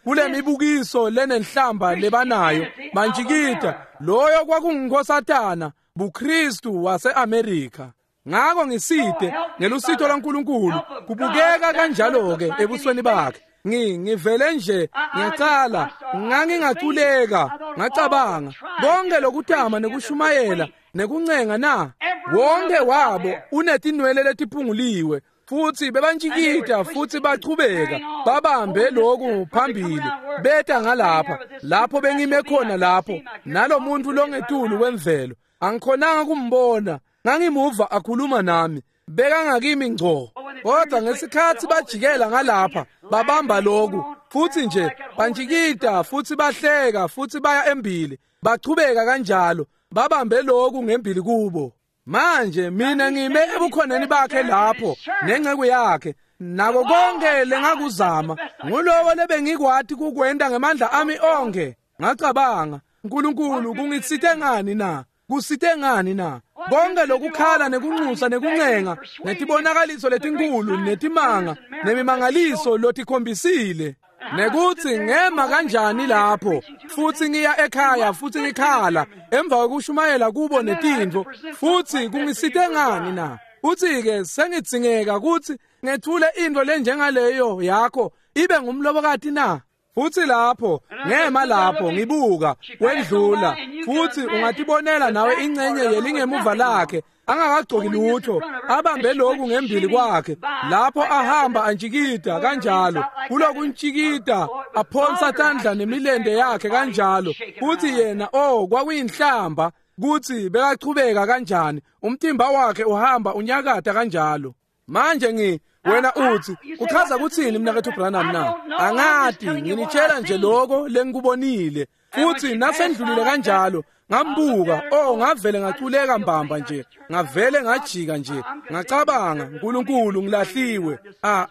kulemibukiso lenenhlamba lebanayo bantshikita. Loyo kwakunguNkhosatana buKristu wase-Amerika. Ngako ngisite ngelusito lwaNkulunkulu kubukeka kanjalo-ke ebusweni bakhe. Ngivele nje ngiyacala ngangingaculeka ngacabanga konke lokutama nekushumayela nekuncenga na wonke wabo unetinwele letiphunguliwe futsi bebantshikita futsi bachubeka babambe lokhu phambili beta ngalapha lapho bengime khona lapho nalomuntu longetulu kwemvelo angikhonanga kumbona. Ngangimuva akhuluma nami bekangakimi ngco, kodwa ngesikhatsi bajikela ngalapha babamba lokhu futsi nje bantshikita futsi bahleka futsi baya embili bachubeka kanjalo babambe lokhu ngembili kubo. Manje mina ngime ebukhoneni bakhe lapho nenceku yakhe nako konke lengakuzama ngulowo lebengikwati kukwenta ngemandla ami onke. Ngacabanga, uNkulunkulu kungitsite ngani na? Kusite ngani na? Konke lokukhala nekunxusa nekuncenga netibonakaliso letinkulu netimanga nemimangaliso lotikhombisile, nekuthi ngema kanjani lapho futhi ngiya ekhaya futhi ngikhala emva kokushumayela kubo netintfo, futhi kungisite ngani na? Uthi-ke sengidzingeka ukuthi ngethule into lenjengaleyo yakho ibe ngumlobokati na? Futhi lapho ngema lapho ngibuka kwendlula, futhi ungatibonela nawe ingcenye yelingemuva lakhe angakagcoki lutho, abambe lokhu ngembili kwakhe lapho ahamba antshikida kanjalo, kulokuntshikida aphonsa tandla nemilende yakhe kanjalo. Futhi yena kwakuyinhlamba kuthi bekachubeka kanjani, umtimba wakhe uhamba unyakata kanjalo. Manje wena uthi uchaza kuthini mnakethu Branham na? Angati, nginitshela nje lokho lengikubonile. Futhi nasendlulile kanjalo ngambuka, ngavele ngaculeka mbamba nje, ngavele ngajika nje, ngacabanga, uNkulunkulu ngilahliwe.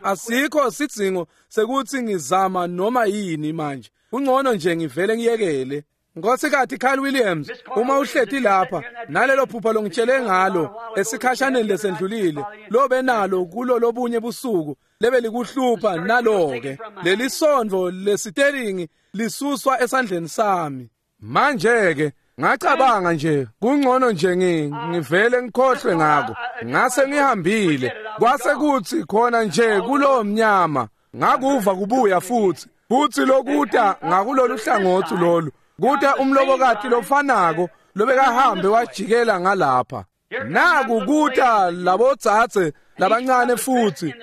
Asikho sidzingo sekuthi ngizama noma yini manje, kungcono nje ngivele ngiyekele. Nkosikazi Carl Williams, uma uhleti lapha nalelo phupha longitshele ngalo esikhashaneni lesendlulile, lobe nalo kulo lobunye busuku lebe likuhlupha, nalo-ke leli sondvo lesiteringi lisuswa esandleni sami. Manje-ke ngacabanga nje kungcono nje ngivele ngikhohlwe ngako, ngase ngihambile. Kwase kuthi khona nje kulowo mnyama ngakuva kubuya futhi lokuta ngakulolu hlangothi lolu, kuta umlobokati lofanako lobekahambe wajikela ngalapha. Naku kuta labotsatse labancane futhi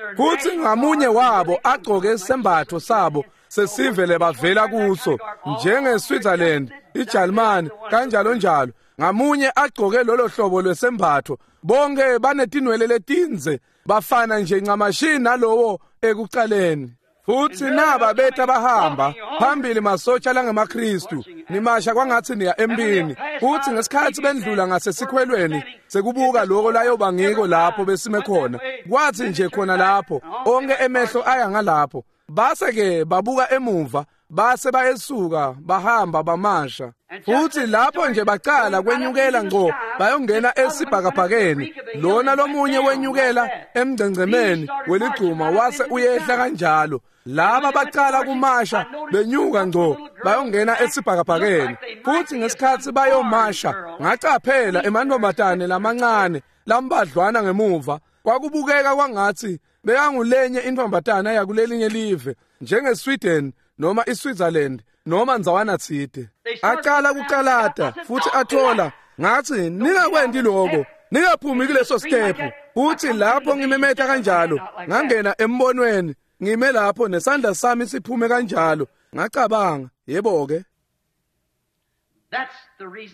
ngamunye wabo agcoke isembatho sabo sesivele bavela kuso, njenge-Switzerland, iJalimane, kanjalo njalo. Ngamunye agcoke lolo hlobo lwesembatho, bonke banetinwele letinze, bafana nje ncamashi nalowo ekucaleni. Futhi naba betha bahamba phambili masotsha langemaKristu, nimasha kwangathi niya empini. Futhi ngesikhathi bendlula ngasesikhwelweni sekubuka lokho layoba ngiko lapho besime khona, kwathi nje khona lapho onke emehlo aya ngalapho, base ke babuka emuva, base bayesuka bahamba bamasha. Futhi lapho nje baqala kwenyukela ngqo bayongena esibhakabhakeni, lona lomunye wenyukela emngcengcemeni weligcuma wase uyehla kanjalo. Laba baqala kumasha benyuka ngqo bayongena esibhakabhakeni. Futhi ngesikhathi bayomasha ngacaphela emantombazane lamancane lambadlwana ngemuva, kwakubukeka kwangathi bekangulenye intombatana yakulelinye live, njenge-Sweden noma iSwitzerland noma ndzawana tsite. Aqala kucalata futhi athola, ngathi ningakwendi lokho, ningaphumi kuleso step. Futhi lapho ngimemeta kanjalo ngangena embonweni, ngime lapho nesandla sami siphume kanjalo, ngacabanga, yebo ke,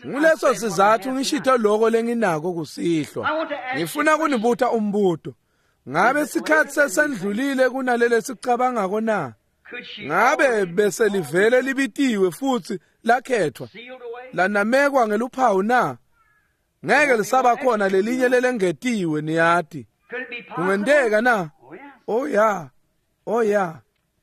nguleso sizathu ngishito lokho lenginako kusihlwa. Ngifuna kunibuta umbuto. Ngabe sikhathi sesendlulile kunalele sicabangako na? Ngabe bese livele libitiwe futhi lakhethwa lanamekwa ngeluphawu na? Ngeke lisaba khona lelinye lelengetiwe, niyati. Kungenteka na? Oh ya, oh ya.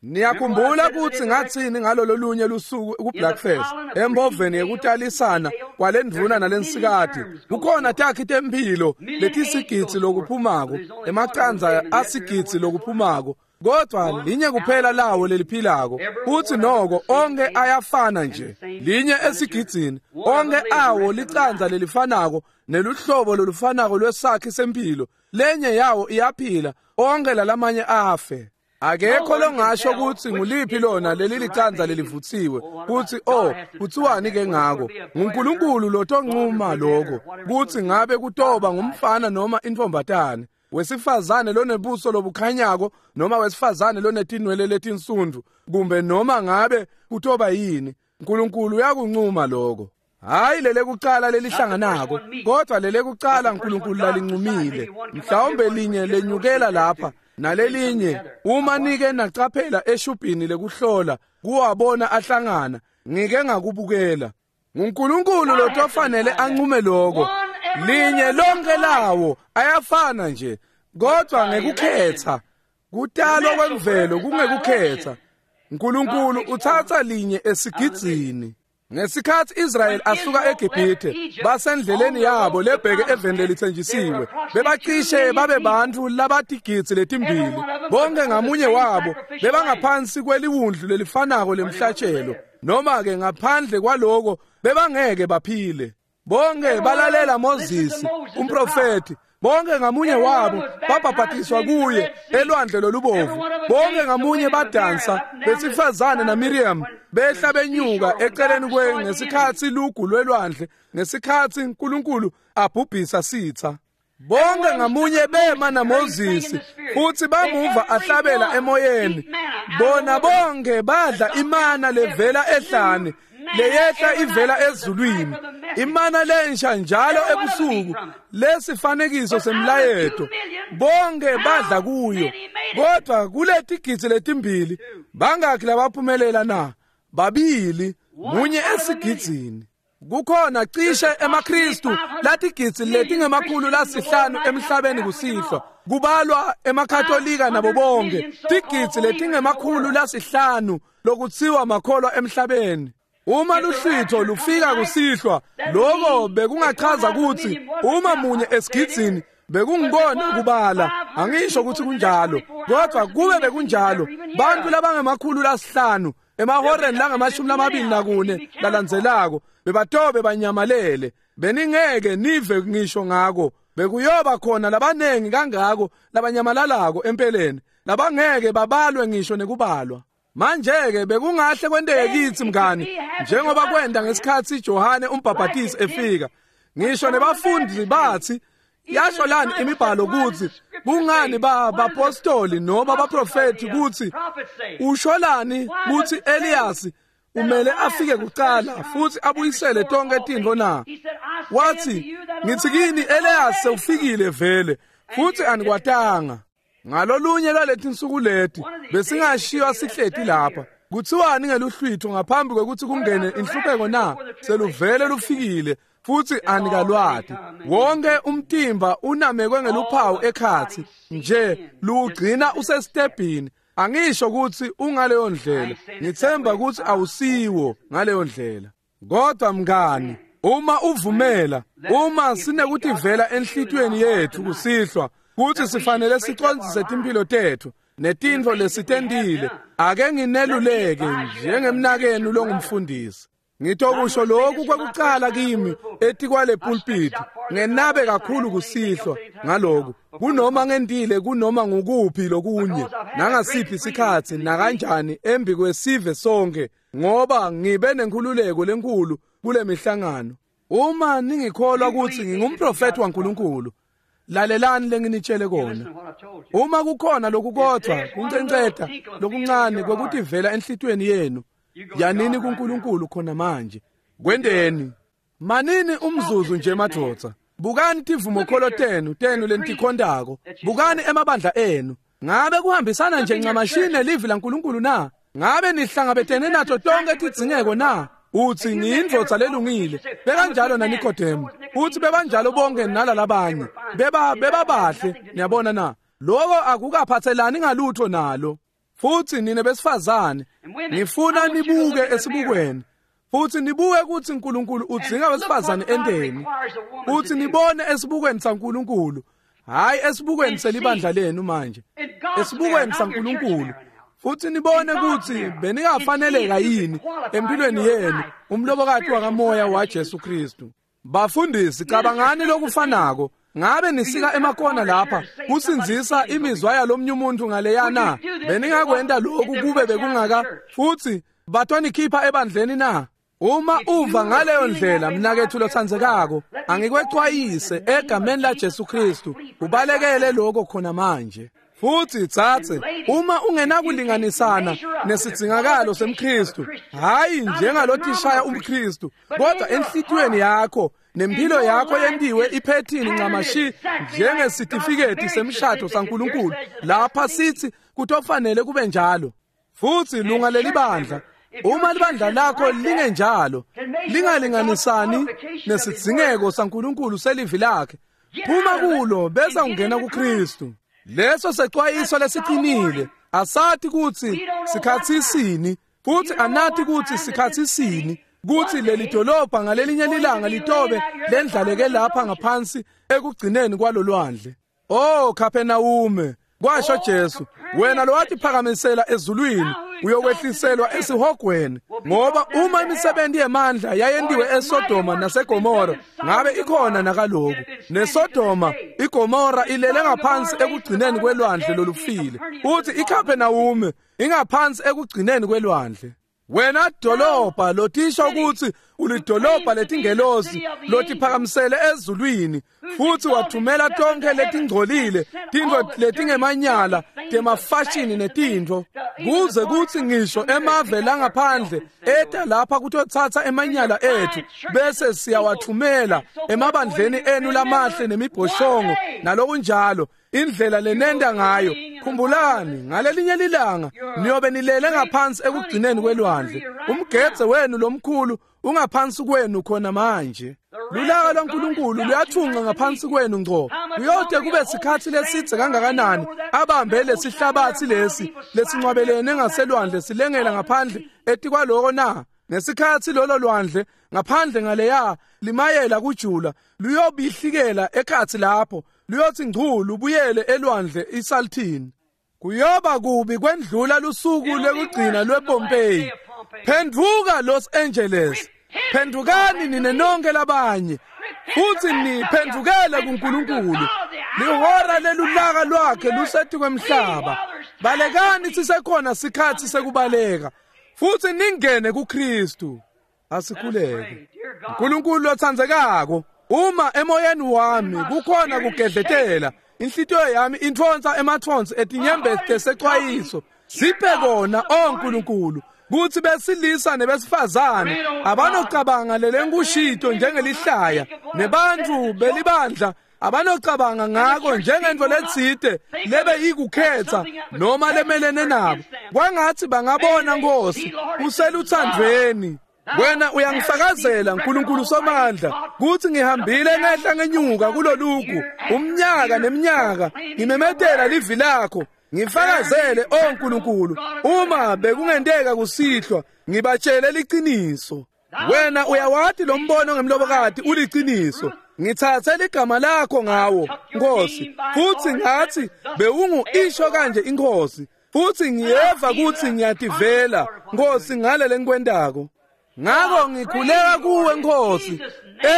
Niyakhumbula ukuthi ngathini ngalolo lunye lusuku ku-Blackfest emboveni yekutalisana kwalendvuna nalensikati, kukhona takhi temphilo letisigidzi lokuphumako, emacandza asigidzi lokuphumako, kodwa linye kuphela lawo leliphilako. Futhi noko onke ayafana nje, linye esigidzini, onke awo licandza lelifanako neluhlobo lolufanako lwesakhi sempilo. Lenye yawo iyaphila, onke lalamanye afe. Akekho longasho ukuthi nguliphi lona leli licandza lelivutsiwe, kuthi kuthiwani ke ngako. NguNkulunkulu lotonquma lokho, kuthi ngabe kutoba ngumfana noma intombatane, wesifazane lonebuso lobukhanyako noma wesifazane lonetinwele letinsundu, kumbe noma ngabe kutoba yini. uNkulunkulu uyakunquma lokho. Hayi lele kucala lelihlanganako, kodwa lele kucala uNkulunkulu lalinqumile. Mhlawumbe linye lenyukela lapha nalelinye, uma nike nacaphela eshubhini lekuhlola kuwabona ahlangana, ngike ngakubukela. NguNkulunkulu lotofanele anqume lokho. Linye lonke lawo ayafana nje, kodwa ngekukhetha. Kutalwa kwemvelo kungekukhetha. uNkulunkulu uthatha linye esigidzini. Ngesikhathi Israel asuka eGibhithe basendleleni yabo lebheke eveni lelithenjisiwe, bebacishe babe bantfu labatigidzi letimbili. Bonke ngamunye wabo bebangaphansi kweliwundlu lelifanako lemhlatshelo, noma ke ngaphandle kwaloko bebangeke baphile. Bonke balalela Moses umprofeti, bonke ngamunye wabo babhabhatiswa kuye elwandle lolubovu. Bonke ngamunye badansa besifazane na Miriam behla benyuka eceleni kwe ngesikhathi lugu lwelwandle, ngesikhathi uNkulunkulu abhubhisa sitha. Bonke ngamunye bema na Moses futhi bamuva ahlabela emoyeni. Bona bonke badla imana levela ehlane, leyehla ivela ezulwini, imana lensha njalo ebusuku, lesifanekiso semlayeto. Bonke badla kuyo, kodwa kuletigidzi letimbili bangakhi labaphumelela na? Babili, munye esigidzini. Kukhona cishe emaKristu latigidzi letingemakhulu lasihlanu emhlabeni kusihlwa, kubalwa emaKatolika nabo bonke, tigidzi letingemakhulu lasihlanu lokutsiwa makholwa emhlabeni. Uma luhlwitho lufika kusihlwa, lokho bekungachaza ukuthi uma munye esigidzini bekungibona kubala. Angisho ukuthi kunjalo, kodwa kube bekunjalo, bantu labangemakhulu lasihlanu emahoreni langama-24 lalandzelako bebatobe banyamalele. Beningeke nive ngisho ngako. Bekuyoba khona labanengi kangako labanyamalalako empeleni, labangeke babalwe ngisho nekubalwa. Manje-ke bekungahle kwenteke kithi mngani, njengoba kwenda ngesikhathi Johane umbhabhatisi efika. Ngisho nebafundi bathi, yasho lani imibhalo ukuthi kungani bapostoli noma baprofeti kuthi usholani kuthi Elias umele afike kuqala futhi abuyisele tonke tintfo na? Wathi, ngithi kini Elias sewufikile vele futhi anikwatanga. Ngalolunye lwaleti nsuku leti besingashiywa sihleti lapha. Kuthiwani ngeluhlwitho ngaphambi kwekuthi kungene inhlupheko na? Seluvele lufikile futhi anikalwati. Wonke umtimba unamekwe ngeluphawu ekhatsi nje luwugcina usestebhini. Angisho ukuthi ungaleyo ndlela, ngithemba ukuthi awusiwo ngaleyo ndlela. Kodwa mngani, uma uvumela, uma sinekutivela enhlitiyweni yethu kusihlwa kuthi sifanele sicondzise timphilo tethu netintfo lesitentile, ake ngineluleke njengemnakenu longumfundisi. Ngitokusho lokhu kwekucala kimi etikwale pulpit, ngenabe kakhulu kusihlwa ngaloku, kunoma ngentile kunoma ngukuphi lokunye nangasiphi isikhathi nakanjani embi kwesive sonke, ngoba ngibe nenkhululeko lenkulu kule mihlangano. Uma ningikholwa ukuthi ngingumprofeti waNkulunkulu, lalelani lenginitshele kona. Uma kukhona lokukodwa kuncenceta lokuncane kwekutivela enhlitiyweni yenu, yanini kuNkulunkulu khona manje. Kwendeni manini umzuzu nje madvodza. Bukani tivumokholo tenu lenitikhontako, bukani emabandla enu. Ngabe kuhambisana nje ncamashini livi laNkulunkulu na? Ngabe nihlangabetene nato tonke tidzingeko na? Uthi ngiyindvodza lelungile. Bekanjalo na Nikodemu. Uthi bebanjalo bonke nalalabanye. Bebabahle, niyabona na? Lokho akukaphathelani ngalutho nalo. Futhi nina besifazane, ngifuna nibuke esibukweni. Futhi nibuke ukuthi uNkulunkulu udzinga besifazane enteni. Uthi nibone esibukweni saNkulunkulu, hayi esibukweni selibandla lenu manje. Esibukweni saNkulunkulu. Futhi nibone ukuthi beningafaneleka yini empilweni yenu umlobokati wakamoya waJesu Kristu. Bafundisi, cabangani lokufanako. Ngabe nisika emakona lapha kusinzisa imizwa yalomnye umuntu ngaleyana? Beningakwenta lokhu kube bekungaka futhi batonikhipha ebandleni na? Uma uva ngaleyo ndlela mnakethu lotsandzekako, angikwexwayise egameni la Jesu Kristu, ubalekele lokho khona manje. Futhi tsatse, uma ungenakulinganisana nesidzingakalo semKristu, hayi njengalothishaya umKristu, kodwa enhlitiyweni yakho nempilo yakho yentiwe iphethini ncamashi njengesitifiketi semshado saNkulunkulu, lapha sithi kutofanele kube njalo. Futhi lunga lelibandla, uma libandla lakho lingenjalo, lingalinganisani nesidzingeko saNkulunkulu selivi lakhe, phuma kulo bese ungena kuKristu. Leso secwayiso lesiqinile. Asathi ukuthi sikhathi sini, futhi anathi ukuthi sikhathi sini. Kutsi leli dolobha ngalelinye lilanga litobe lendlaleke lapha ngaphansi ekugcineni kwalolwandle. Oh Kapernawume, kwasho Jesu, wena lowatiphakamisela ezulwini uyokwehliselwa esihogweni, ngoba uma imisebenzi yemandla yayentiwe eSodoma naseGomora, ngabe ikhona nakaloku. NeSodoma iGomora ilele ngaphansi ekugcineni kwelwandle lolufile, uthi iKapernawume ingaphansi ekugcineni kwelwandle. Wena dolobha lotisho ukuthi ulidolobha letingelosi lotiphakamisele ezulwini, futhi wathumela tonke letingcolile tintfo letingemanyala temafashini netintfo, kuze kutsi ngisho emave langaphandle eta lapha kutotsatsa emanyala ethu bese siyawathumela emabandleni enu lamahle nemibhoshongo nalokunjalo. Indlela lenenda ngayo, khumbulani ngalelinye lilanga niyobe nilele ngaphansi ekugcineni kwelwandle. Umgedze wenu lomkhulu ungaphansi kwenu khona manje. Lulaka lwaNkulunkulu luyathunqa ngaphansi kwenu ngco. Kuyote kube sikhathi lesidze kangakanani abambe lesihlabathi lesi lesincwabelene ngaselwandle silengela ngaphandle etikwaloko na? Ngesikhathi lolo lwandle ngaphandle ngaleya limayela kujula luyobihlikela ekhathi lapho, luyothi ngcu lubuyele elwandle iSaltini. Kuyoba kubi kwendlula lusuku lekugcina lwePompeii. Phenduka Los Angeles, phendukani nine nonke labanye, futhi niphendukele kuNkulunkulu. Lihora lelulaka lwakhe lusetikwe-mhlaba. Balekani sisekhona sikhathi sekubaleka, futhi ningene kuKristu. Asikhuleke. uNkulunkulu lotsandzekako, uma emoyeni wami kukhona kugedletela, inhlitiyo yami intfonsa emathonsi etinyembezi tesecwayiso, siphe kona, o Nkulunkulu, kutsi besilisa nebesifazane abanocabanga lelenkushito njengelihlaya, nebantfu belibandla abanocabanga ngako njengento letsite lebe ikukhetsa noma lemelene nabo. Kwangatsi bangabona, Nkosi, useluthandvweni. Wena uyangifakazela, Nkulunkulu Somandla, kutsi ngihambile ngehla ngenyuka kulolugu umnyaka neminyaka, ngimemetela livi lakho, ngifakazele, o Nkulunkulu, uma bekungenteka kusihlwa ngibatshele liciniso. Wena uyawati lo mbono ngemlobokati uliciniso. Ngitsatse ligama lakho ngawo, Nkosi, futsi ngatsi bewungu isho kanje iNkhosi, futsi ngiyeva kutsi ngiyativela, Nkosi, ngale lengikwentako. Ngako ngikhuleka kuwe, Nkosi,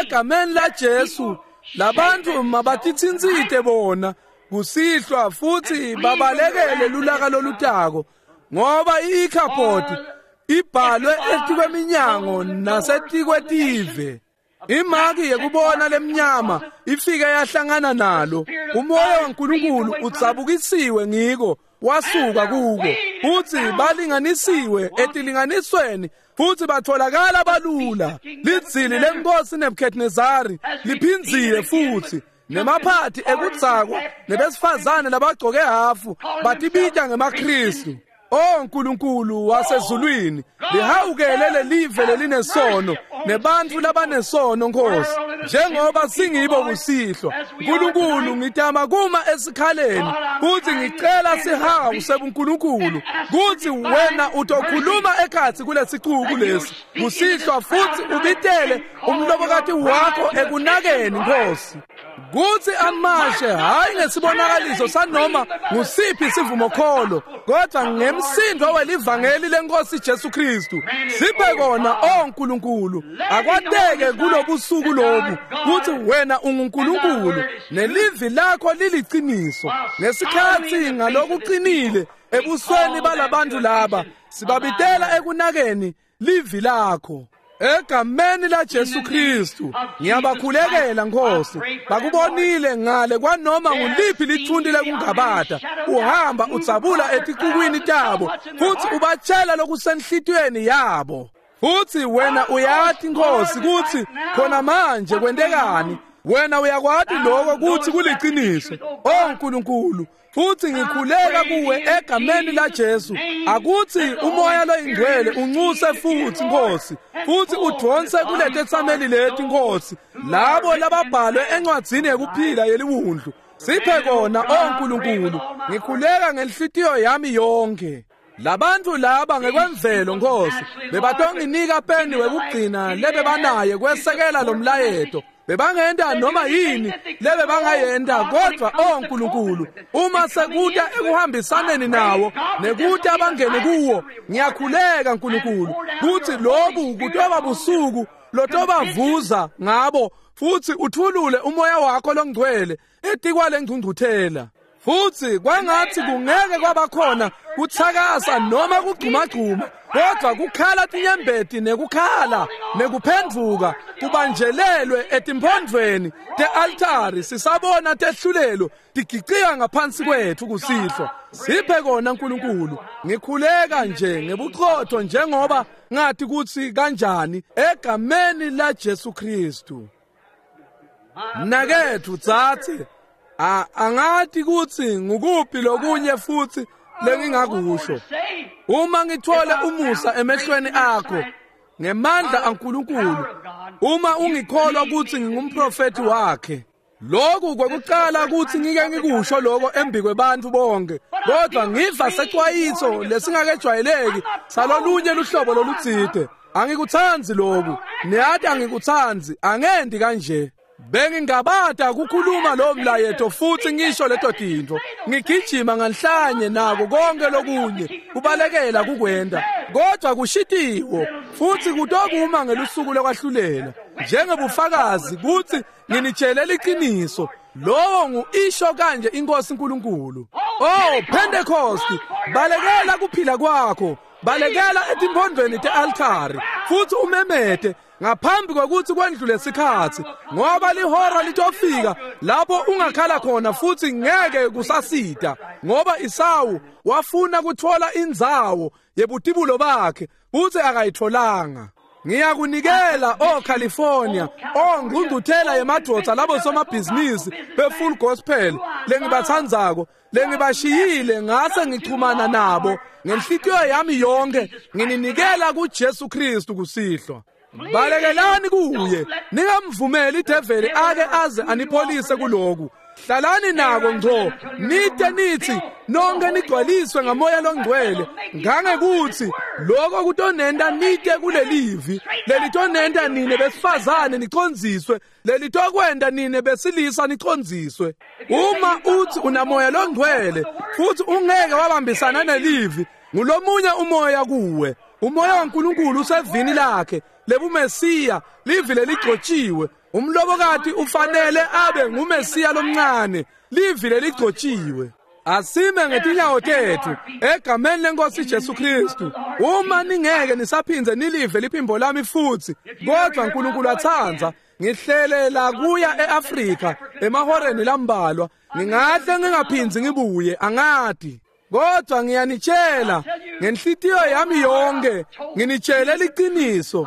egameni la Jesu, labantu mabatitsintsite bona kusihlwa futhi babalekele lulaka lolutako, ngoba i-Ikhabhodi ibhalwe etikweminyango nasetikwetive. Imaki yekubona lemnyama ifike yahlangana nalo. Umoya waNkulunkulu udzabukisiwe ngiko, wasuka kuko, futhi balinganisiwe etilinganisweni, futhi batholakala balula. Lidzili lenkosi Nebuchadnezzari liphindzile futhi, nemaphathi ekudzakwa nebesifazane labagcoke hafu batibita ngemaKristu. O Nkulunkulu wasezulwini, lihawukele lelive lelinesono nebantfu labanesono, Nkosi, njengoba singibo kusihlwa. Nkulunkulu, ngitama kuma esikhaleni futhi ngicela sihawu sebuNkulunkulu kutsi wena utokhuluma ekhatsi kulesicuku lesi kusihlwa, futhi ubitele umlobokati wakho ekunakeni, Nkosi, kutsi amashe hayi ngesibonakaliso sanoma ngusiphi sivumokholo, kodwa ngemsindo welivangeli lenkosi Jesu Kristu. Siphe kona, o Nkulunkulu, akwateke kulobusuku lobu kutsi wena unguNkulunkulu nelivi lakho liliciniso. Ngesikhatsi ngalokuqinile ebusweni balabantu laba sibabitela ekunakeni livi lakho. Egameni la Jesu Kristu ngiyabakhulekela, Nkosi. Bakubonile ngale kwanoma nguliphi lithunti lekungabata, uhamba udzabula eticukwini tabo futhi ubatshela lokusenhlitiyweni yabo. Futhi wena uyati, Nkosi, kutsi khona manje kwentekani. Wena uyakwati lokho kutsi kuliciniso, o Nkulunkulu. Futhi ngikhuleka kuwe egameni la Jesu, akutsi umoya loyingcwele uncuse futhi, Nkosi, futhi udvonse kuletetsameli leti, Nkosi, labo lababhalwe encwadzini yekuphila yeliwundlu. Siphe kona, o Nkulunkulu. Ngikhuleka ngenhlitiyo yami yonke. Labantu laba ngekwemvelo Nkosi bebatonginika peni wekugcina lebebanaye kwesekela lo mlayeto. Bebangenta noma yini lebebangayenta, kodwa oh Nkulunkulu, uma sekuta ekuhambisaneni nawo nekuta abangene kuwo, ngiyakhuleka Nkulunkulu kutsi lobu kutoba busuku lotobavuza ngabo, futsi uthulule umoya wakho longcwele etikwale ngcungcuthela. Futsi kwangatsi kungeke kwabakhona kuthakasa noma kugcumagcuma, kodwa kukhala tinyembeti nekukhala nekuphendvuka kubanjelelwe etimphondvweni te-altari, sisabona tehlulelo tigicika ngaphansi kwetfu kusihlwa. Siphe kona Nkulunkulu. Ngikhuleka nje ngebuqotho njengoba ngathi kutsi kanjani, egameni la Jesu Kristu. Mnaketfu tsatse, angathi kutsi ngukuphi lokunye futsi lengingakusho. Uma ngithole umusa emehlweni akho ngemandla aNkulunkulu, uma ungikholwa kutsi ngingumprofeti wakhe, lokhu kwekucala kutsi ngike ngikusho lokho embi kwebantfu bonke, kodwa ngiva secwayiso lesingakejwayeleki salolunye luhlobo lolutsite. Angikutsandzi loku, niyati angikutsandzi, angendi kanje. Bengingabata kukhuluma lo mlayeto futsi ngisho leto tintfo, ngigijima nganhlanye nako konke lokunye kubalekela kukwenta, kodwa kushitiwo futsi kutokuma ngelusuku lokwahlulela njengebufakazi kutsi nginitshele liqiniso. Lowo ngu-isho kanje iNkosi uNkulunkulu. Oh Pentecost, balekela kuphila kwakho, balekela etimphondvweni te-altari futsi umemete ngaphambi kwekutsi kwendlule sikhatsi, ngoba lihora litofika lapho ungakhala khona futsi ngeke kusasita, ngoba Isawu wafuna kutfola indzawo yebutibulo bakhe futsi akayitfolanga. Ngiyakunikela o California, o ngcungcuthela yemadvodza labo somabhizinisi be-full gospel lengibatsandzako, lengibashiyile ngase ngichumana nabo ngenhlitiyo yami yonke, ngininikela kuJesu Kristu kusihlwa. Balekelani kuye, ningamvumeli ideveli ake aze anipholise kuloku. Hlalani nako ngco, nite nithi nonke nigcwaliswe ngamoya longcwele, ngangekutsi lokho kutonenta nite kulelivi lelitonenta nine besifazane nicondziswe, lelitokwenta nine besilisa nicondziswe. Uma uthi unamoya longcwele futsi ungeke wabambisana nelivi, ngulomunye umoya kuwe. Umoya waNkulunkulu usevini lakhe lebuMesiya, livi leligcotshiwe. Umlobokati ufanele abe nguMesiya lomncane, livi leligcotshiwe. Asime ngetinyawo tethu egameni lenkosi Jesu Kristu. Uma ningeke nisaphindze nilive liphimbo lami futsi, kodwa uNkulunkulu atsandza, ngihlelela kuya eAfrika emahoreni lambalwa, ngingahle ngingaphindzi ngibuye, angati. Kodwa ngiyanitshela ngenhlitiyo yami yonke, nginitshele liqiniso.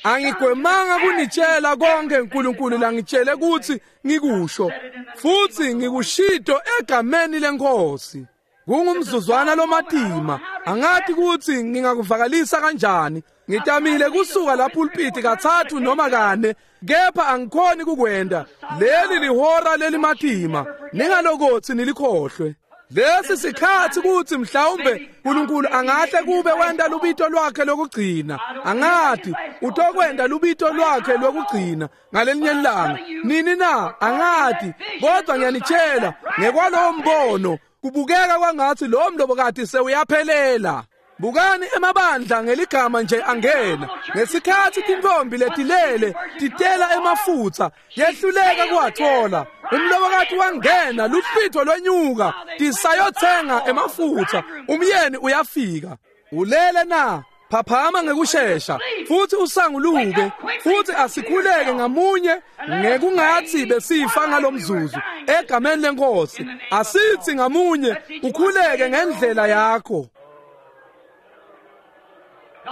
Angigwemanga kunitshela konke uNkulunkulu langitshele kutsi ngikusho, futsi ngikushito egameni lenkosi. Kungumzuzwana lomatima, angathi kutsi ngingakuvakalisa kanjani. Ngitamile kusuka la pulpiti kathathu noma kane, kepha angikhoni kukwenta. Leli lihora lelimatima, ningalokotsi nilikhohlwe. Lesi sikhatsi kutsi mhlawumbe uNkulunkulu angahle kube wenta lubito lwakhe lokugcina. Angathi utokwenta lubito lwakhe lokugcina ngalenye ilanga. Nini na? Angathi, kodwa ngiyanitshela ngekwalowo mbono kubukeka kwangathi lo mlobokati sewuyaphelela. Bukani emabandla ngeligama nje angena. Ngesikhatsi tintfombi letilele titela emafutsa, yehluleka kuwathola. Umlobokati wangena, luhlwitho lwenyuka, tisayothenga emafutsa, umyeni uyafika. Ulele na? Phaphama ngekushesha futsi usanguluke, futsi asikhuleke ngamunye ngekungatsi besifa ngalomzuzu egameni lenkosi. Asithi ngamunye ukhuleke ngendlela yakho.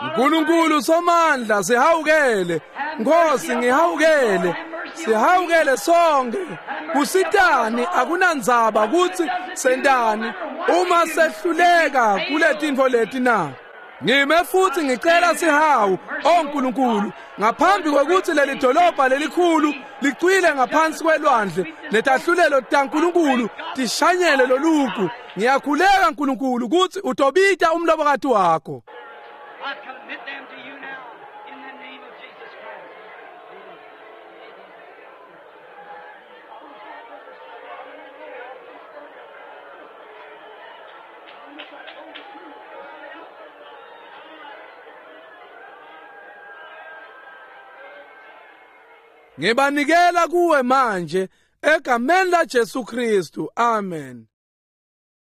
Nkulunkulu somandla, sihawukele. Nkosi, ngihawukele. Sihawukele sonke. Kusitani akunandzaba kutsi sentani uma sehluleka kuletintfo leti na? Ngime futsi ngicela sihawu, o Nkulunkulu, ngaphambi kwekutsi leli dolobha lelikhulu licwile ngaphansi kwelwandle, netahlulelo taNkulunkulu tishanyele lolugu. Ngiyakhuleka Nkulunkulu kutsi utobita umlobokati wakho. I commit them to you now in the name of Jesus Christ. Ngibanikela kuwe manje egameni laJesu Kristu. Amen.